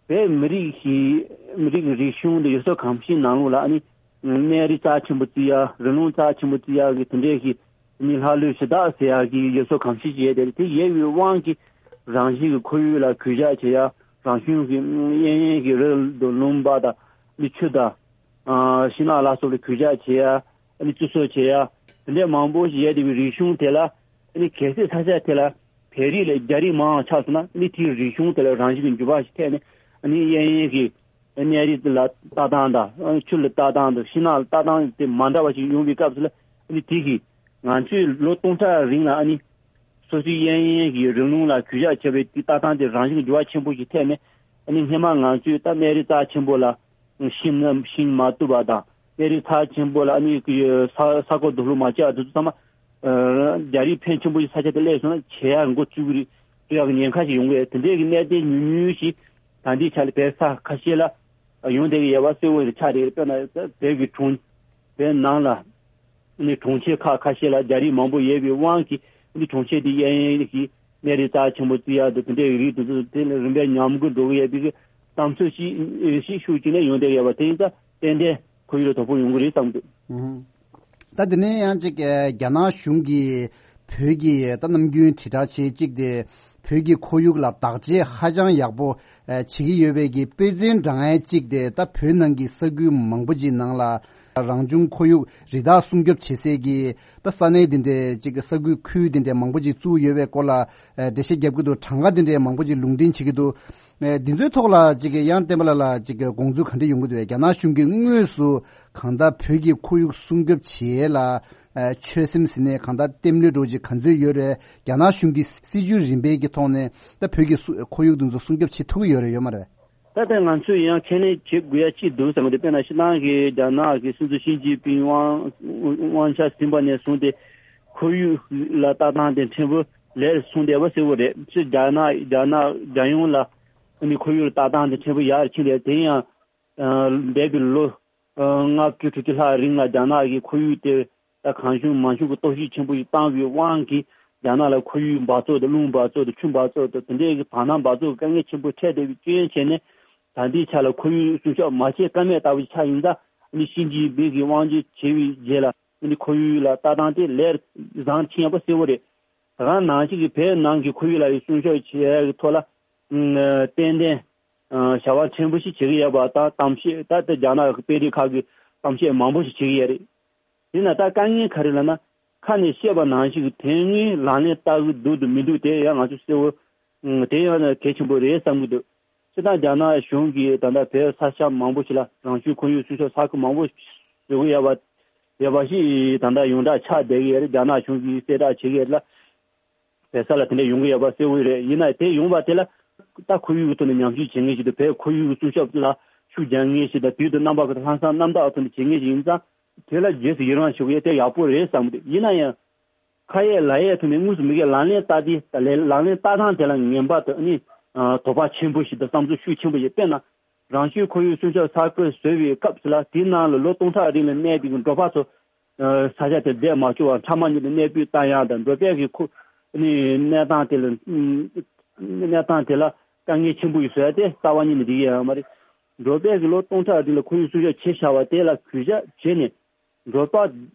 བོད་མི་རིགས་ཀྱི་མི་རིགས་ཀྱི་རིག་གཞུང་དང་ཡུལ་སྲོལ་གོམས་གཤིས་ནང་ལོགས་ལ་ཨ་ནི་གནས་རི་རྩ་ཆེན་པོ་བརྩི་ཡ། རི་ལུང་རྩ་ཆེན་པོ་བརྩི་ཡ་གི་དེ་འདྲའི་གི་ཨ་ནི་ལྷ་ལུས་གཞི་བདག་ཟེར་ཡ་གི་ཡུལ་སྲོལ་གོམས་གཤིས་ཤིག་ཡོད་དེ། དེ་ཡོད་པའི་དབང་གིས་རང་བཞིན་གྱི་ཁོར་ཡུག་ལ་གུས་ཞབས་བྱེད་ཡ། རང་བྱུང་གི་གཡས་གཡོན་གྱི་རི་དང་ལུང་པ་དང་ཨ་ནི་ཆུ་དང་ཨ་ཤིང་ནགས་ལ་སོགས་ལ་གུས་ཞབས་བྱེད་ཡ། ཨ་ནི་བརྩི་སྲུང་བྱེད་ཡ། དེ་འདྲའི་མང་པོ་ཞིག་ཡོད་བསྡད་པའི་རིག་གཞུང་དེ་ལ་ཨ་ནི་གལ་སྲིད་ས་ཆ་དེ་ལ་བོད་རིགས་ལས་རྒྱ་རིགས་མང་བ་ཆགས་སོང་ན་ཨ་ནི་དེའི་རིག་གཞུང་དེ་ལ་རང་བཞིན་གྱི་འགྱུར་བ་ཞིག་ཐེབས་ནས་ཨ་ནི་གཡས་གཡོན་གྱི་གནས་རི་ལ་ལྟ་སྟངས་དང་ཨ་ནི་ཆུ་ལ་ལྟ་སྟངས་དང་ཤིང་ནགས་ལ་ལྟ་སྟངས་དེ་མ་འདྲ་བ་ཞིག་ཡོང་བའི་སྐབས་སུ་ལ་ཨ་ནི་དེ་གིས་ང་ཚོས་ལོ་སྟོང་ཕྲག་རིང་ལ་ཨ་ནི་སོ་སོའི་གཡས་གཡོན་གྱི་རི་ལུང་ལ་གུས་ཞབས་བྱས་པའི་དེ་ལྟ་སྟངས་དེ་རང་བཞིན་གྱི་འགྱུར་བ་ཆེན་པོ་ཞིག་ཐེབས་ནས་ཨ་ནི་སྔོན་མ་ང་ཚོས་ད་གནས་རི་རྩ་ཆེན་པོ་ལ་ཤིང་ཤིང་མ་གཏུབ་པ་དང་། གནས་རི་རྩ་ཆེན་པོ་ལ་ཨ་ནི་ས་ས་རྐོ་རྡོ་སློག་མ་བྱས་པ་དེ་ཚོ་ཚང་མ་རྒྱ་རིགས་ཕོན་ཆེན་པོ་ཞིག་ས་ཆ་དེ་སླེབས་སོང་ན་བྱེ་ཡག་འགོ་བཙུགས་ཀྱི་རེད། བཙུགས་ཡག་གི་ཉེན་ཁ་ཞིག་ཡོང་གི་རེད། དེ་འདྲའི་གི་གནད་དོན་ཉུང་ཉུང་ཞིག་ད་ལྟའི་ཆ་ལ་བོད་ས་ཁ་ཤས་ལ་ཡོང་བསྡད་ཀྱི་ཡོད་པ་གསལ་པོ་ཆགས་བསྡད་ཀྱི་རེད། དཔེར་ན་བོད་ཀྱི་གྲོང་བོད་ནང་ལ་ནི་གྲོང་ཁྱེར་ཁག་ཁ་ཤས་ལ་རྒྱ་རིགས་མང་པོ་ཡོད་པའི་དབང་གིས་ནི་གྲོང་ཁྱེར་དེ་གཡས་གཡོན་གྱི་གནས་རི་རྩ་ཆེན་པོ་བརྩི་ཡག་དང་དེ་འདྲའི་རིགས་དེ་ཚོ་དེ་ལ་རིམ་པས་ཉམས་རྒུད་འགྲོ་གི་ཡོད་པའི་གཏམ་ཚོད་ཞིག་ཞིག་ཤུགས་ཅིག་ནས་ཡོང་བསྡད་ཡོད་པ་དེ་ཡིན་ཙང་ཏན་ཏན་ཁོར་ཡུག་ལ་དོ་ཕོག་ཡོང་གི་རེད་བསམ་འདུག་ད་དེ་ནས་ཡང་ཅིག་རྒྱ་ནག་གཞུང་གིས་བོད་ཀྱི་ད་ནམ་རྒྱུན་དྲིལ་བསྒྲགས་བྱེད་ཅིག་དེ་བོད་ཀྱི་ཁོར་ཡུག་ལ་བདག་གཅེས་ཧ་ཅང་ཡག་པོ་བྱེད་ཀྱི་ཡོད་པའི་གི་དཔེ་མཚོན་འདྲ་མཁན་གཅིག་དེ་ད་བོད་ནང་གི་ས་ཁུལ་མང་པོ་ཅིག་ནང་ལ་རང་བྱུང་ཁོར་ཡུག་རི་དྭགས་སྲུང་སྐྱོབ་བྱེད་སའི་གི་ད་ས་གནས་དེ་འདྲའི་ཅིག་གི་ས་ཁུལ་ཁུལ་དེ་འདྲའི་མང་པོ་ཅིག་བཙུགས་ཡོད་པའི་སྐོར་ལ་འགྲེལ་བཤད་རྒྱབ་ཀྱི་འདུག་གྲངས་ཀ་དེ་འདྲའི་མང་པོ་ཅིག་ལུང་འདྲེན་བྱེད་ཀྱི་འདུག་འདི་ཚོའི་ཐོག་ལ་ཅིག་གི་ཡང་བསྟན་པ་ལགས་ལ་ཅིག་གི་དགོངས་ཚུལ་ག་འདྲ་ཡོང་གི་འདུག་རྒྱ་ནག་གཞུང་གིས་དངོས་སུ་གང་ལྟར་བོད་ཀྱི་ཁོར་ཡུག་སྲུང་སྐྱོབ་བྱེད་ཡས་ལ་ཆོད་སེམས་ཟིན་ནས་གང་ལྟར་བསྟེམ་ལུས་འགྲོ་ཅིག་ག་ཚོད་ཡོད་རེད། རྒྱ་ནག་གཞུང་གི་སྲིད་ཇུས་རིམ་པའི་གི་ཐོག་ནས་ད་བོད་ཀྱི་སུ་ཁོར་ཡུག་དེ་ཚོ་སྲུང་སྐྱོབ་བྱེད་ཐུབ་ཀྱི་ཡོད་རེད་ཡོད་མ་རེད། ད་ལྟ་ང་ཚོས་ཡང་ཁས་ལེན་བྱེད་དགོས་ཡ་ཅིག་འདུག་བསམ་གི་འདུག་དཔེར་ན་སྤྱིར་བཏང་གི་རྒྱ་ནག་གི་སྲིད་འཛིན་ཞི་ཅིན་ཕིང་དབང་དབང་ཆ་ཟིན་པ་ནས་བཟུང་སྟེ་ཁོར་ཡུག་ལ་ལྟ་སྟངས་དེ་ཕྲན་བུ་ལེགས་སོང་བསྡད་པ་གསལ་པོ་རེད། སྤྱིར་རྒྱ་ནག་རྒྱ་ནག་རྒྱལ་ཡོངས་ལ་ནི་ཁོར་ཡུག་ལ་ལྟ་སྟངས་དེ་ཕྲན་བུ་ཡར་ཕྱིན་རེད། དེ་ཡང་འདས་པའི་ལོ་ལྔ་བཅུ་དྲུག་ཅུ་ལྷག་རིང་ལ་རྒྱ་ནག་གི་ཁོར་ཡུག་དེ་ད་གང་བྱུང་མང་བྱུང་གི་གཏོར་བཤིག་ཆེན་པོ་ཞིག་བཏང་བའི་དབང་གིས་རྒྱ་ནག་ལ་ཁོར་ཡུག་འབག་བཙོག་དང་རླུང་འབག་བཙོག་དང་ཆུ་འབག་བཙོག་དང་དེ་འདྲའི་གི་བར་སྣང་འབག་བཙོག་གི་དཀའ་ངལ་ཆེན་པོ་འཕྲད་བསྡད་པའི་རྐྱེན་བྱས་ནས་ད་ལྟའི་ཆ་ལ་ཁོར་ཡུག་སྲུང་སྐྱོབ་མ་བྱས་ཀ་མེད་ལྟ་བུ་ཆགས་ཡིན་ཙང་ཨ་ནི་ཞི་ཅིན་ཕིང་གིས་དབང་སྒྱུར་བྱས་པའི་རྗེས་ལ་ཨ་ནི་ཁོར་ཡུག་ལ་ལྟ་སྟངས་དེ་ལས་བཟང་ཕྱིན་ཡོད་པ་གསལ་པོ་རེད། ད་ག་ནང་བཞིན་གྱི་བོད་ནང་གི་ཁོར་ཡུག་ལ་ཡི་སྲུང་སྐྱོབ་བྱེད་ཡག་གི་ཐོག་ལ་ཏན་ཏན་བྱ་བ་ཕྲན་བུ་ཞིག་བྱེད་ཀྱི་ཡོད་པ་དང་གཏམ་བཤད་ད་ལྟ་རྒྱ་ནག་གི་དཔོན་རིགས་ཁག་གིས་གཏམ་བཤད་མང་པོ་ཞིག་བྱེད་ཀྱི་ཡོད་རེད། ཡིན་ན་ད་དཀའ་ངལ་ག་རེ་ལབ་ན། ཁ་ནས་བཤད་པ་ནང་བཞིན་གྱི་དོན་དངོས་ལག་ལེན་བསྟར་གྱི་འདུག་འདུག་མི་འདུག་དེ་ཡང་ང་ཚོ་གསལ་པོ་དེ་ཡང་གལ་ཆེན་པོ་རེད་བསམ་གྱི་འདུག་སྤྱིར་བཏང་རྒྱ་ནག་གཞུང་གིས་ད་ལྟ་བོད་ས་ཆ་མང་པོ་ཞིག་ལ་རང་བྱུང་ཁོར་ཡུག་སྲུང་སྐྱོབ་ས་ཁུལ་མང་པོ་བཟོ་གི་ཡོད་པ་ཡོད་པ་ཞིག་ད་ལྟ་ཡོངས་གྲགས་ཆགས་བསྡད་ཀྱི་ཡོད་རེད། རྒྱ་ནག་གཞུང་གིས་གསལ་བསྒྲགས་བྱེད་ཀྱི་ཡོད་རེད་ལ། བོད་ས་ལ་དེ་འདྲ་ཡོང་གི་ཡོད་པ་གསལ་པོ་རེད། ཡིན་ན་དེ་ཡོང་བ་དེ་ལ་ད་ཁོར་ཡུག་གི་ཐོག་ནས་ཉམས་ཞིབ་བྱེད་མཁན་ཞིག་དང་བོད་ཁོར་ཡུག་གི་སྲུང་སྐྱོབ་ལ་ཤུགས་རྒྱག་མཁན་ཞིག་དང་དུས་དང་རྣམ་པ་ཁག་ཏུ་ལྷག་བསམ་རྣམ་དག་ཐོག་ནས་བྱེད་མཁན་ཞིག་ཡིན་ཙང་དེ་ལ་རྗེས་སུ་ཡི་རང་ཞུ་གི་ཡོད། དེ་ཡག་པོ་རེད་བསམ་གི་འདུག་ཡིན་ན་ཡང་ཁ་ཡས་ལག་ཡས་ཐོག་ནས་དངོས་སུ་མི་སྒེར་ལག་ལེན་བསྟར་དེ་ད་ལས་ལག་ལེན་བསྟར་སྟངས་དེ་ལ་ངན་པ་དང་ནི་དོགས་པ་ཆེན་པོ་ཞིག་དང་བསམ་ཚུལ་ཤུགས་ཆེན་པོ་ཞིག་དཔེར་ན། རང་བྱུང་ཁོར་ཡུག་སྲུང་སྐྱོབ་ས་ཁུལ་བཟོ་བའི་སྐབས་སུ་ལ་དེའི་ནང་ལ་ལོ་སྟོང་ཕྲག་རིང་ལ་གནས་པའི་འགྲོ་བ་ཚོ་ས་ཆ་དེར་བསྡད་མ་བཅུག་པར་ཕྲ་མ་ཉིད་དུ་གནས་སྤོས་བཏང་ཡག་དང་འགྲོ་ཕན་གྱི་ཁོ་ནི་གནས་སྟངས་དེ་ལ་གནས་སྟངས་དེ་ལ་དཀའ་ངལ་ཆེན་པོ་ཞིག་བཟོ་ཡ་དེ་རྩ་བ་ཉིད་ནས་འགྲིག་གི་ཡོད་མ་རེད། འགྲོ་ཕན་གྱི་ལོ་སྟོང་ཕྲག་རིང་ལ་ཁོར་ཡུག་སྲུང་སྐྱོབ་བྱས་བཞག་པ་དེ་ལ་གུས་ཞབས་བྱས་ནས། འབྲོག་པ་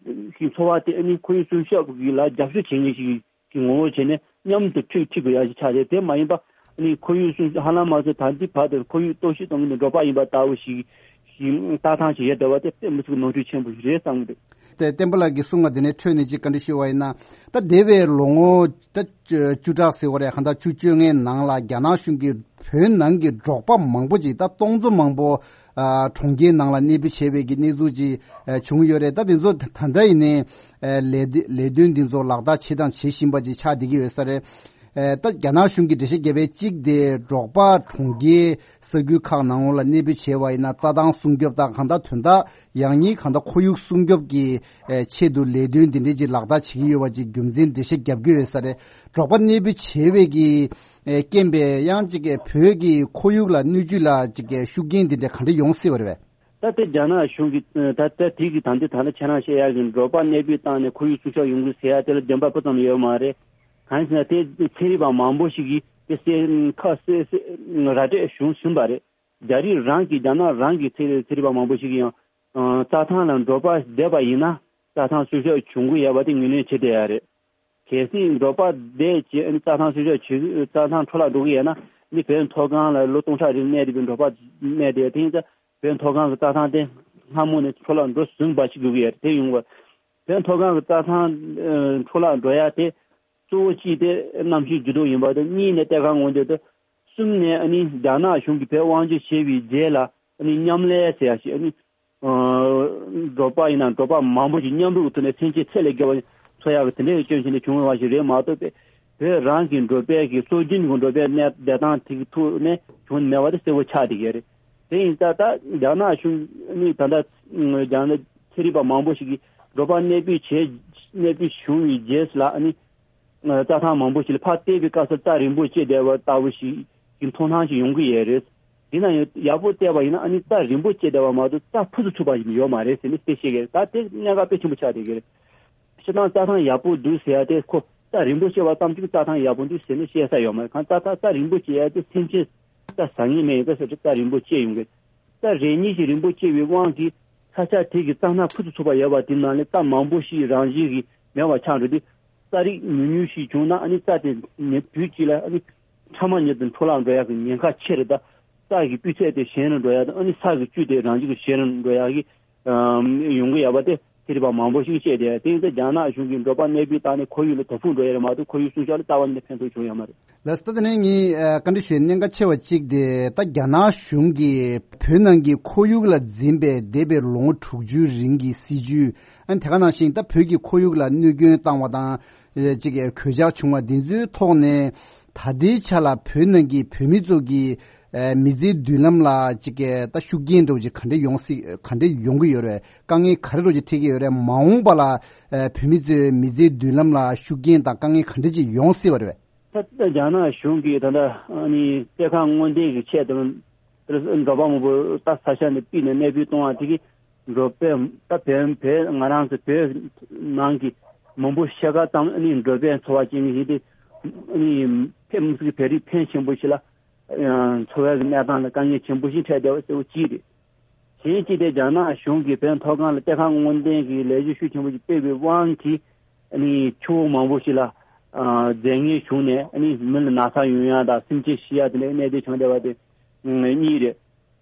གི་འཚོ་བ་དེ་ཨ་ནི་ཁོར་ཡུག་སྲུང་སྐྱོབ་ཀྱི་ལ་རྒྱབ་སྐྱོར་བྱེད་མཁན་ཞིག་གི་ངོ་བོ་བྱས་ནས་མཉམ་དུ་འཁྲིད་འཁྲིད་དགོས་ཡ་ཞིག་ཆགས་ཏེ། དེ་མ་ཡིན་པ་ཨ་ནི་ཁོར་ཡུག་སྲུང་ཧ་ལམ་མ་ཚད་ད་ལྟའི་བར་དུ་ཁོར་ཡུག་གཏོར་བཤིག་གཏོང་གི་འདུག་འབྲོག་པ་ཡིན་པ་ལྟ་བུ་ཞིག་ཞིག་ལྟ་སྟངས་ཤིག་ཡོད་བསྡད་པ་དེ་དཔེ་མི་སྲིད་ཀྱི་ནོར་འཁྲུལ་ཆེན་པོ་ཞིག་རེད་བསམ་གི་འདུག་དེ་བསྟན་པ་ལགས་ཀྱི་གསུང་བ་དེ་ནས་འཕྲོས་ནས་ཅིག་བཀའ་འདྲི་ཞུ་བ་ཡིན་ན། ད་འདས་པའི་ལོ་ངོ་ད་བཅུ་བཅུ་ཕྲག་ཟེར་བ་རེད། གང་ལྟར་བཅུ་བཅོ་ལྔའི་ནང་ལ་རྒྱ་ནག་གཞུང་གིས་བོད་ནང་གི་འབྲོག་པ་མང་པོ་ཅིག་ད་སྟོང་ཚོ་མང་པོ་ཨ་གྲོང་ཁྱེར་ནང་ལ་གནས་སྤོས་བྱས་པའི་གི་གནས་ཚུལ་ཅིག་ཨ་བྱུང་ཡོད་རེད། ད་དེ་ཚོ་ད་ད་ལྟ་ཡིན་ནའི་ཨ་ལས་དེ་ལས་དོན་འདི་ཚོ་ལག་བསྟར་བྱེད་དང་བྱེད་བཞིན་པ་ཅིག་ཆགས་བསྡད་ཀྱི་ཡོད་ས་རེད། ཨ་ད་རྒྱ་ནག་གཞུང་གིས་འགྲེལ་བཤད་བརྒྱབ་པའི་གཅིག་དེ་འབྲོག་པ་གྲོང་ཁྱེར་ས་ཁུལ་ཁག་ནང་ལ་གནས་སྤོས་བྱས་པ་ཡིན་ན་རྩྭ་ཐང་སྲུང་སྐྱོབ་དང་གང་ལྟར་དོན་དག་ཡང་སྙིང་གང་ལྟར་ཁོར་ཡུག་སྲུང་སྐྱོབ་ཀྱི་ཨེ་ཆེད་དུ་ལས་དོན་འདི་འདྲའི་ཅིག་ལག་བསྟར་བྱེད་ཀྱི་ཡོད་པ་ཅིག་རྒྱུ་མཚན་འགྲེལ་བཤད་བརྒྱབ་ཀྱི་ཡོད་ས་རེད། འབྲོག་པ་གནས་སྤོས་བྱས་པའི་གི་ཨེ་རྐྱེན་པས་ཡང་ཅིག་གི་བོད་ཀྱི་ཁོར་ཡུག་ལ་སྣོད་བཅུད་ལ་ཅིག་གི་ཤུགས་རྐྱེན་འདི་འདྲ་ག་འདྲ་ཡོང་སྲིད་པ་རེད་པས། ད་ལྟ་རྒྱ་ནག་གཞུང་གིས་ད་ལྟ་དེ་གི་ད་ལྟ་ད་ལྟ་ཁྱེད་རང་བཤད་ཡག་གི་འབྲོག་པ་གནས་སྤོས་བཏང་ནས་ཁོར་ཡུག་སྲུང་སྐྱོབ་ཡོང་གི་ཟེར་ཡ་དེ་ལ་བདེན་པ་སྤུ་ཙམ་ཡོད་མ་རེད། གང་ཡིན་ཟེར་ན་དེ་ཚན་རིག་པ་མང་པོ་ཞིག་གིས་དེ་གསལ་ཁ་གསལ་གསལ་ར་སྤྲོད་བྱུང་ཟིན་པ་རེད། རྒྱ་རིགས་རང་གི་རྒྱ་ནག་རང་གི་ཚན་རིག་ཚན་རིག་པ་མང་པོ་ཞིག་གིས་ཡང་ཨ་རྩྭ་ཐང་ལ་འབྲོག་པ་བསྡད་པ་ཡིན་ན་རྩྭ་ཐང་སྲུང་སྐྱོབ་བྱུང་གི་ཡོད་པ་དེ་ངོས་ལེན་བྱེད་བསྡད་ཡ་རེད། གལ་སྲིད་འབྲོག་པ་བསྡད་བྱས་ཨ་ནི་རྩྭ་ཐང་སྲུང་སྐྱོབ་བྱེད་རྩྭ་ཐང་འཕྲོ་བརླག་འགྲོ་གི་ཡོད་ན་ཨ་ནི་བོད་མཐོ་སྒང་ལ་ལོ་སྟོང་ཕྲག་རིང་གནས་བསྡད་པའི་འབྲོག་པ་གནས་བསྡད་དེ་ཡིན་ཙང་བོད་མཐོ་སྒང་གི་རྩྭ་ཐང་དེ་སྔ་མོ་ནས་འཕྲོ་བརླག་འགྲོ་ཟིན་པ་ཞིག་དགོས་ཀྱི་ཡོད་རེད། དེ་ཡོང་བ་བོད་མཐོ་སྒང་གི་རྩྭ་ཐང་ཨ་འཕྲོ་བརླག་འགྲོ་ཡ་དེ་གཙོ་བོ་གཅིག་དེ་གནམ་གཤིས་འགྱུར་ལྡོག་ཡིན་པ་དང་གཉིས་ནས་གཏེར་ཁ་སྔོག་འདོན་དང་གསུམ་ནས་ཨ་ནི་རྒྱ་ནག་གཞུང་གིས་བོད་དབང་སྒྱུར་བྱས་པའི་རྗེས་ལ་ཨ་ནི་མཉམ་ལས་ཟེར་ཡ་ཞིག་ཨ་ནི་ཨ་འབྲོག་པ་ཡིན་ན་འབྲོག་པ་མང་པོ་ཞིག་མཉམ་རུབ་ཀྱི་ཐོག་ནས་སེམས་ཅན་ཚད་ལས་བརྒལ་བ་འཚོ་ཡག་གི་དེ་འདྲའི་སྐྱོན་བྱས་ནས་བྱུང་བ་ཞིག་རེད་མ་གཏོགས་པས། བོད་རང་གི་འབྲོག་པའི་གི་སྲོལ་རྒྱུན་གྱི་འབྲོག་པའི་གནས་བསྡད་སྟངས་དེ་གི་ཐོག་ནས་བྱུང་མེད་པ་དེ་གསལ་པོ་ཆགས་བསྡད་ཀྱི་རེད། དེ་ཡིན་ཙང་ད་རྒྱ་ནག་གཞུང་ནི་ད་ལྟ་རྒྱ་ནག་ཚན་རིག་པ་མང་པོ་ཞིག་གིས་འབྲོག་པ་གནས་སྤོས་བྱས་གནས་སྤོས་བྱུང་བའི་རྗེས་སུ་ལ་ཨ་ནི་རྩྭ་ཐང་མང་པོ་ཞིག་ལ་ཕར་བལྟས་པའི་སྐབས་སུ་རྩྭ་རིང་པོ་སྐྱེས་བསྡད་པ་ལྟ་བུ་ཞིག་གི་མཐོང་སྣང་ཞིག་ཡོང་གི་ཡོད་རེད། ཡིན་ན་ཡང་ཡག་པོ་བལྟས་པ་ཡིན་ན་ཨ་ནི་རྩྭ་རིང་པོ་སྐྱེས་བསྡད་པ་མ་གཏོགས་རྩྭ་ཕུ་ཚུགས་ཚུགས་པ་ཞིག་ཡོད་མ་རེད་ཟེར་ནས་དེ་བཤད་ཀྱི་རེད། ད་དེ་གནད་འགག་དཔེ་ཆེན་པོ་ཆགས་བསྡད་ཀྱི་རེད། སྤྱིར་བཏང་རྩྭ་ཐང་ཡག་པོ་འདུག་ཟེར་ཡ་དེ་ཁོ་རྩྭ་རིང་པོ་སྐྱེས་པ་ཙམ་གྱིས་རྩྭ་ཐང་ཡག་པོ་འདུག་ཟེར་ནས་བཤད་ས་ཡོད་མ་རེད། གང་རྩྭ་ཐང་རྩྭ་རིང་པོ་སྐྱེས་ཡ་དེ་སེམས་ཅན་རྩྭ་ཟ་མཁན་མེད་ཡིན་ཙང་ཟེར་རྩྭ་རིང་པོ་སྐྱེས་ཡོང་གི་རེད། རྩྭ་རེ་གཉིས་ཤིག་རིང་པོ་སྐྱེས་པའི་དབང་གིས་ས་ཆ་དེ་གི་རྩྭ་སྣ་ཕུ་ཚུགས་ཚུགས་པ་ཡོད་པ་དེ་ནང་ལས་རྩྭ་མང་པོ་ཞིག་རང་བཞིན་གྱིས་མེད་པ་ཆགས་འགྲོ་དུས་རྩྭ་རིགས་ཉུང་ཉུང་ཞིག་བྱུང་ན་ཨ་ནི་རྩྭ་དེ་ཉེ་དུས་གཅིག་ལ་ཨ་ནི་ཕྲ་མ་ཉིད་དུ་འཕྲོ་བརླག་འགྲོ་ཡག་གི་ཉེན་ཁ་ཆེ་རེད། ད་རྩྭ་གི་སྤུས་ཚད་དེ་ཞན་རུ་འགྲོ་ཡག་དང་ཨ་ནི་ས་གི་བཅུད་དེ་རང་བཞིན་གྱིས་ཞན་རུ་འགྲོ་ཡག་གི་ཨམ་ཡོང་གི་ཡོད་པ་དེ་ཚན་རིག་པ་མང་པོ་ཞིག་བཤད་དེ། དེ་ཡིན་ཙང་རྒྱ་ནག་གཞུང་གིས་འབྲོག་པ་གནས་སྤོས་བཏང་ནས་ཁོར་ཡུག་ལ་དོ་ཕོག་འགྲོ་ཡ་རེད་མ་གཏོགས་ཁོར་ཡུག་སྲུང་སྐྱོབ་ལ་རྩ་བ་ཉིད་ནས་ཕན་ཐོགས་བྱུང་ཡོད་མ་རེད། ལགས་སོ། ད་དེ་ནས་ངས་ཨ་བཀའ་འདྲི་ཞུ་ཡའི་གནད་འགག་ཆེ་བ་གཅིག་དེ་ད་རྒྱ་ནག་གཞུང་གིས་བོད་ནང་གི་ཁོར་ཡུག་ལ་འཛིན་པའི་འདས་པའི་ལོ་ངོ་དྲུག་ཅུའི་རིང་གི་སྲིད་ཇུས་ཨ་ནི་དེ་ག་ནང་བཞིན་ད་བོད་ཀྱི་ཁོར་ཡུག་ལ་གནོད་སྐྱོན་བཏང་བ་དང་ཨ་ཅིག་གོད་ཆག་བྱུང་བ་འདི་ཚོའི་ཐོག་ནས་ད་ལྟའི་ཆ་ལ་བོད་ནང་གི་བོད་མི་ཚོ་གི་ཨ་མི་ཚེའི་མདུན་ལམ་ལ་ཅིག་ད་ཤུགས་རྐྱེན་འདྲ་བོ་ཅིག་ག་འདྲ་ཡོང་སྲིད་ག་འདྲ་ཡོང་གི་ཡོད་རེད། དཀའ་ངལ་ག་རེ་འདྲ་བོ་ཅིག་འཕྲད་ཀྱི་ཡོད་རེད། མ་འོངས་པ་ལ་ཨ་བོད་མི་ཚོའི་མི་ཚེའི་མདུན་ལམ་ལ་ཤུགས་རྐྱེན་དང་དཀའ་ངལ་ག་འདྲ་ཅིག་ཡོང་སྲིད་པ་རེད་པས། ད་ལྟ་རྒྱ་ནག་གཞུང་གིས་ད་ལྟ་ཨ་ནི་གཏེར་ཁ་སྔོག་འདོན་གྱི་ཆེད་དུ་འབྲོག་པ་མང་པོ་ད་ས་ཆ་ནས་ཕུད་ནས་གནས་སྤོས་གཏོང་བ་དེ་གིས་འབྲོག་པའི་ད་བོད་བོད་ང་རང་ཚོ་བོད་ནང་གི་མང་པོ་ཕྱེད་ཀ་ཙམ་ཨ་ནི་འབྲོག་པའི་འཚོ་བ་སྐྱེལ་མཁན་ཞིག་དེ་ཨ་ནི་ཕེབས་མི་སྲིད་ཀྱི་བོད་རིགས་ཕོན་ཆེན་པོ་ཞིག་ལ་འཚོ་བའི་གནས་སྟངས་ལ་དཀའ་ངལ་ཆེན་པོ་ཞིག་འཕྲད་བསྡད་པ་གཙོ་བོ་གཅིག་རེད། གཞན་གཅིག་དེ་རྒྱ་ནག་གཞུང་གིས་བོད་མཐོ་སྒང་ལ་གཏེར་ཁ་སྔོག་འདོན་གྱི་ལས་གཞི་ཤུགས་ཆེན་པོ་ཞིག་སྤེལ་བའི་དབང་གིས་ཨ་ནི་ཆུ་བོ་མང་པོ་ཞིག་ལ་ཨ་རྫས་ངན་ཞུགས་ནས་ཨ་ནི་མི་ལ་ན་ཚ་ཡོང་ཡ་དང་སེམས་ཅན་ཤི་ཡ་དེ་འདྲའི་གནད་དོན་བྱུང་བསྡད་པ་དེ་གཉིས་རེད།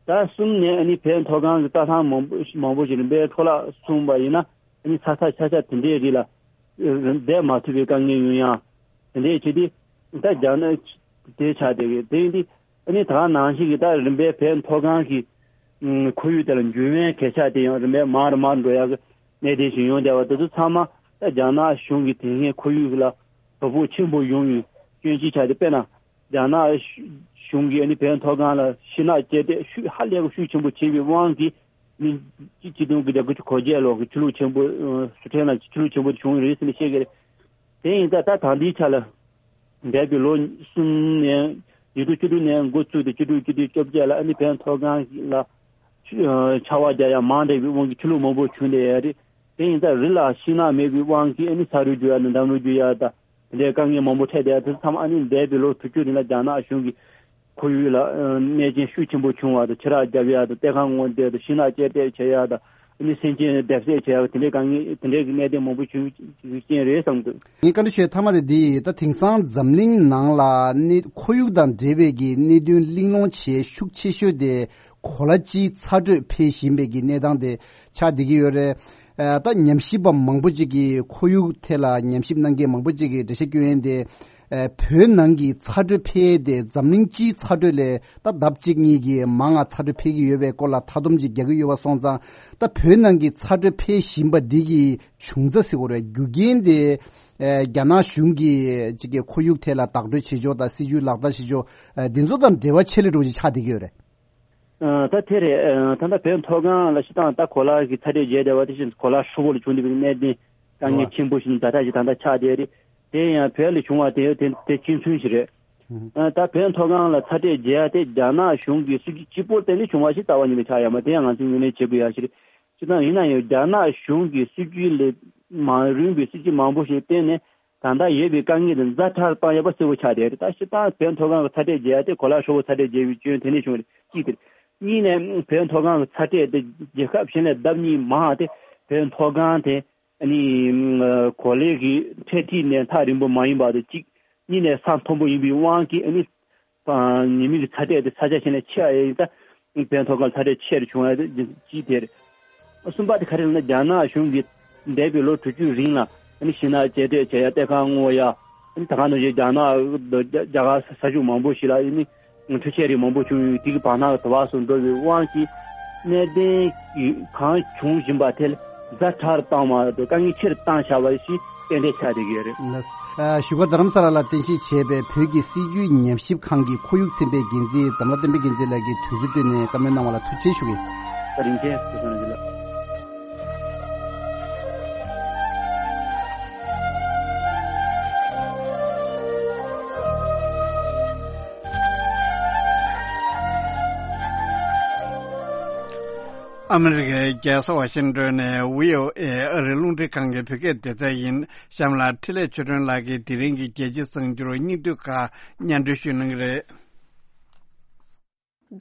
ད་གསུམ་ནས་ཨ་ནི་བོད་མཐོ་སྒང་གི་རྩྭ་ཐང་མང་པོ་མང་པོ་ཞིག་རིམ་པས་འཕྲོ་བརླག་སོང་བ་ཡིན་ན་ཨ་ནི་ས་ཆ་ཆ་ཆ་དེ་འདྲའི་རིགས་ལ་བསྡད་མ་ཐུབ་པའི་དཀའ་ངལ་ཡོང་ཡ་དེ་འདྲའི་བྱས་ཏེ་ད་རྒྱ་ནག་དེ་ཆགས་བསྡད་ཡོད། དེ་ཡིན་དུས་ཨ་ནི་ད་ག་ནང་བཞིན་གྱི་ད་རིམ་པས་བོད་མཐོ་སྒང་གི་ཁོར་ཡུག་དེ་ལ་འགྱུར་བའི་གོད་ཆག་དེ་ཡང་རིམ་པས་མང་རུ་མང་རུ་འགྲོ་ཡག་གི་གནད་དོན་ཞིག་ཡོང་བསྡད་པ་དེ་ཚོ་ཚང་མ་ད་རྒྱ་ནག་གཞུང་གིས་དེ་སྔའི་ཁོར་ཡུག་ལ་དོ་ཕོག་ཆེན་པོ་ཡོང་བའི་སྐྱོན་ཅིག་ཆགས་ཏེ། དཔེར་ན་རྒྱ་ནག་གཞུང་གིས་ཨ་ནི་བོད་མཐོ་སྒང་ལ་ཤིང་ནགས་བཅད་འདེད་ཤུགས་ཧ་ལས་པ་ཤུགས་ཆེན་པོ་བྱས་པའི་དབང་གིས་ནི་སྤྱི་སྤྱི་ཟླ་དགུ་བརྒྱ་དགུ་བཅུ་གོ་བརྒྱད་ལོ་གི་ཆུ་ལོག་ཆེན་པོ་སུ་ཁྲེན་ལ་ཆུ་ལོག་ཆེན་པོ་བྱུང་ཡོད་རེད་ཟེར་ནས་བཤད་ཀྱི་རེད། དེ་ཡིན་ཙང་ད་ད་ལྟའི་ཆ་ལ་འདས་པའི་ལོ་གསུམ་ནས་ཉིས་སྟོང་བཅུ་དྲུག་ནས་འགོ་བཙུགས་ཏེ་བཅུ་དྲུག་བཅུ་བདུན་བཅོ་བརྒྱད་ལ་ཨ་ནི་བོད་མཐོ་སྒང་ལ་ཆུ་ཆར་པ་རྒྱག་ཡ་མང་དྲགས་པའི་དབང་གིས་ཆུ་ལོག་མང་པོ་བྱུང་བསྡད་ཡོད་རེད། དེ་ཡིན་ཙང་རི་ལ་ཤིང་ནགས་མེད་པའི་དབང་གིས་ཨ་ནི་ས་རུད་རྒྱུག་ཡ་དང་འདམ་རུད་རྒྱུག་ཡ་དང་དེ་འདྲའི་དཀའ་ངལ་མང་པོ་འཕྲད་བསྡད་ཡ་དེ་ཚོ་ཚང་མ་ཨ་ནི་འདས་པའི་ལོ་དྲུག་ཅུ་རིང་ལ་རྒྱ་ནག་གཞུང་གིས་ཁོར་ཡུག་ལ་གནོད་སྐྱོན་ཤུགས་ཆེན་པོ་བྱུང་བ་དང་ཆུ་རགས་བརྒྱབ་ཡ་དང་གཏེར་ཁ་སྔོག་འདོན་དང་ཤིང་ནགས་བཅད་འདེད་བྱེད་ཡ་དང་ ནི་སེམས་ཅན་བརྡབ་གསིག་བྱས་པ་དེ་འདྲའི་དཀའ་ངལ་དེ་འདྲའི་གི་གནད་དོན་མང་པོ་བྱུང་རྐྱེན་རེད་བསམ་འདུག། ངས་བཀའ་འདྲི་ཞུ་ཡ་མཐའ་མ་དེ་འདི་ཡིན། ད་དེང་སང་འཛམ་གླིང་ནང་ལ་གནད་ཁོར་ཡུག་དང་འབྲེལ་བའི་གི་གནད་དོན་གླེང་སློང་བྱེད་ཤུགས་ཆེ་ཤོས་དེ་གོ་ལ་སྤྱིའི་ཚ་དྲོད་འཕེལ་བཞིན་པའི་གི་གནས་སྟངས་དེ་ཆགས་བསྡད་ཀྱི་ཡོད་རེད། ཨ། ད་ཉམས་ཞིབ་པ་མང་པོ་ཅིག་གིས་ཁོར་ཡུག་ཐད་ལ་ཉམས་ཞིབ་གནང་མཁན་མང་པོ་ཅིག་གིས་འགྲེལ་བཤད་སྐྱོན་ཡན་དེ། ཨ། བོད་ནང་གི་ཚ་དྲོད་འཕེལ་ཡས་དེ་འཛམ་གླིང་སྤྱིའི་ཚ་དྲོད་ལས་ད་ལྡབ་གཅིག་གཉིས་ཀྱིས་མང་ང་ཚ་དྲོད་འཕེལ་གྱི་ཡོད་པའི་སྐོར་ལ་མཐའ་སྡོམ་ཅིག་རྒྱག་གི་ཡོད་པ་སོང་ཙང་། ད་བོད་ནང་གི་ཚ་དྲོད་འཕེལ་བཞིན་པ་འདི་གི་བྱུང་རྩ་ཟེར་དགོས་རེད། རྒྱུ་རྐྱེན་དེ། ཨ། རྒྱ་ནག་གཞུང་གིས་ཅིག་གི་ཁོར་ཡུག་ཐད་ལ་བདག་སྤྲོད་བྱེད་ཕྱོགས་དང་སྲིད་ཇུས་ལག་བསྟར་བྱེད་ཕྱོགས། ཨ། འདི་ཚོ་དང་འབྲེལ་བ་ཆེ་ལས་འགྲོ་ཅིག་ཆགས་བསྡད་ཀྱི་ཡོད་རེད། ཨ། ད་དེ་རེད། ཨ། ད་ལྟ་བོད་མཐོ་སྒང་ལ་སྤྱིར་བཏང་ད་གོ་ལ་གི་ཚ་དྲོད་རྒྱས་བསྡད་པ་དེ་བཞིན་གོ་ལ་ཧྲིལ་པོ་ལ་བྱུང་བསྡད་པའི་གནད་དོན་དཀའ་ངལ་ཆེན་པོ་ཞིག་ཛ་དྲག་ཅིག་ད་ལྟ་ཆགས་བསྡད་རེད། དེ་ཡང་བོད་ལ་བྱུང་བ་དེ་དེ་དེ་གཅིག་མཚུངས་ཤིག་རེད། ཨ། ད་བོད་མཐོ་སྒང་ལ་ཚ་དྲོད་རྒྱས་ཡ་དེ་རྒྱ་ནག་གཞུང་གི་སྲིད་ཇུས་གཅིག་པོར་བརྟེན་ནས་བྱུང་བ་ཞིག་རྩ་བ་ཉིད་ནས་ཆགས་ཡོད་མ་རེད། དེ་ཡང་ང་ཚོས་ངོས་ལེན་བྱེད་དགོས་ཡ་ཞིག་རེད། སྤྱིར་བཏང་ཡིན་ན་ཡང་རྒྱ་ནག་གཞུང་གི་སྲིད་ཇུས་ལས་མ་རུང་བའི་སྲིད་ཇུས་མང་པོ་ཞིག་བཏོན་ནས། ད་ལྟ་ཡོད་པའི་དཀའ་ངལ་དེ་ཛ་དྲག་བཏང་ཡོད་པ་གསལ་པོ་ཆགས་བསྡད་རེད། ད་སྤྱིར་བཏང་བོད་མཐོ་སྒང་གི་ཚ་དྲོད་རྒྱས་ཡ་དེ་གོ་ལ་ཧྲིལ་པོ་ཚ་དྲོད་རྒྱས་པའི་རྐྱེན་དེ་ནས་བྱུང་བ་རེད། གཅིག་དེ་རེད། གཉིས་ནས་བོད་མཐོ་སྒང་གི་ཚ་དྲོད་དེ་རྒྱལ་ཁབ་གཞན་ལས་ལྡབ་གཉིས་མང་བ་དེ་བོད་མཐོ་སྒང་དེ་ཨ་ནི་གོ་ལའི་གི་འཕྲེད་འཁྲིས་ནས་ཐག་རིང་པོ་མ་ཡིན་པ་དེ་གཅིག། གཉིས་ནས་ས་མཐོན་པོ་ཡིན་པའི་དབང་གིས་ཨ་ནི། ཨ། ཉི་མའི་གི་ཚ་དྲོད་དེ་ས་ཆ་གཞན་ལས་ཆེ་བ་ཡིན་ཙང་བོད་མཐོ་སྒང་ཚ་དྲོད་ཆེ་རུ་བྱུང་བ་དེ་གཅིག་དེ་རེད། གསུམ་པ་དེ་ག་རེ་ལབ་ན་རྒྱ་ནག་གཞུང་གིས་འདས་པའི་ལོ་དྲུག་ཅུ་རིང་ལ་ཨ་ནི་ཤིང་ནགས་བཅད་གཏོར་བྱས་ཡ་གཏེར་ཁ་སྔོག་ཡ། ཨ་ནི་ད་ག་ནང་བཞིན་རྒྱ་ནག་རྒྱ་གར་ས་ཁུལ་མང་པོ་ཞིག་ལ་ཨ་ནི་འཕྲུལ་ཆས་རིགས་མང་པོ་བྱུང་ཡོད། དེ་གི་བར་ན་དུ་བ་སོགས་འགྲོ་བའི་དབང་གིས་གནད་དོན་གང་བྱུང་བཞིན་པ་དེ་ལ་ཛ་དྲག་བཏང་བ་དང་དཀའ་ངལ་ཆེ་རུ་བཏང་བཞག་པ་ཞིག་ཏན་ཏན་ཆགས་བསྡད་ཀྱི་ཡོད་རེད། ལགས། ཨ། བཞུགས་སྒར་རྡ་རམ་ས་ལ་ལ་རྟེན་གཞི་བྱས་པའི་བོད་ཀྱི་སྲིད་བྱུས་ཉམས་ཞིབ་ཁང་གི་ཁོར་ཡུག་ཚན་པའི་འགན་འཛིན་འཛམ་ལྷ་བསྟན་འཕེལ་རྒྱལ་མཚན་ལགས་ཀྱིས་དུས་ཚོད་བཏོན་ནས་བཀའ་མོལ་གནང་བ་ལ་ཐུགས་རྗེ་ཆེ་ཞུ་གི་ཡིན། བཀའ་དྲིན་ཆེ། ཐུགས་རྗེ་གནང་། ཨ་མི་རི་ཀའི་རྒྱལ་ས་ཝ་ཤིང་ཏོན་ནས་བྷི་ཨོ་ཨེ་ཨ་རིའི་རླུང་འཕྲིན་ཁང་གི་བོད་སྐད་སྡེ་ཚན་ཡིན། གཤམ་ལ་འཕྲིན་ལས་ཆོས་སྒྲོན་ལགས་ཀྱིས་དེ་རིང་གི་རྒྱལ་སྤྱིའི་གསར་འགྱུར་སྙིང་བསྡུས་ཁག་སྙན་སྒྲོན་ཞུ་གནང་གི་རེད།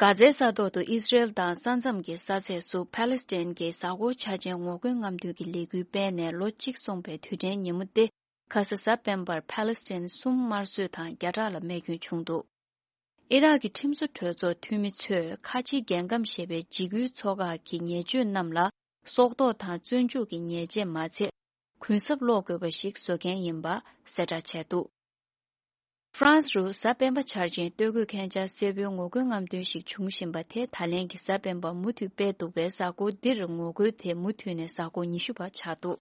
གྷ་ཛའི་ས་ཐོག་ཏུ་ཨི་སི་རེལ་དང་ས་མཚམས་ཀྱི་ས་ཚད་སུ་ཕཱ་ལེ་སི་ཐན་གྱི་གཟའ་འཁོར་འཆར་ཅན་ངོ་རྒོལ་རྔམ་སྟོན་གྱི་ལས་འགུལ་སྤེལ་ནས་ལོ་གཅིག་སོང་པའི་དུས་དྲན་ཉིན་མོ་སྟེ། ཁ་ས་གཟའ་སྤེན་པར་ཕཱ་ལེ་སི་ཐན་གསུམ་དམར་གསོད་དང་བརྒྱ་ཕྲག་ལ་རྨས་སྐྱོན་བྱུང་འདུག། ཨི་རག་གི་ཁྲིམས་བཟོ་གྲོས་ཚོགས་འཐུས་མི་ཚོས་ཁ་ཆེའི་རྒྱལ་ཁམས་ཞེས་པའི་འཇིགས་སྐུལ་ཚོགས་ཁག་གི་ཉེས་སྤྱོད་རྣམས་ལ་སྲོག་ཐོག་དང་བཙོན་འཇུག་གི་ཉེས་ཆད་མ་ཚད། གུན་གསབ་སློག་དགོས་པ་ཞིག་བཟོ་མཁན་ཡིན་པ་གསལ་བསྒྲགས་བྱས་འདུག། ཧྥ་རན་སི་རུ་གཟའ་སྤེན་པ་འཆར་ཅན་སྟོད་གོས་མཁན་ཆ་སེར་པོའི་ངོ་རྒོལ་རྔམ་སྟོན་ཞིག་བྱུང་བཞིན་པ་དེ་ད་ལན་གྱི་གཟའ་སྤེན་པ་མུ་མཐུད་སྤེལ་འདུག་པས། གཟའ་འཁོར་འདིར་ངོ་རྒོལ་དེ་མུ་མཐུད་ནས་གཟའ་འཁོར་ཉི་ཤུ་བར་ཆགས་འདུག།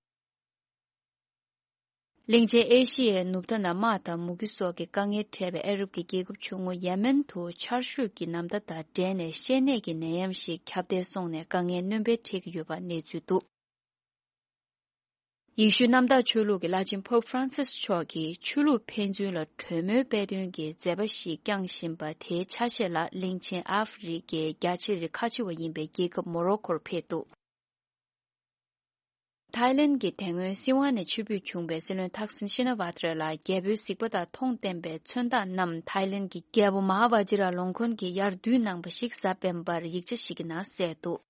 གླིང་ཆེན་ཨེ་ཤི་ཡའི་ནུབ་མཐའ་ན་དམག་དང་མུ་གེ་སོགས་ཀྱི་དཀའ་ངལ་འཕྲད་པའི་ཨ་རབ་ཀྱི་རྒྱལ་ཁབ་ཆུང་ངུ་ཡེ་མེན་དུ་ཆར་ཞོད་ཀྱི་ནམ་ཟླ་དང་འབྲེལ་ནས་བཤལ་ནད་ཀྱི་ནད་ཡམས་ཤིག་ཁྱབ་གདལ་སོང་ནས་དཀའ་ངལ་སྣོན་པ་འཕྲད་ཀྱི་ཡོད་པ་གནས་ཚུལ་འདུག། ཡེ་ཤུའི་གནམ་བདག་ཆོས་ལུགས་ཀྱི་བླ་ཆེན་Pope Francis་མཆོག་གིས་ཆོས་ལུགས་ཕན་ཚུན་ལ་གྲོས་མོལ་སྤེལ་དོན་གྱི་མཛད་པ་ཞིག་བསྐྱངས་བཞིན་པ་དེའི་ཆ་ཤས་ལ་གླིང་ཆེན་ཨ་ཧྥེ་རི་ཁའི་རྒྱ་ཆེ་རིགས་ཁ་ཆེ་བ་ཡིན་པའི་རྒྱལ་ཁབ་མོ་རོ་ཁོར་ཕེབས་འདུག། ཐའི་ལེན་གྱི་དེ་སྔོན་སྲིད་དབང་ནས་ཕྱིར་འབུད་བྱུང་བའི་སྲིད་བློན་ཐག་སིན་ཤི་ན་ཝ་ཏྲ་ལ་རྒྱལ་པོའི་གཟིགས་པ་དང་མཐོང་བསྟན་པའི་མཚོན་རྟགས་རྣམས་ཐའི་ལེན་གྱི་རྒྱལ་པོ་མ་ཧཱ་ཝ་ཇི་ར་ལོང་ཁོན་གྱིས་ཡར་བསྡུས་གནང་བ་ཞིག་གཟའ་སྤེན་པར་ཡིག་ཆ་ཞིག་གི་ནང་གསལ་འདུག།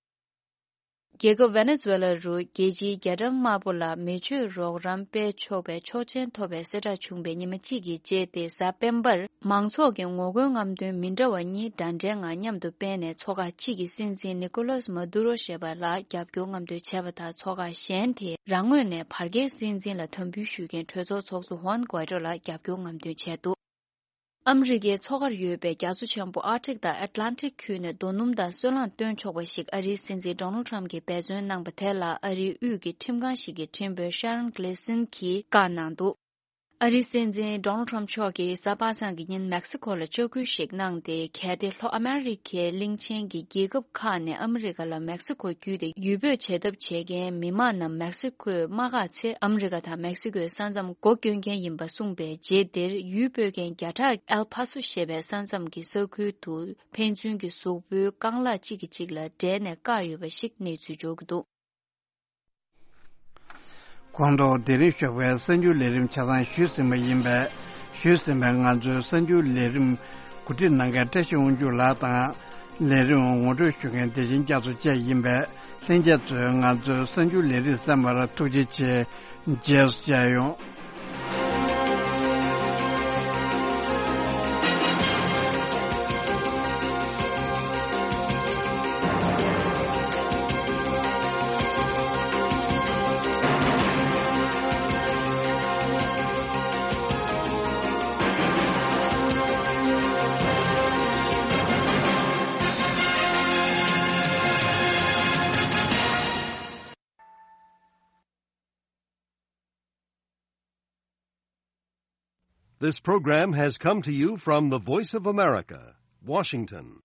རྒྱལ་ཁབ་ཝེ་ནེ་ཛུ་ཝེ་ལ་རུ་རྒྱལ་སྤྱིའི་རྒྱ་གྲམ་དམར་པོ་ལ་མེ་མཆོད་རོགས་རམ་སྤེལ་ཆོག་པའི་ཆོག་མཆན་ཐོབ་པའི་གསལ་བསྒྲགས་བྱུང་བའི་ཉི་མ་གཅིག་གི་རྗེས་ཏེ་གཟའ་སྤེན་པར་མང་ཚོགས་ཀྱི་ངོ་རྒོལ་རྔམ་སྟོན་མི་འདྲ་བ་གཉིས་འདྲ་འདྲའི་ངང་མཉམ་དུ་སྤེལ་ནས་ཚོགས་ཁག་གཅིག་གིས་སྲིད་འཛིན་ནི་ཀོ་ལོས་མ་དུ་རོ་ཞེས་པ་ལ་རྒྱབ་སྐྱོར་རྔམ་སྟོན་བྱས་པ་དང་། ཚོགས་ཁག་གཞན་དེས་རང་ངོས་ནས་བར་བརྒལ་སྲིད་འཛིན་ལ་དམ་འབུལ་ཞུ་མཁན་གྲོས་ཚོགས་ཚོགས་གཙོ་ཧུའན་གུའེ་ཏྲོ་ལ་རྒྱབ་སྐྱོར་རྔམ་སྟོན་བྱས་འདུག། ཨ་མི་རི་ཀའི་མཚོ་ཁར་ཡོད་པའི་རྒྱ་མཚོ་ཆེན་པོ་ཨར་ཀ་ཊིག་དང་ཨེཊ་ལན་ཊིག་ཁུལ་ནས་རྡོ་སྣུམ་དང་སོལ་རླངས་བཏོན་ཆོག་པ་ཞིག་ཨ་རིའི་སྲིད་འཛིན་ཌོ་ནལ་ཊམ་གྱིས་འབད་བརྩོན་གནང་པ་དེ་ལ་ཨ་རིའི་དབུས་ཀྱི་ཁྲིམས་ཁང་ཞིག་གི་ཁྲིམས་དཔོན་ཤ་རོན་གྷི་ལི་སིན་གྱིས་བཀའ་གནང་འདུག། ཨ་རིའི་སྲིད་འཛིན་ཌོ་ནལ་ཊམ་མཆོག་གིས་གཟའ་པ་སངས་ཀྱི་ཉིན་མེག་སི་ཁོ་ལ་ལྕག་སྐུལ་ཞིག་གནང་སྟེ། གལ་ཏེ་ལྷོ་ཨ་མེ་རི་ཁའི་གླིང་ཆེན་གྱི་རྒྱལ་ཁབ་ཁག་ནས་ཨ་མི་རི་ཀ་ལ་མེག་སི་ཁོ་བརྒྱུད་དེ་ཡུལ་སྤོས་བྱེད་ཐབས་བྱེད་མཁན་མི་མང་རྣམས་མེག་སི་ཁོས་མ་བཀག་ཚེ། ཨ་མི་རི་ཀ་དང་མེག་སི་ཁོའི་ས་མཚམས་སྒོ་སྐྱོན་མཁན་ཡིན་པ་གསུངས་པའི་རྗེས་དེར། ཡུལ་སྤོས་མཁན་བརྒྱ་ཕྲག་ཨེལ་ཕ་སོ་ཞེས་པའི་ས་མཚམས་ཀྱི་ས་ཁུལ་དུ་ཕན་ཚུན་གྱི་གཟུགས་པོའི་རྐང་ལག་གཅིག་གིས་གཅིག་ལ་འབྲད་ནས་བཀག་ཡོད་པ་ཞིག་གནས་ཚུལ་འབྱོར་གྱི་འདུག། གོང་དུ་དེ་རིང་ཞོགས་པའི་གསར་འགྱུར་ལས་རིམ་ཆ་ཚང་ཞུས་ཟིན་པ་ཡིན་པས། ཞུས་ཟིན་པའི་ང་ཚོའི་གསར་འགྱུར་ལས་རིམ་གོ་སྒྲིག་གནང་མཁན་བཀྲ་ཤིས་དབང་ཕྱུག་ལགས་དང་ ལས་རིམ་ངོ་སྤྲོད་ཞུ་མཁན་བདེ་ཆེན་རྒྱ་མཚོ་བཅས་ཡིན་པས། ལྷན་རྒྱས་ཚོས་ང་ཚོའི་གསར་འགྱུར་ལས་རིམ་གསན་པར་ཐུགས་རྗེ་ཆེ། རྗེས་སུ་མཇལ་ཡོང་། This program has come to you from the Voice of America, Washington.